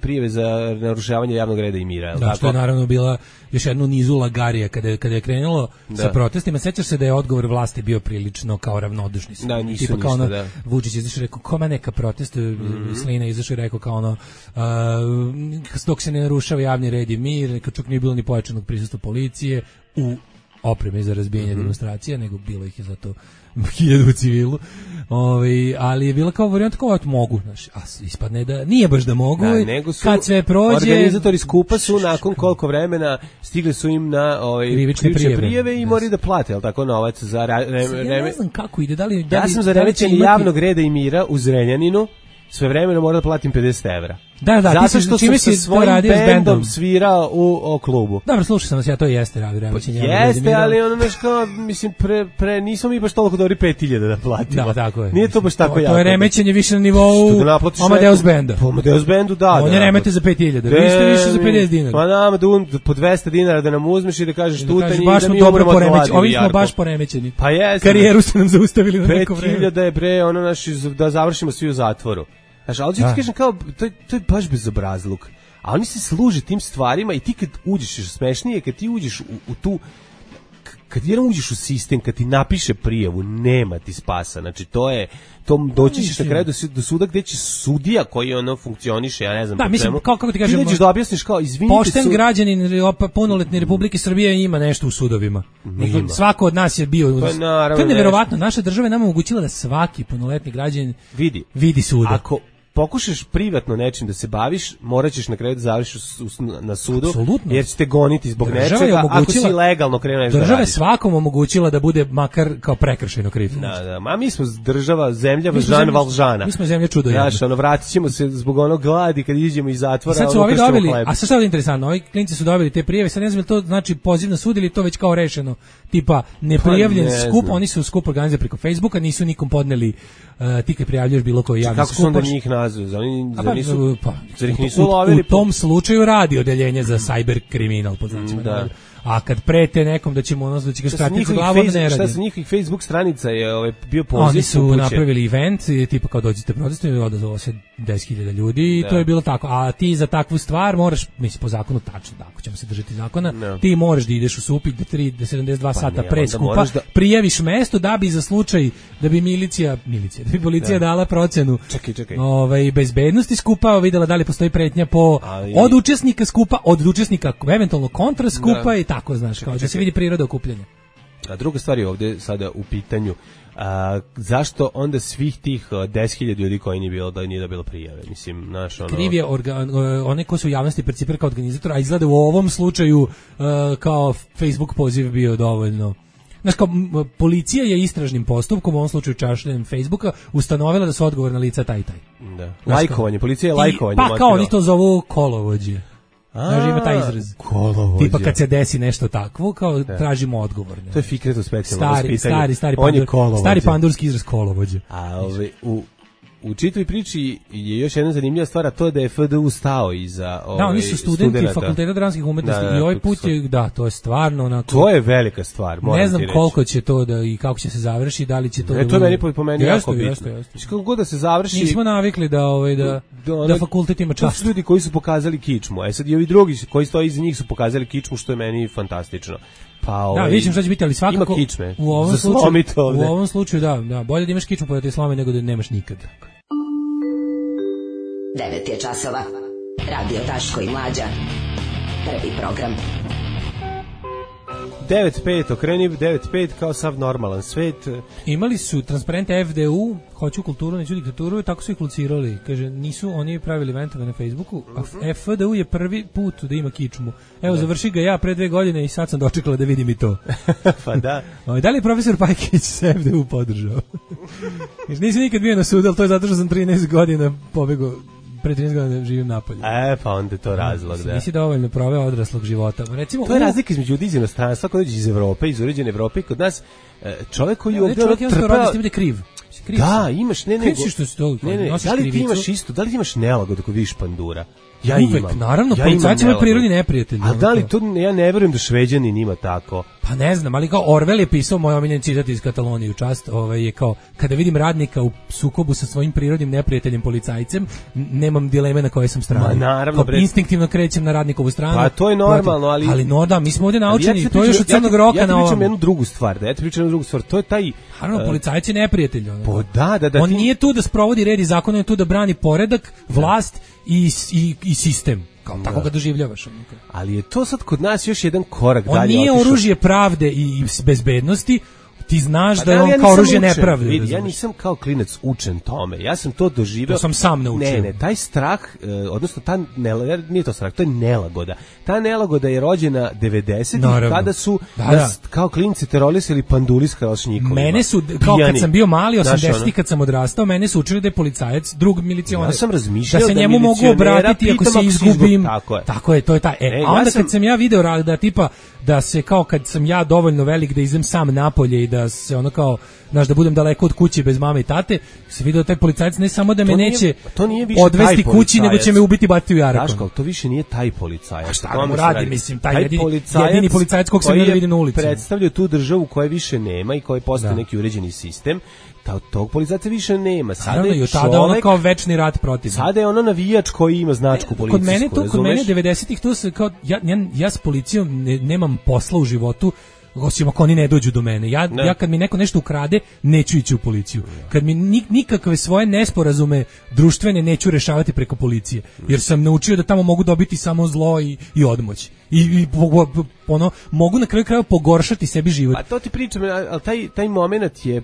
prijave za narušavanje javnog reda i mira. Da, što je naravno bila još jednu nizu lagarija kada je krenulo sa protestima. Sećaš se da je odgovor vlasti bio prilično kao ravnodušni. Da, nisu ništa, Vučić izašao i rekao, koma neka protest, Slina izašao i rekao kao ono, dok se ne narušava javni red i mir, kad čak nije bilo ni pojačanog prisustva policije u opreme za razbijanje demonstracija, nego bilo ih je za to 1000 u civilu. Ali je bila kao varijanta kao mogu, a ispadne da nije baš da mogu. Nego su kad sve prođe, organizatori skupa su nakon koliko vremena stigli su im na krivične prijave i moraju da plate, al tako, novac za ne znam kako ide, ja sam za remećenje javnog reda i mira u Zrenjaninu sve vremena moram da platim 50 evra. Da, zato što sam sa svojim bendom svirao u klubu. Dobro, slušao sam vas, ja to jeste radio remećenje. Jeste, ali ono nešto, mislim, nismo mi baš toliko dobri 5000 da platimo. Da, tako je. Nije to baš tako jako. To je remećenje više na nivou Amadeus benda. Po Amadeus bendu, da. On je remete za 5000, vi ste više za 50 dinara. Pa nama po 200 dinara da nam uzmeš i da kažeš tutanj i da mi dobro poremećeni. Ovi smo baš poremećeni. Pa jeste. Karijeru ste nam zaustavili na neko vreme. 5000 je bre, ono naši, da završimo svi u zatvoru. Znaš, ali ću ti kažem kao, to je baš bezobrazluk. A oni se služe tim stvarima i ti kad uđeš, smešnije, kad ti uđeš u tu, kad jedan uđeš u sistem, kad ti napiše prijavu, nema ti spasa. Znači, doći ćeš na kraju do suda gde će sudija koji ono funkcioniše, ja ne znam. Da, mislim, kako ti kažem, ti nećeš da objasniš kao, izvinite pošten građanin punoletne Republike Srbije ima nešto u sudovima. Svako od nas je bio. To je neverovatno. Naša država je nama omogućila da svaki punoletni građanin vidi suda. Ako pokušaš privatno nečim da se baviš, morat ćeš na kraju da završiš na sudu, apsolutno, jer ćete goniti zbog nečega, ako si legalno krenuo nešto da radiš. Država je svakom omogućila da bude makar kao prekršajno kriv. Da, ma mi smo država, zemlja Žan Valžana. Mi smo zemlja čudo. Znaš, vratit ćemo se zbog onog gladi kad iđemo iz zatvora. Sad su ovi dobili, a sad je interesantno, ovi klinci su dobili te prijave, sad ne znam to znači poziv na sud ili to već kao rešeno, tipa neprijavljen skup, oni su skup organizovali preko Facebooka, nisu nikom podneli, ti kad prijavljuješ bilo koji javni skup. Kako su onda njih u tom slučaju radi odeljenje za cyber kriminal, po znacima. A kad prete nekom da ćemo da će ga skratiti za glavu, ne radi. Šta sa njihovih Facebook stranica je bio poziv? Oni su napravili event, tipa kao dođite protestovati, odazvalo se 10.000 ljudi i to je bilo tako. A ti za takvu stvar moraš, mislim po zakonu tačno, ako ćemo se držati zakona, ti moraš da ideš u SUP i da 72 sata pre skupa prijaviš mesto da bi za slučaj da bi da bi policija dala procenu bezbednosti skupa, videla da li postoji pretnja od učesnika skupa, od učesnika eventualno kontra skupa i tako, znaš, kao da se vidi priroda okupljanja. A druga stvar je ovdje sada u pitanju, zašto onda svih tih 10.000 ljudi koji nije bilo prijave? Mislim, znaš, ono... Kriv je one ko su u javnosti percipira kao organizator, a izgleda u ovom slučaju kao Facebook poziv bio dovoljno. Znaš, kao policija je istražnim postupkom, u ovom slučaju čašljenjem Facebooka, ustanovila da su odgovorna lica taj. Da. Lajkovanje, policija je lajkovanje. Pa kao oni to zovu kolovođe. Znaš, ima taj izraz. Kolovođa. Tipa kad se desi nešto takvo, kao tražimo odgovorne. To je Fikretov specijalno vaspitanje. Stari pandurski izraz kolovođe. A u čitavoj priči je još jedna zanimljiva stvar, a to je da je FDU stao iza da, oni su studenti Fakulteta dramskih umetnosti i ovaj put je, to je stvarno onako... To je velika stvar, moram ti reći. Ne znam koliko će to i kako će se završi, da li će to... To je meni po meni jako bitno. Kako god da se završi... Nismo navikli da fakultet ima čast. To su ljudi koji su pokazali kičmu, a sad i ovi drugi koji stoji iza njih su pokazali kičmu, što je meni fantastično. Da, vidim šta će biti, ali svakako ima kičme. U ovom slučaju da, bolje da imaš kičmu pa da te slome nego da nemaš nikad. 9 je časova. Radio Daško i Mlađa. Prvi program. 9.5, okreni 9.5 kao sav normalan svet. Imali su transparente FDU, hoću kulturu, neću diktaturu, i tako su ih locirali. Kaže, nisu oni pravili eventove na Facebooku, a FDU je prvi put da ima kičmu. Evo, završi ga ja pre 2 godine i sad sam dočekala da vidim i to. Pa da. Da li je profesor Pajkić se FDU podržao? Nisi nikad bio na sudu, ali to je zato što sam 13 godina pobegao. Pre 13 godina živim napolje. Pa onda je to razlog, da. Nisi dovoljno proveo odraslog života. Recimo, to je razlika između ljudi iz inostranstva, kod dođe iz Evrope, iz uređene Evrope, kod nas čovjek koji ovdje trpeo... Čovjek kriv. Da, imaš, ne, da li ti imaš isto, da li ti imaš nelagodu ako vidiš pandura? Ja uvek, imam. Naravno, policajci imaju prirodni neprijatelji. A da li to, ja ne verujem da Šveđanin ima tako. Pa ne znam, ali kao Orwell je pisao, moj omiljeni citat iz Katalonije u čast, je kao, kada vidim radnika u sukobu sa svojim prirodnim neprijateljem policajcem, nemam dileme na kojoj sam strani. Naravno, instinktivno krećem na radnikovu stranu. Pa to je normalno, ali no da, mi smo ovdje naučeni, to je još od crnog roka na ovom. Ja ti pričam jednu drugu stvar, to je taj... Naravno, policajci neprijatelj. Da. On nije tu da sprovodi red i zakon, on je tu da brani poredak, vlast i sistem. Tako ga doživljavaš. Ali je to sad kod nas još jedan korak dalje. On nije oružje pravde i bezbednosti, ti znaš da je on kao oružje nepravde. Ja nisam kao klinac učen tome, ja sam to doživeo. To sam sam naučio. Ne, taj strah, odnosno nije to strah, to je nelagoda. Ta nelagoda je rođena 90-ih, kada su kao klinci terorisali panduli s kalašnjikovima. Mene su, kao kad sam bio mali, 80-ih kad sam odrastao, mene su učili da je policajac drug milicioner. Ja sam razmišljao da se njemu mogu obratiti ako se izgubim. Tako je, to je ta. A onda kad sam ja video da tipa, da se kao kad sam ja dovoljno velik da idem sam napolje i da se ono kao, znaš, da budem daleko od kuće bez mame i tate, se vidio taj policajac ne samo da me neće odvesti kući, nego će me ubiti, baciti u jarak. Daško, to više nije taj policajac. A šta mu radi, mislim, taj jedini policajac kog sam ja vidim na ulici. Predstavlja tu državu koje više nema i koji postoji neki uređeni sistem. Tog policajca više nema. Sada je tada ono kao večni rat protiv. Sada je ono navijač koji ima značku policijsku. Kod mene 90-ih to se kao ja s policijom nemam posla u životu, osim ako oni ne dođu do mene. Ja kad mi neko nešto ukrade, neću ići u policiju. Kad mi nikakve svoje nesporazume društvene neću rešavati preko policije, jer sam naučio da tamo mogu dobiti samo zlo i odmoć. I mogu na kraju krajeva pogoršati sebi život. A to ti pričam, ali taj moment je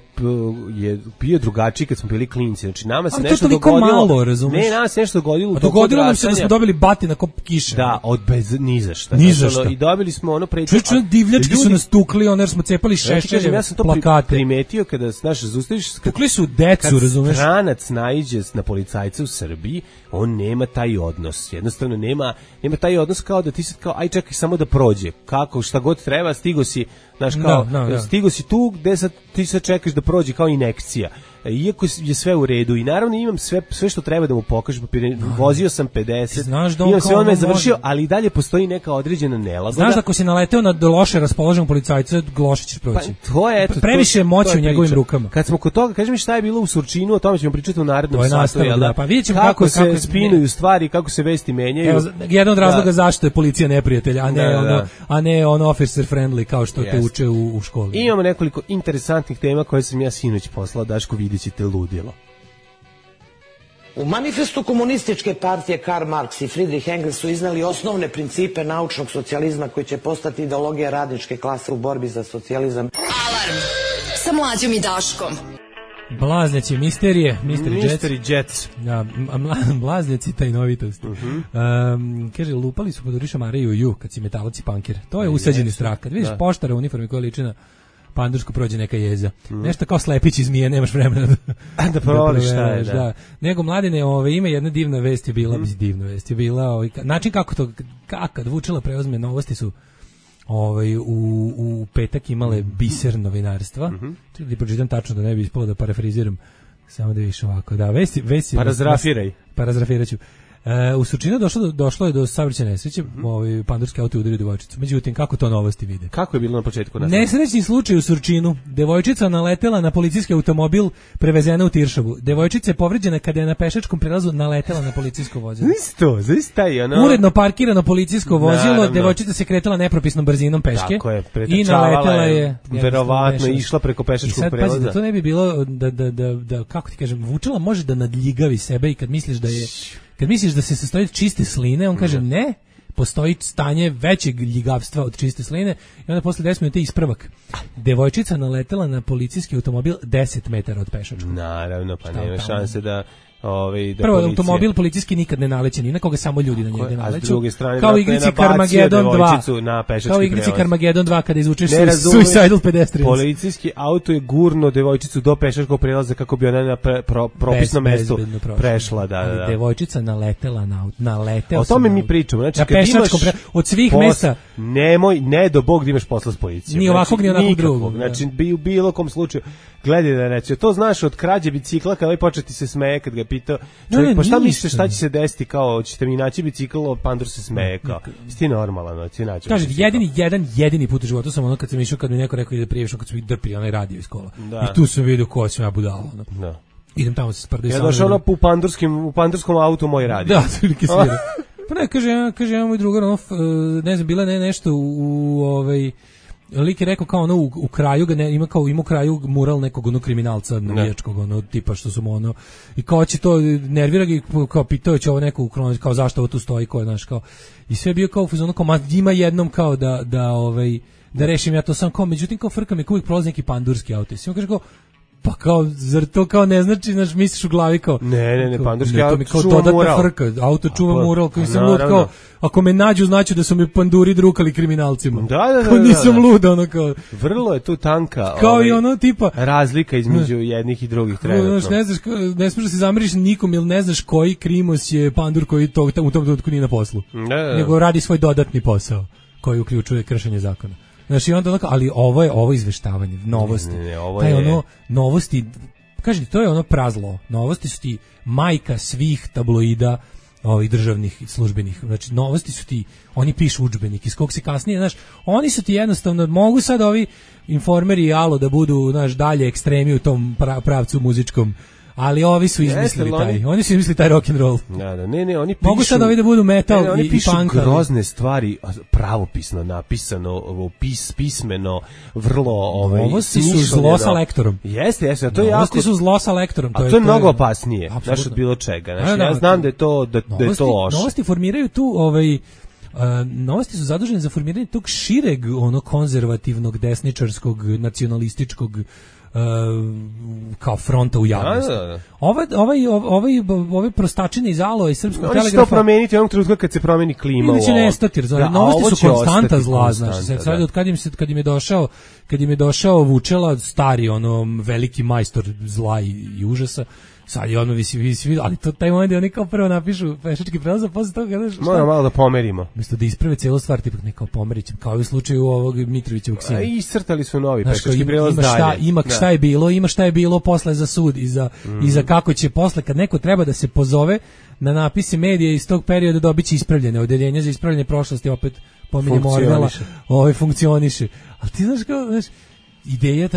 bio drugačiji kad smo bili klinci. Znači nama se nešto dogodilo. Malo, razumeš? Ne, nama se nešto dogodilo. Dogodilo nam se da smo dobili batina kop kiše. Da, ni za šta. I dobili smo ono preče. Divljački su nas tukli, jer smo cepali šešćere, ja sam to primetio kada zaustaviš. Tukli su decu, razumeš? Kad stranac naiđe na policajca u Srbiji, on nema taj odnos. Jednostavno nema taj odnos kao da ti se kao aj čekaj samo da prođe. Kako, šta god treba, stigo si, znaš, kao, stigo si tu gde sad ti sad čekaš da prođe kao injekcija. Iako je sve u redu i naravno imam sve što treba da mu pokažem, vozio sam 50, imam sve, on me je završio, ali i dalje postoji neka određena nelagoda. Znaš da ako si naleteo na loše raspoloženog policajca, loše ćeš proći. Pa, to je, previše moći u njegovim rukama. Kad smo kod toga, kaži mi šta je bilo u Surčinu, o tome ćemo pričati u narednom satu. Pa vidjet ćemo kako se spinuju stvari, kako se vesti menjaju. Evo, jedan od razloga zašto je policija neprijatelj, a ne ono officer friendly kao što te uče u školi. Imamo nekoliko interesantnih tema koje sam ja sinoć poslao, Daško, ćete ludilo. U manifestu komunističke partije Karl Marx i Friedrich Engels su iznali osnovne principe naučnog socijalizma koji će postati ideologija radničke klase u borbi za socijalizam. Alarm sa Mlađom i Daškom. Blaznjaci misterije, Mystery Jets. Ja, blaznjaci tajnovitosti. Kaže, lupali su pod Riša Mariju Ju kad si metalac i pankir. To je usađeni strah. Kad vidiš poštara u uniformi koja liči na pandušku, prođe neka jeza. Nešto kao slepić iz zmije, nemaš vremena da provališ šta je. Da. Nego, Mladine, ima jedna divna vest je bila, način kako to, kad Vučela preuzme, Novosti su u petak imale biser novinarstva. Da pročitam tačno da ne bi ispalo da parafriziram, samo da vidiš ovako. Da, vest Parazrafiraj. Parazrafiraću. U Surčinu došlo je do saobraćajne nesreće, pandurski auto udario devojčicu. Međutim, kako to Novosti vide? Kako je bilo na početku? Nesrećni slučaj u Surčinu. Devojčica naletela na policijski automobil, prevezena u Tiršovu. Devojčica je povređena kada je na pešačkom prelazu naletela na policijsko vozilo. Uredno parkirano policijsko vozilo, devojčica se kretala nepropisnom brzinom peške. Tako je, i naletela je. Verovatno išla preko pešačkog prelaza. I sad, pazi, to ne bi bilo da kako ti kažem, Vučela može da nadljigavi sebe i kad misliš da je kad misliš da se sastoji od čiste sline, on kaže ne, postoji stanje većeg ljigavstva od čiste sline i onda posle 10 minuta ispravak. Devojčica naletela na policijski automobil 10 metara od pešačkog. Naravno, pa nema šanse da prvo, automobil policijski nikad ne naleće ni na koga, samo ljudi na njega naleću. A s druge strane, kao u igrici Carmageddon 2. Kao u igrici Carmageddon 2 kada izvučeš Suicidal Pedestrians. Policijski auto je gurno devojčicu do pešačkog prelaza kako bi ona na propisnom mestu prešla. Da. Devojčica naletela na auto. O tome mi pričamo. Znači, na pešačkom od svih mesta. Ne do Bog da imaš posla s policijom. Ni ovakvog, ni onakvog drugog. Znači, u bilo kom slučaju. Gledaj da reći, to znaš od krađe bicikla, kada početi se smeje, kad ga pitao, čovjek, pa šta misliš, šta će se desiti, kao, ćete mi naći bicikl, Pandur se smeje, kao, sti normalan, ti naći. Kaže, jedini put u životu sam ono kad sam išao, kad mi neko rekao ide prijeviš, kad sam ih drpili onaj radio iz kola. I tu sam vidio ko sam ja budala. Da. Idem tamo se sprdaju sa mnom. Ja došao ono u pandurskom autu moj radio. Da, prilike svira. Pa ne, kaže, ja moj drugar, ne znam, bila nešto lik je rekao kao ono u kraju ga ima u kraju mural nekog ono kriminalca navijačkog ono tipa što su mu ono i kao će to nervira ga kao pitao će ovo neko ukroniti kao zašto ovo tu stoji ko je naš kao i sve je bio kao u fazonu kao ima jednom kao da rešim ja to sam kao međutim kao frka mi uvijek prolazi neki pandurski auto i sve kaže kao pa kao, zar to kao ne znači, znaš, misliš u glavi kao... Ne, pandurski auto čuva mural. Frka, auto čuva mural, koji sam lud kao, ako me nađu, znači da su mi panduri drukali kriminalcima. Da. Kao nisam lud, ono kao... Vrlo je tu tanka kao i ono tipa... razlika između jednih i drugih trenutno. Znaš, ne znaš, ne smiješ da se zamiriš nikom, ili ne znaš koji krimos je pandur koji u tom trenutku nije na poslu. Nego radi svoj dodatni posao, koji uključuje kršenje zakona. Znači onda onako, ali ovo izveštavanje, novosti. Novosti, kažete, to je ono prazlo. Novosti su ti majka svih tabloida, ovih državnih službenih. Znači novosti su ti, oni pišu udžbenik iz kog se kasnije, znaš, oni su ti jednostavno, mogu sad ovi Informeri i Alo da budu, znaš, dalje ekstremi u tom pravcu muzičkom. Ali ovi su izmislili oni su izmislili taj rock and roll. Da, ne, oni pišu. Mogu sad ovi da budu metal i punk. Oni pišu grozne stvari, pravopisno napisano, pismeno, vrlo Novosti su zlo sa lektorom. Jeste, to je jako. Novosti su zlo sa lektorom, to je mnogo opasnije, znaš, od bilo čega. Znači, ja znam da je to loše. Novosti formiraju tu novosti su zadužene za formiranje tog šireg, konzervativnog, desničarskog, nacionalističkog kao fronta u javnosti. Ove prostačine iz Alo i Srpskog telegrafa... Oni će to promeniti onog trenutka kad se promeni klima u ovo. Ili će nestati, novosti su konstanta zla, znaš. Sad od kad im je došao Vučela, stari, veliki majstor zla i užasa, sad je visi, ali to taj moment je oni kao prvo napišu pešački prelaz, a posle toga moramo malo da pomerimo. Umjesto da isprave cijelu stvar, tipak nekao pomerić, kao u slučaju ovog Mitrovićevog sina. I iscrtali su novi pešački prelaz dalje. Ima šta je bilo posle za sud i za kako će posle, kad neko treba da se pozove na napise medija iz tog perioda, dobit će ispravljene odeljenje za ispravljanje prošlosti, opet pominjemo Orvela, funkcioniše. Ali ti znaš kao, ideja,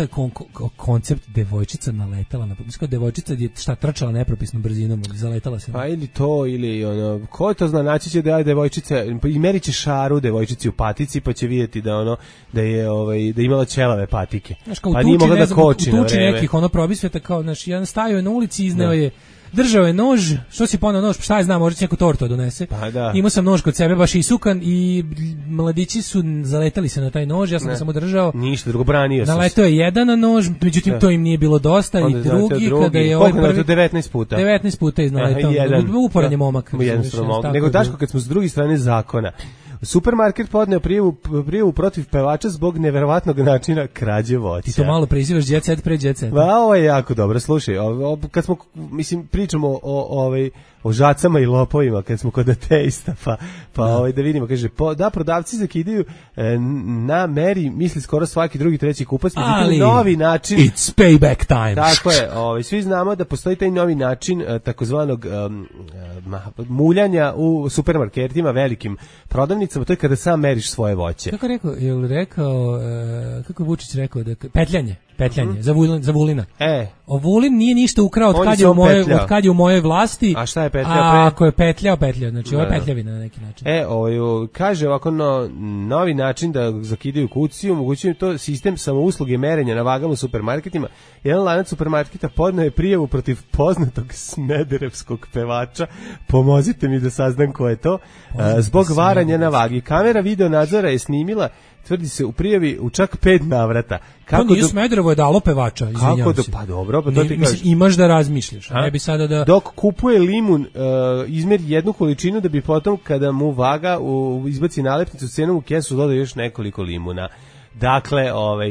koncept devojčica naletala na devojčica je trčala nepropisnom brzinom, zaletala se. Pa ili to, ili ko to zna, naći će da je devojčica, i merit će šaru devojčici u patici, pa će vidjeti da je imala ćelave patike. Znaš, kao nije mogla da koči na vreme. Nekih probisveta, kao, znaš, jedan stajao je na ulici, izneo je, držao je nož, što si ponao nož, šta je znam, možda će neku tortu donese. Pa da. Imao sam nož kod sebe, baš isukan, i mladići su zaletali se na taj nož, ja sam ga samo držao. Ništa, drugo branio sam. Naletao je jedan na nož, međutim to im nije bilo dosta, i drugi, kada je ovaj prvi... 19 puta. 19 puta iznaletao, uporan je momak. Nego Daško, kad smo s druge strane zakona, supermarket podneo prijavu protiv pevača zbog neverovatnog načina krađe voća. Ti to malo prezivaš jet set pre jet set. Ovo je jako dobro, slušaj, kad smo, pričamo o žacama i lopovima, kad smo kod ateista, pa da vidimo, kaže, prodavci zakidaju na meri, misli skoro svaki drugi, treći kupac, ali novi način. It's payback time. Tako je, svi znamo da postoji taj novi način takozvanog muljanja u supermarketima, velikim prodavnicama, to je kada sam meriš svoje voće. Kako je rekao, kako je Vučić rekao, petljanje. petljanje, za Vulina. Vulin nije ništa ukrao od kad je u mojoj vlasti. A šta je petljao? Ako je petljao, znači ovo je petljavina na neki način. Kaže ovako novi način da zakidaju kuciju, omogućuju to sistem samousluge merenja na vagama u supermarketima. Jedan lanac supermarketa podneo je prijavu protiv poznatog smederevskog pevača. Pomozite mi da saznam ko je to. Zbog varanja na vagi. Kamera video nadzora je snimila, tvrdi se u prijavi u čak 5 navrata. Kako nije Smederevo je dalo pevača, izvinjavam se. Pa dobro, pa to ti kažeš. Imaš da razmišljaš, a ne bi sada da... Dok kupuje limun, izmeri jednu količinu da bi potom kada mu vaga izbaci nalepnicu cenom u kesu doda još nekoliko limuna. Dakle,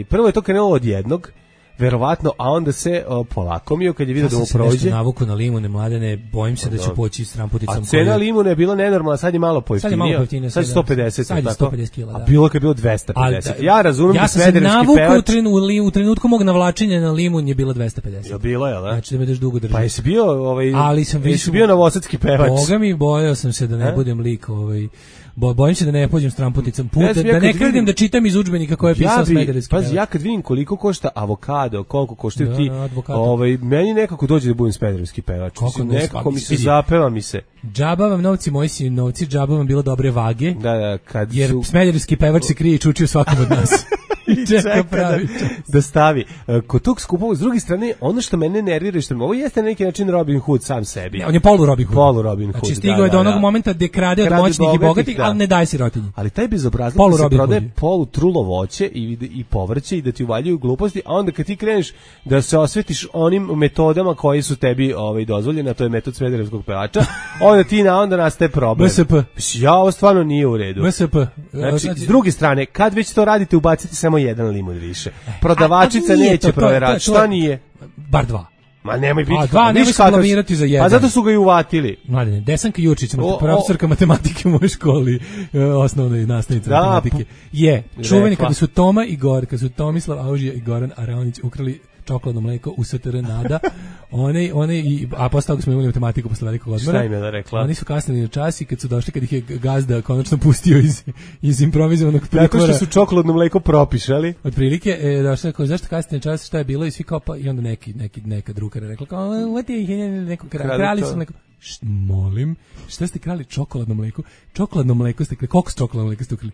prvo je to krenulo od jednog, verovatno, a onda se polakomio kad je vidio da mu prođe. Ja sam se navuku na limune, Mladene, bojim se da ću poći s tramputicom. A cena limuna je bila nenormalna, sad je malo pojeftinija. Sad je 150. Sad je 150 kila, da. A bilo kad je bilo 250. Ja razumem da smederevski pevač... Ja sam se navuku u trenutku mog navlačenja na limun je bilo 250. Je bilo, jel da? Znači da me daš dugo držati. Pa jesi bio, ali sam više bio novosadski pevač. Boga mi, bojao sam se da ne budem lik, bojim se da ne pođem s tramputicom puta, da ne krenem da čitam iz udžbenika koje je pisao smederevski pevač. Pazi, ja kad vidim koliko košta avokado, koliko koštaju ti, meni nekako dođe da budem smederevski pevač. Nekako mi se zapeva mi se. Džaba vam novci, moji si novci, džaba vam bilo dobre vage. Da, jer smederevski pevač se krije i čuči u svakom od nas. I čeka pravi da stavi. Kod tog skupova, s druge strane, ono što mene nervira, što ovo jeste na neki način Robin Hood sam sebi. On je polu Robin Hood. Znači stigao je do onog momenta gde krade od moćnih i bogatih, ali ne daje sirotinji. Ali taj bezobrazluk da se prodaje polu trulo voće i povrće i da ti uvaljuju gluposti, a onda kad ti kreneš da se osvetiš onim metodama koji su tebi dozvoljene, a to je metod smederevskog pevača, onda nastaje problem. MSP. Ja, ovo stvarno nije u redu. MSP. Znači, s druge strane, kad već to radite, ubacite samo jedan limun više. Prodavačica neće provjerati. Šta nije? Bar 2. Ma nemoj biti. Nemoj se blamirati za jedan. Pa zato su ga i uvatili. Mladene, Desanka Jurčić, profesorka matematike u mojoj školi, osnovnoj nastavnici matematike, je čuveni kada su Toma i kada su Tomislav Aužija i Goran Araonić ukrali čokoladno mleko u STR Nada. A posle toga smo imali matematiku posle velikog odmora. Šta im je da rekla? Oni su kasnili na čas i kad su došli, kad ih je gazda konačno pustio iz improvizovanog pritvora. Tako što su čokoladno mleko propišali. Otprilike, došli kao, zašto kasnili na čas, šta je bilo i svi kao, i onda neka drukara rekla kao, krali su mleko. Molim, šta ste krali? Čokoladno mleko? Čokoladno mleko ste krali? Koliko čokoladno mleko ste ukrali?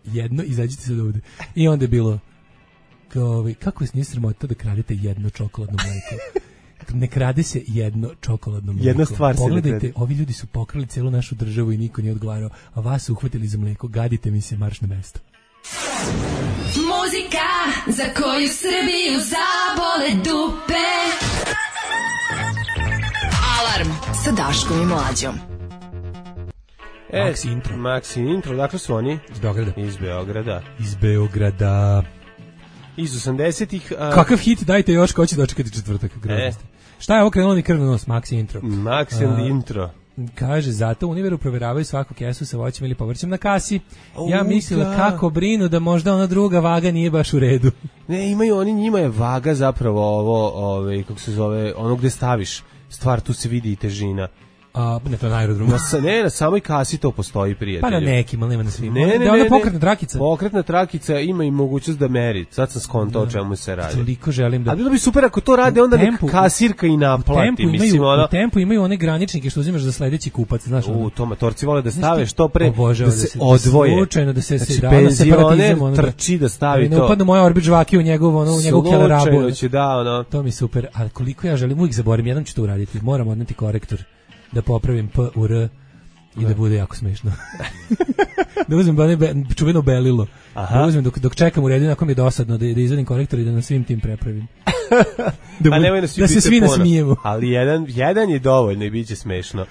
Jedno, izađite se ovde. I onda je bilo kako vas nije sramota da kradete jedno čokoladno mleko? Ne krade se jedno čokoladno mleko. Jedna stvar se pogledajte, ovi ljudi su pokrali celu našu državu i niko nije odgovarao, a vas su uhvatili za mleko. Gadite mi se, marš na mesto. Muzika za koju Srbiju zabole dupe. Alarm sa Daškom i Mlađom. Maxi intro, dakle su oni? Iz Beograda. Iz 80-ih. Kakav hit, dajte još, ko će dočekati četvrtak. Šta je ovo krenulo ni krvno nos? Maxi intro. Maxi intro. Kaže, zato u Univeru provjeravaju svaku kesu sa voćem ili povrćem na kasi. Ja mislila kako brinu da možda ona druga vaga nije baš u redu. Ne, imaju oni, njima je vaga zapravo ovo, kako se zove, ono gde staviš stvar, tu se vidi i težina. Ne, to je na aerodromu. Na samoj kasi to postoji, prijatelju. Pa na nekim, ali nema na svim. Ne, pokretna trakica. Pokretna trakica ima i mogućnost da meri. Sad sam skontao o čemu se radi. Toliko želim da... A bilo bi super ako to rade, onda neka kasirka i naplati. U tempu imaju one graničnike što uzimaš za sledeći kupac. To matorci vole da stave što pre, da se odvoje. Slučajno da se znači, penzioner trči da stavi to. Ne upadnu moja orbić žvaki u njegovu kelerabu. Slučajno će, da. To mi super. Ali koliko ja želim, uvijek zaborim, jednom ću to uraditi. Moram odneti korektor. Da popravim P u R i da bude jako smešno. Da uzmem čuveno belilo. Da uzmem dok čekam u redu, nakon mi je dosadno da izvadim korektor i da na svim tim prepravim. Da se svi nasmijemo. Ali jedan je dovoljno i bit će smešno.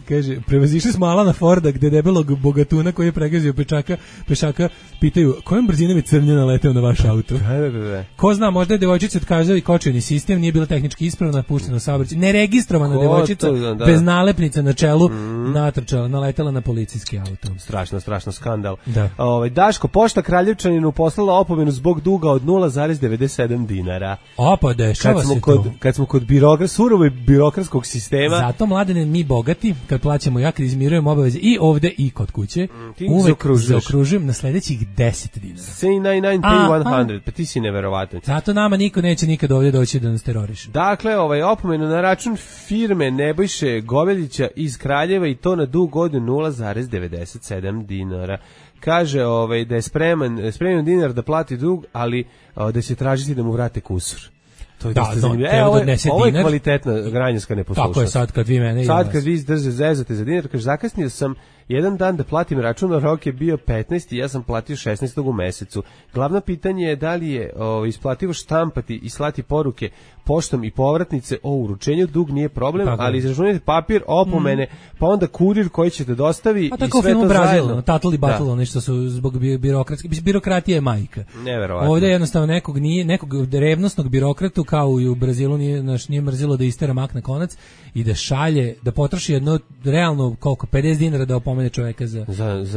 Kaže, prevazišli smo Alana Forda gde debelog bogatuna koji je pregazio pešaka pitaju kojom brzinom je crnja naleteo na vaš auto. Ko zna, možda je devojčica otkazao i kočioni sistem, nije bila tehnički ispravna, puštena u saobraćaj. Neregistrovana devojčica bez nalepnica na čelu tunelu naletela na policijski auto. Strašno skandal. Da. Daško, Pošta Kraljevčaninu poslala opomenu zbog duga od 0,97 dinara. Pa dešava se to. Kad smo kod surovoj birokratskog sistema. Zato, Mladene, mi bogati, kad plaćamo, ja kad izmirujemo obaveze i ovde i kod kuće, uvek zaokružujem na sledećih 10 dinara. Say 99 pay 100, pa ti si neverovatan. Zato nama niko neće nikad ovdje doći da nas teroriše. Dakle, opomenu na račun firme Nebojše Goveljića iz Kraljeva i to na dug od 0,97 dinara. Kaže da je spreman dinar da plati dug, ali da će tražiti da mu vrate kusur. To je dosta zanimljivo. Ovo je kvalitetna građanska neposlušnost. Tako je sad kad vi mene... Sad kad vi zezate za dinar, kaže, zakasnio sam jedan dan da platim račun, a rok je bio 15. i ja sam platio 16. u mesecu. Glavno pitanje je da li je isplativo štampati i slati poruke poštom i povratnice o uručenju. Dug nije problem, ali izračunajte papir, opomene, pa onda kurir koji ćete dostavi i sve to zajedno. Brazil, Tatli Battle, nešto su zbog birokratije je majka. Neverovatno. Ovdje jednostavno nekog revnosnog birokratu, kao i u Brazilu nije mrzilo da istera mak na konac i da šalje, da potroši jedno realno koliko 50 dinara da opomene čoveka za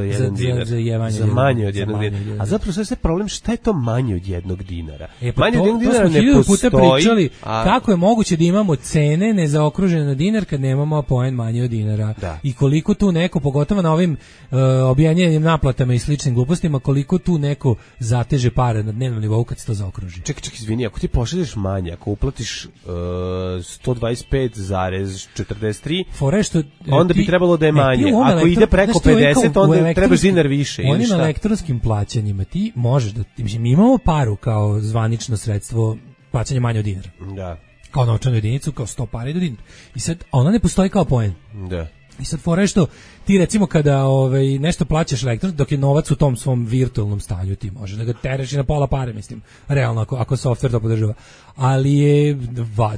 jedan dinar, za manje od jednog dinara. A zapravo sve problem, šta je to manje od jednog dinara? Manje od jednog dinara ne postoji. Puta pričali kako je moguće da imamo cene nezaokružene na dinar kad nemamo poen manje od dinara. Da. I koliko tu neko, pogotovo na ovim objanjenim naplatama i sličnim glupostima, koliko tu neko zateže pare na dnevnom nivou kad se to zaokruži. Čekaj, izvini, ako ti pošalješ manje, ako uplatiš 125,43, onda bi trebalo da je manje. Ako ide preko 50, onda trebaš dinar više. Onim elektronskim plaćanjima ti možeš da... Mi imamo paru kao zvanično sredstvo plaćanja manje od dinara. Da. Kao novčanu jedinicu, kao 100 para do dinara. I sad, ona ne postoji kao poen. Da. I sad fora je što ti recimo kada nešto plaćaš elektronski, dok je novac u tom svom virtualnom stanju, ti možeš da ga tereš i na pola pare, mislim, realno ako softver to podržava. Ali je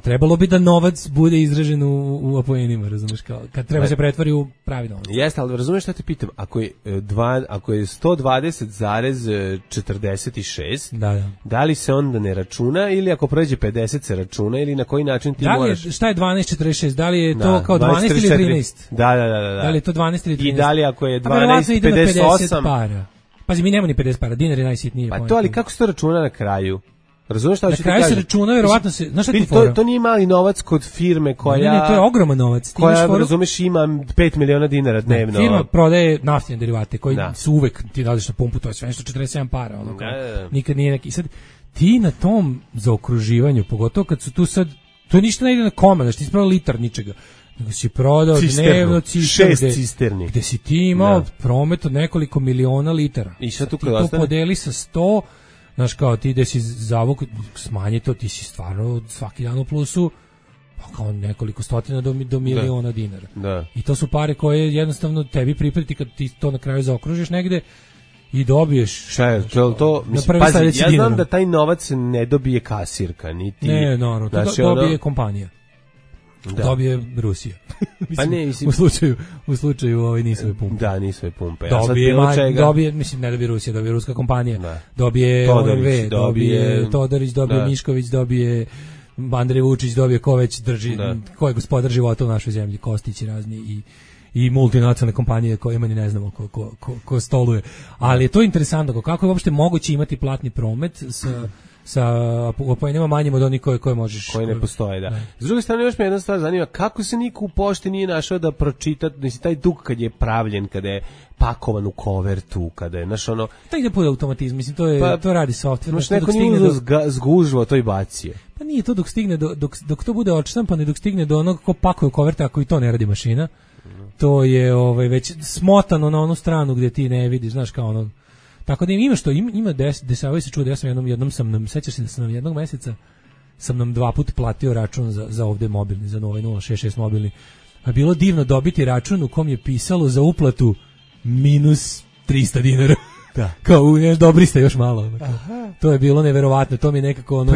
trebalo bi da novac bude izražen u apoenima, razumeš, kao kad treba se pretvori u pravi novac. Jeste, ali razumeš šta te pitam, ako je 120,46, da li se onda ne računa ili ako prođe 50 se računa ili na koji način ti moraš? Šta je 12,46? Da li je to kao 12 ili 13? Da. Da li je to 12 ili 13? I da li ako je 12,58? Para. Pazi, mi nemamo ni 50 para, dinar je najsitniji. Pa to, ali kako se to računa na kraju? Razumeš šta hoću ti kažem? Na kraju se računa, verovatno se... Znaš šta ti fora? To nije mali novac kod firme koja... Ne, to je ogroman novac. Koja, razumeš, ima 5 miliona dinara dnevno. Firma prodaje naftne derivate koji su uvek, ti dališ na pumpu, to je sve nešto 47 para. Nikad nije neki... Sad, ti na tom zaokruživanju, pogotovo kad su tu sad... To ništa ne ide na koma, znači ti si prodao litar ničega. Nego si prodao dnevno 6 cisterni. Gde si ti imao promet od nekoliko miliona litara. I sad tu ti to podeli sa 100, znaš kao ti gde si zavuk, smanji to, ti si stvarno svaki dan u plusu, pa kao nekoliko stotina do miliona dinara. Da. I to su pare koje jednostavno tebi priprati kad ti to na kraju zaokružiš negde i dobiješ. Šta je to? Mislim, pazi, ja znam da taj novac ne dobije kasirka, niti... Ne, naravno, to dobije kompanija. Da. Dobije Rusija. Pa ne, mislim, u slučaju nisove pumpe. Da, nisove pumpe. Dobije, mislim, ne dobije Rusija, dobije ruska kompanija. Da. Dobije OMV, dobije Todorić, dobije Mišković, dobije Andrej Vučić, dobije ko već drži, ko je gospodar života u našoj zemlji, Kostići razni i multinacionalne kompanije kojima ni ne znamo ko stoluje. Ali je to interesantno, kako je uopšte moguće imati platni promet sa poenima manjim od onih koje možeš... Koje ne postoje, da. S druge strane, još me jedna stvar zanima, kako se niko u pošti nije našao da pročita, mislim, taj dug kad je pravljen, kada je pakovan u kovertu, kada je, znaš, ono... To ide pod automatizm, mislim, to radi softver. Znaš, neko nije zgužvao, to i bacio. Pa nije to dok stigne, dok to bude odštampano i dok stigne do onog ko pakuje u koverte, ako i to ne radi mašina, to je već smotano na onu stranu gdje ti ne vidiš, znaš, kao ono... Tako da ima desavaju se čuo da ja sam jednom sam nam, sećaš se da sam nam jednog meseca sam nam 2 puta platio račun za ovde mobilni, za ovaj 066 mobilni. A bilo divno dobiti račun u kom je pisalo za uplatu minus 300 dinara. Da. Kao dobri ste još malo. To je bilo neverovatno, to mi je nekako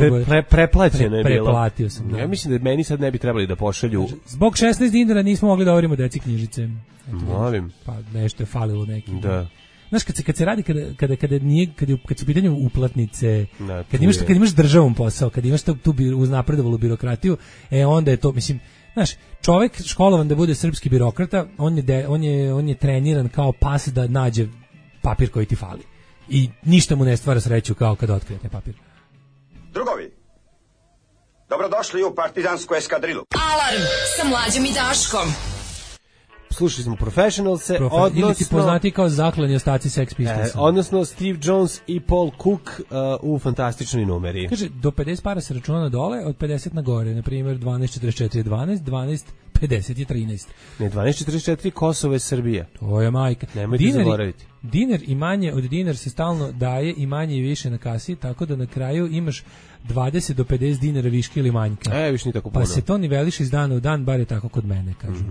preplaćeno je bilo. Preplatio sam. Da. Ja mislim da meni sad ne bi trebali da pošalju. Zbog 16 dinara nismo mogli da overimo deci knjižice. Molim. Pa nešto je falilo neki. Da. Znaš, kad se radi, kad su u pitanju uplatnice, kad imaš državom posao, kad imaš tu uznapredovalu birokratiju, onda je to, mislim, Znaš, čovek školovan da bude srpski birokrata, on je treniran kao pas da nađe papir koji ti fali. I ništa mu ne stvara sreću kao kada otkrijete papir. Drugovi, dobrodošli u partizansku eskadrilu. Alarm sa Mlađom i Daškom. Slušali smo Professionalse, odnosno... Ili ti poznati kao zaklani ostaci Sex Pistols. Odnosno Steve Jones i Paul Cook u fantastičnoj numeri. Kaže, do 50 para se računa dole, od 50 na gore. Na primjer, 12.44 je 12, 12.50 je 13. Ne, 12.44 Kosovo je Srbija. To je majka. Nemojte zaboraviti. Dinar i manje od dinar se stalno daje i manje i više na kasi, tako da na kraju imaš 20 do 50 dinara viške ili manjka. Viš ni tako puno. Pa se to niveliše iz dana u dan, bar je tako kod mene, kažu.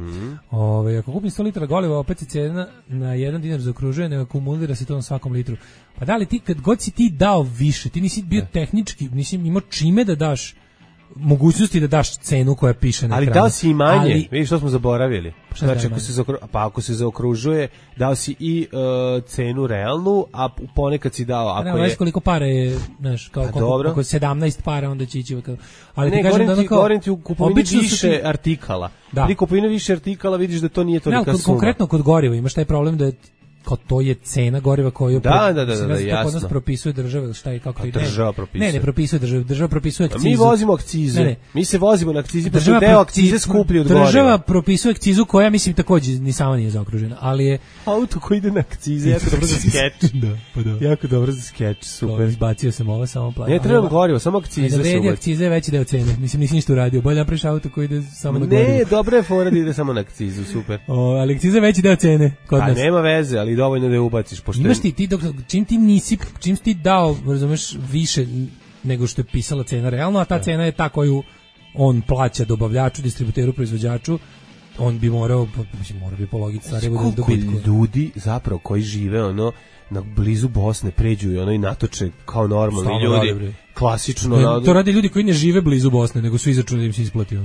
Ako kupim 100 litara goriva, opet se cena na 1 dinar zaokružuje, ne akumulira se to na svakom litru. Pa da li ti, kad god si ti dao više, ti nisi bio tehnički, nisi imao čime da daš mogućnosti da daš cenu koja piše na ekranu. Ali dao si i manje, vidiš što smo zaboravili. Znači, ako se zaokružuje, dao si i cenu realnu, a ponekad si dao... Ako ne, koliko para je, znaš, kao ako 17 para, onda će ići... Ali ne, govorim ti u kupovini više artikala. Pri kupovini više artikala vidiš da to nije tolika suma. Konkretno kod goriva imaš taj problem da kao to je cena goriva koju jasno. Kod nas propisuje država, šta je kako to ide. Država propisuje. Ne propisuje država propisuje akcizu. Mi vozimo akcize. Mi se vozimo na akcizi, pa su deo akcize skuplji od goriva. Država propisuje akcizu koja mislim takođe ni sama nije zaokružena, ali je auto koji ide na akcize, jako dobro za skeč. Da. Jako dobro za skeč, super. Izbacio sam ovo samo plaćam. Ne treba gorivo, samo akcize su. Akcize je veći deo cene. Mislim nisi ništa uradio. Bolje napraviš auto koji ide samo na gorivo. Ne, dobro je fora da ide samo na akcizu, super. Ali akciza je veći deo cene kod nas. Nema veze, ali dovoljno da je ubaciš. Imaš ti dok čim ti dao, razumeš, više nego što je pisala cena realno, a ta cena je ta koju on plaća dobavljaču, distributeru, proizvođaču, on bi morao bi po logici stvari bude dobitku. Koliko ljudi zapravo koji žive na blizu Bosne pređu i natoče kao normalni ljudi. Klasično. To rade ljudi koji ne žive blizu Bosne, nego su izračunali da im se isplati.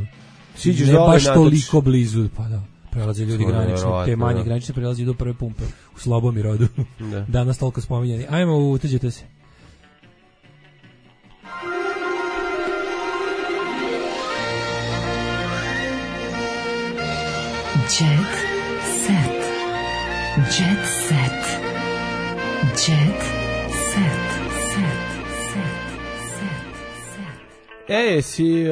Siđeš ne baš toliko blizu, pa da. Prelaze ljudi granično, te manje granične prelaze do prve pumpe u Slobomirodu. Danas toliko spominjani. Ajmo, uteđete se. Jet set. Jet set. Jet set. Si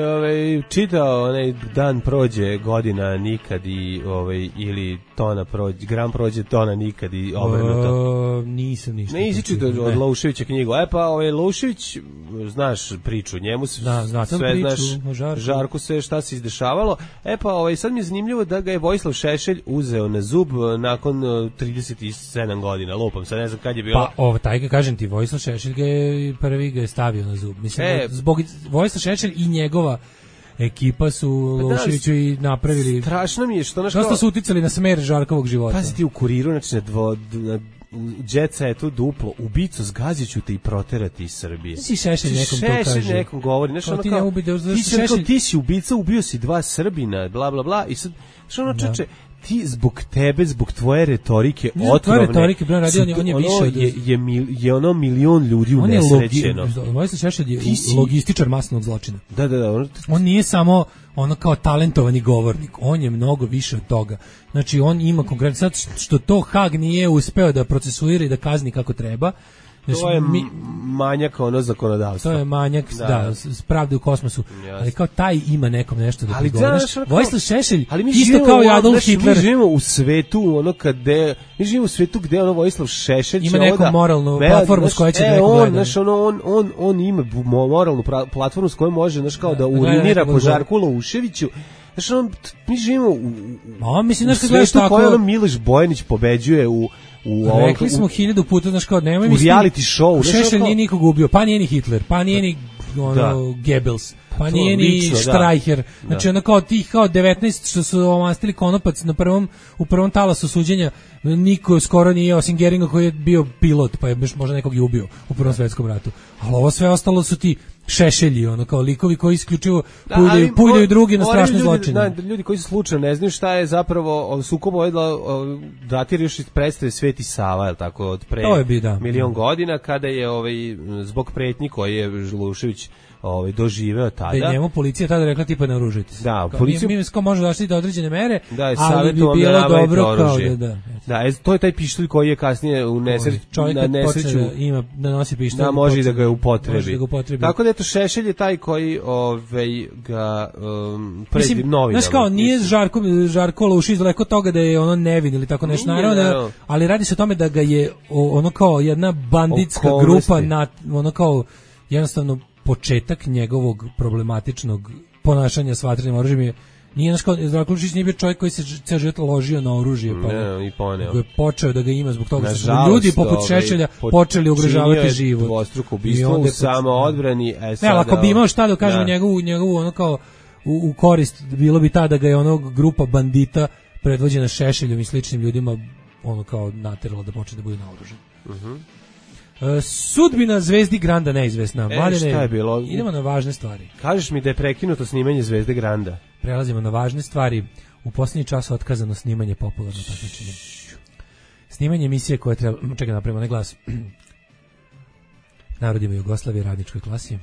čitao onaj dan prođe, godina nikad i ili tona prođe, gram prođe, tona nikad i obrnuto. Nisam ništa. Ne izčitao od Louševića knjigu. Pa Loušević, znaš priču, njemu se sve priču, znaš, Žarku sve šta se izdešavalo. Pa sad mi je zanimljivo da ga je Vojislav Šešelj uzeo na zub nakon 37 godina, lupam, sad ne znam kad je bilo. Pa taj ga kažem ti, Vojislav Šešelj prvi ga je stavio na zub. Mislim, zbog Vojislav Šešelj i njegova ekipa su Louševiću i napravili. Strašno mi je što dosta su uticali na smer Žarkovog života. Pazi ti u Kuriru, znači na Džeca je tu duplo, ubicu zgaziću te i proterati iz Srbije. Si Šešelj nekom to kaže. Šešelj nekom govori, ti si ubica, ubio si 2 Srbina, bla bla bla, i sad čeče, ti zbog tebe, zbog tvoje retorike otrovne, on je više je ono milion ljudi unesrećeno. Vojislav Šešelj je logističar masnog zločina. Da. On nije samo ono kao talentovani govornik, on je mnogo više od toga. Znači on ima konkretno, sad što to Hag nije uspeo da procesuira i da kazni kako treba. Znači, to je manjak zakonodavstva. To je manjak, pravde u kosmosu. Yes. Ali kao taj ima nekom nešto da prigovara. Vojislav Šešelj, isto kao i Adolf Hitler. Mi živimo u svetu gde Vojislav Šešelj ima neku moralnu platformu s kojoj će neko gledati. On ima moralnu platformu s kojom može da urinira po Žarku Louševiću. Znači, mi živimo u svetu koju Miloš Bojanić pobeđuje rekli smo 1000 puta, znaš kao, nemoj misliti, u reality show. Šešelj nije nikog ubio, pa nije ni Hitler, pa nije ni Goebbels, pa nije ni Streicher. Znači, ono kao tih 19 što su omastili konopac u prvom talasu suđenja, niko skoro nije, osim Geringa koji je bio pilot, pa je možda nekog i ubio u Prvom svetskom ratu. Ali ovo sve ostalo su ti Šešelji, kao likovi koji isključivo puljaju drugi na strašne zločine. Ljudi koji su slučajno ne znaju šta je zapravo sukob datira još iz predstave Sveti Sava, je tako, od pre milion godina, kada je zbog pretnji koje je Loušević doživeo tada. Da njemu policija tada rekla tipa naoružite se. Da, policija mi može došli do određene mere, da, ali bi bilo dobro kao da, to je taj pištolj koji je kasnije u nesreću ima da nosi pištolj. Da, može da ga upotrebi. Tako da eto Šešelj je taj koji ga predi novinama. Znaš kao, nije Žarko Lušić daleko toga da je ono nevin ili tako nešto, naravno, ali radi se o tome da ga je ono kao jedna banditska grupa ono kao jednostavno početak njegovog problematičnog ponašanja s vatrenim oružjem je nije naš kao Žarko Lušić nije bio čovjek koji se ceo život ložio na oružje pa i poneo. Je počeo da ga ima zbog toga što su ljudi poput Šešelja počeli ugrožavati život. Dvostruko ubistvo u samoodbrani. Ako bi imao šta da kažemo njegovu ono kao u korist bilo bi ta da ga je onog grupa bandita predvođena Šešeljom i sličnim ljudima ono kao nateralo da počne da bude naoružan. Sudbina Zvezdi Granda neizvesna. Mladene, šta je bilo? Idemo na važne stvari. Kažeš mi da je prekinuto snimanje Zvezde Granda. Prelazimo na važne stvari. U posljednji čas otkazano snimanje popularno takmičenje. Snimanje emisije koje treba... Čekaj, napravimo ne glas. Narodima Jugoslavije, radničkoj klasi.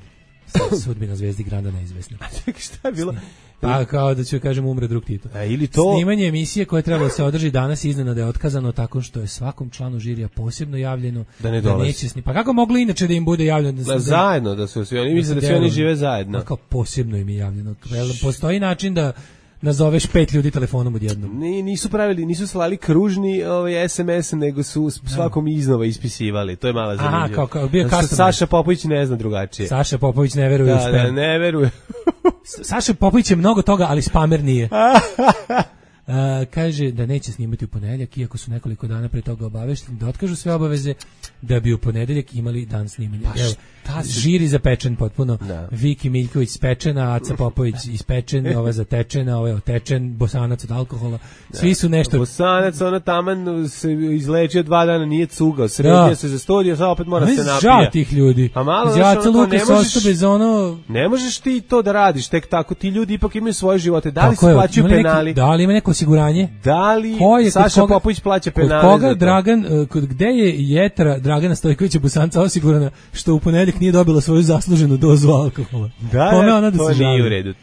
Sudbina Zvezdi Granda neizvesna. Čekaj, šta je bilo? Pa kao da ću kažem umre drug Tito. Ili to... Snimanje emisije koje trebalo se održi danas iznenada je otkazano tako što je svakom članu žirija posebno javljeno da ne dolazi. Pa kako moglo inače da im bude javljeno? Zajedno da su svi oni misle da svi oni žive zajedno. Pa kao posebno im je javljeno. Postoji način da nazoveš 5 ljudi telefonom odjednom. Nisu slali kružni SMS, nego su svakom iznova ispisivali. To je mala zanimljiva. Aha, kao bio custom. Saša Popović ne zna drugačije. Saša Popović ne veruje u spam. Da, ne veruje. Saša Popović je mnogo toga, ali spamer nije. Kaže da neće snimati u ponedeljak, iako su nekoliko dana pre toga obavešteni da otkažu sve obaveze da bi u ponedeljak imali dan snimanja. Žiri zapečen potpuno. Viki Miljković spečena, Aca Popović ispečen, ova zatečena, ovaj otečen, Bosanac od alkohola. Svi su nešto... Bosanac, ona taman se izlečio 2 dana, nije cugao, sredio se za studiju, sad opet mora se napija. Žao tih ljudi. A malo, Aca Lukas ostao bez ono... Ne možeš ti to da radiš, tek tako, ti ljudi ipak imaju svoje živote. Da li se plaćaju penali? Da li ima neko osiguranje? Da li Saša Popović plaća penale? Kod koga Dragan, gde je jetra Dragana Stojkovića Bosanca osigurana što u ponedeljak nije dobila svoju zasluženu dozu alkohola?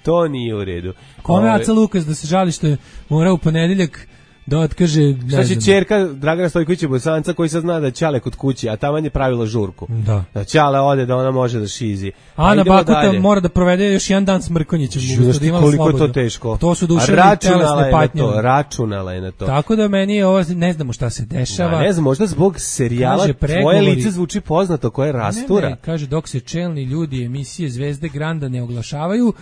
To nije u redu. Kome Aca Lukas da se žali što je morao u ponedeljak da otkaže... Šta će ćerka Dragana Stojkovića Bosanca koji sad zna da Ćale kod kući, a taman je pravila žurku. Da Ćale ode da ona može da šizi. Ana Bakuta mora da provede još jedan dan s Mrkonjićem. Koliko je to teško. To su duševne telesne patnje. Računala je na to. Tako da meni je ovo, ne znamo šta se dešava. Ne znam, možda zbog serijala tvoje lice zvuči poznato koje rastura. Ne, kaže, dok se čelni ljudi emisije Zvezde Granda ne oglašavaju,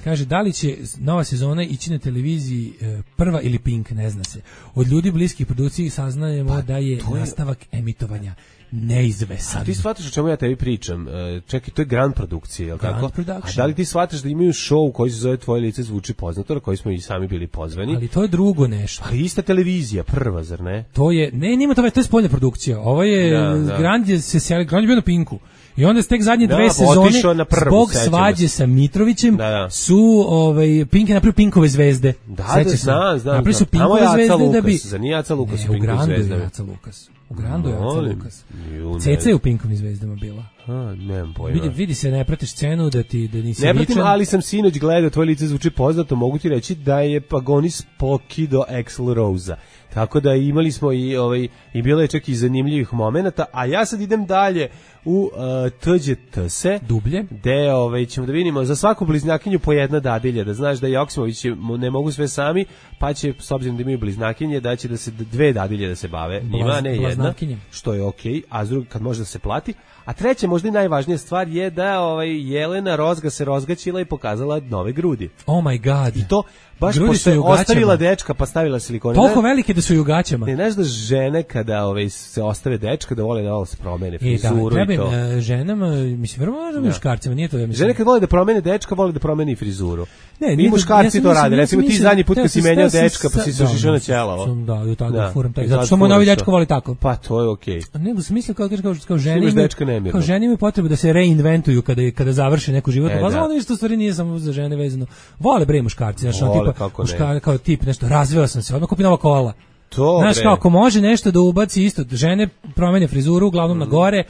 kaže, da li će nova sezona ići na televiziji prva ili Pink, ne zna se. Od ljudi bliskih produkciji saznajemo da je nastavak emitovanja neizvesan. A ti shvataš o čemu ja tebi pričam? Čekaj, to je Grand produkcija, je li tako? A da li ti shvataš da imaju show koji se zove Tvoje lice zvuči poznato, na koji smo i sami bili pozvani? Ali to je drugo nešto. Ali ista televizija, prva, zar ne? To je, nima to je spoljna produkcija. Ovo je, Grand je bio na Pinku. I onda tek zadnje 2 sezone zbog svađe sa Mitrovićem su Pink je napravio Pinkove zvezde. Znam. Napravili su Pinkove zvezde da bi... Za nije Aca Lukas u Pinkove zvezdama. U Grandu je Aca Lukas. Ceca je u Pinkovim zvezdama bila. Nemam pojma. Vidi se, ne pratiš scenu da nisi vičan. Ne pratim, ali sam sinoć gledao, Tvoje lice zvuči poznato, mogu ti reći da je Pagonis pokido Axl Rose-a. Tako da imali smo i bilo je čak i zanimljivih momenata, a ja sad idem dalje u TGTS-e. Dublje. Gde ćemo da vidimo za svaku bliznakinju po jedna dadilja, da znaš da Joksimović ne mogu sve sami, pa će, s obzirom da imaju bliznakinje, da će da se 2 dadilje da se bave njima, ne jedna, što je okej, a s drugim kad može da se plati. A treća, možda i najvažnija stvar je da Jelena Rozga se rozgaćila i pokazala nove grudi. Oh my god. I to baš pošto je ostavila dečka pa stavila silikone. Toliko velike da su i u gaćama. Ne znaš da žene kada se ostave dečka da vole da se promene frizuru i to. Ženama, mislim, vrlo možda muškarcima, nije to. Žene kad vole da promene dečka, vole da promene i frizuru. Mi muškarci to rade. Recimo ti zadnji put kad si menjao dečka pa si se ošišao na ćelavo. Da, i tako furam taj. Zato što moj novi dečko voli tako. Pa to je okej. Nego sam mislio kao žene. Kao žene imaju potrebu da se reinventuju kada završe neku životnu fazu. Ono isto stvari nije samo za žene vezano. Vole bre muškarci, znači tipa kao tip nešto, razveo sam se, odmah kupi nova kola. Znaš, kao ako može nešto da ubaci isto, žene promene frizuru, uglavnom na gore,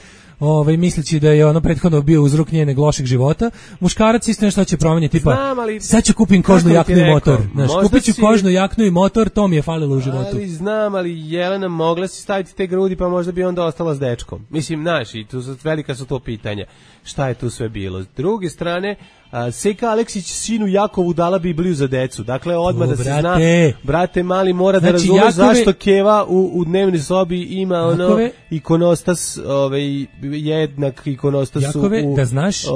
misleći da je ono prethodno bio uzrok njenog lošeg života. Muškarac isto nešto će promeniti, tipa sad ću kupim kožnu jaknu i motor. Znaš, kupit ću kožnu jaknu i motor, to mi je falilo u životu. Ali znam, ali Jelena mogla si staviti te grudi, pa možda bi onda ostala s dečkom. Mislim, znaš, i tu velika su to pitanja. Šta je tu sve bilo? S druge strane, Seka Aleksić sinu Jakovu dala Bibliju za decu. Dakle, odmah da se zna, brate mali mora da razume zašto Keva u dnevnoj sobi ima ono ikonostas, jednak ikonostas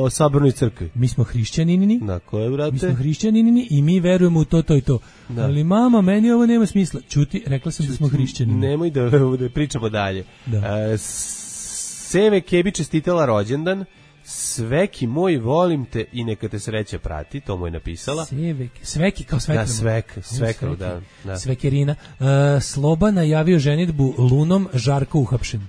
u Sabornoj crkvi. Mi smo hrišćaninini. Dakle, brate. Mi smo hrišćaninini i mi verujemo u to i to. Da. Ali mama, meni ovo nema smisla. Čuti, rekla sam da smo hrišćanini. Nemoj da pričamo dalje. Da. Seve Kebi čestitala rođendan. Sveki moj, volim te i neka te sreća prati, to mu je napisala. Sveki kao svekra. Da, svekra, da. Svekerina. Sloba najavio ženidbu Lunom, Žarko uhapšen.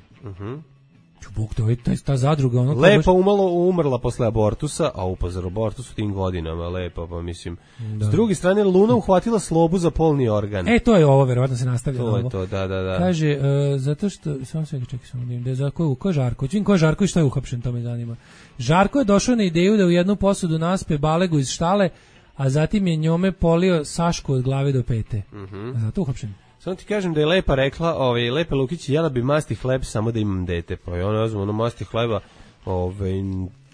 Bog, to je ta zadruga. Ono lepa umrla posle abortusa, a upozor abortus u tim godinama, lepa, pa mislim. Da. S druge strane, Luna uhvatila Slobu za polni organ. To je ovo, verovatno se nastavlja. To je to, da. Kaže, zato što, samo da je za ko je Žarko? Čim ko je Žarko i što je uhapšen, to me zanima. Žarko je došao na ideju da u jednu posudu naspe balegu iz štale, a zatim je njome polio Sašku od glave do pete. A zato uhapšen. Samo ti kažem da je Lepa rekla, Lepa Lukić, jela bi masti hleb samo da imam dete. Pa je ona razum, masti hleba,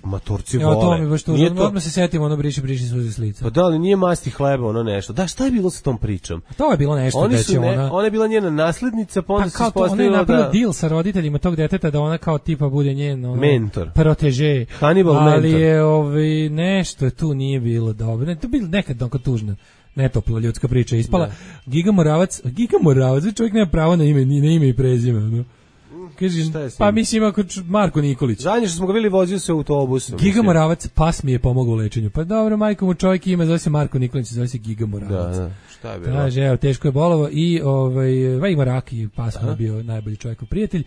maturci vole. To mi baš to, odmah se setimo, briši suze s lica. Pa da, ali nije masti hleba, nešto. Da, šta je bilo sa tom pričom? To je bilo nešto da će ona... Ona je bila njena naslednica, pa onda se ispostavila da... Ona je napravila deal sa roditeljima tog deteta da ona kao tipa bude njen... mentor. Proteže. Hannibal mentor. Ali je, nešto tu nije bilo dobro. To je bilo nekad onako tužno. Netopla ljudska priča ispala. Giga Moravac, čovjek nema pravo na ime i prezime, Kaže, pa mislim ako Marko Nikolić. Zadnje što smo ga bili vozio se autobusom. Giga Moravac, pas mi je pomogao u lečenju. Pa dobro, majko mu čovjek ima, zove se Marko Nikolić, zove se Giga Moravac. Da. Šta je bilo? Kaže, evo, teško je bolovo i ima rak i pas mu je bio najbolji čovjekov prijatelj.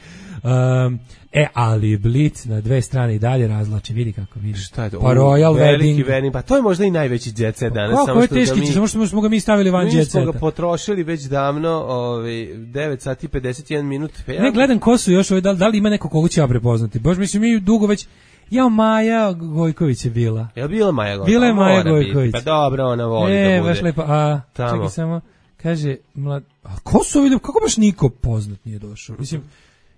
Ali Blic na dve strane i dalje razlači, vidi kako vidi. Šta je to? Pa Royal Wedding. Pa to je možda i najveći jet set danas. Kako je teški, samo što smo ga mi stavili van jet seta. Mi smo ga potrošili već davno, 9 sati 51 minut. Ne, gledam ko su još, da li ima neko koga ću ja prepoznati. Bož, mislim, mi dugo već... Maja Gojković je bila. Je bila Maja Gojković? Bila je Maja Gojković. Pa dobro, ona voli da bude. Baš lepa. Čekaj samo, kaže, ko su ovdje, kako baš niko poznat nije došao? Mislim,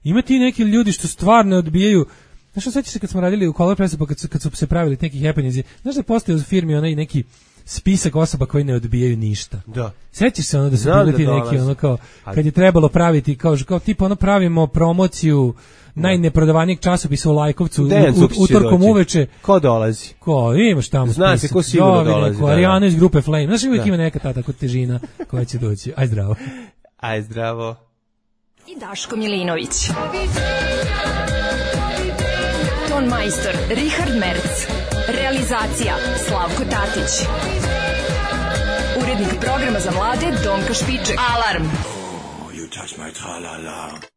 ima ti neki ljudi što stvarno odbijaju. Znaš što sećaš se kad smo radili u Color Pressu, pa kad su se pravili neki happenings, znaš da postoje u firmi onaj neki spisak osoba koji ne odbijaju ništa. Da. Sećaš se da su bili ti neki ono kao, kad je trebalo praviti, kao tipa ono pravimo promociju najneprodavanijeg časopisa u Lajkovcu utorkom uveče. Ko dolazi? Imaš tamo spisak. Zna se ko sigurno dolazi. Arijana iz grupe Flame. Znaš, uvijek ima neka ta tako težina koja će doći. Aj zdravo. Aj zdravo. I Daško Milinović. Ton majstor Richard Merc. Realizacija Slavko Tatić. Urednik programa za mlade Donka Špiček. Alarm! You touch my tra-la-la.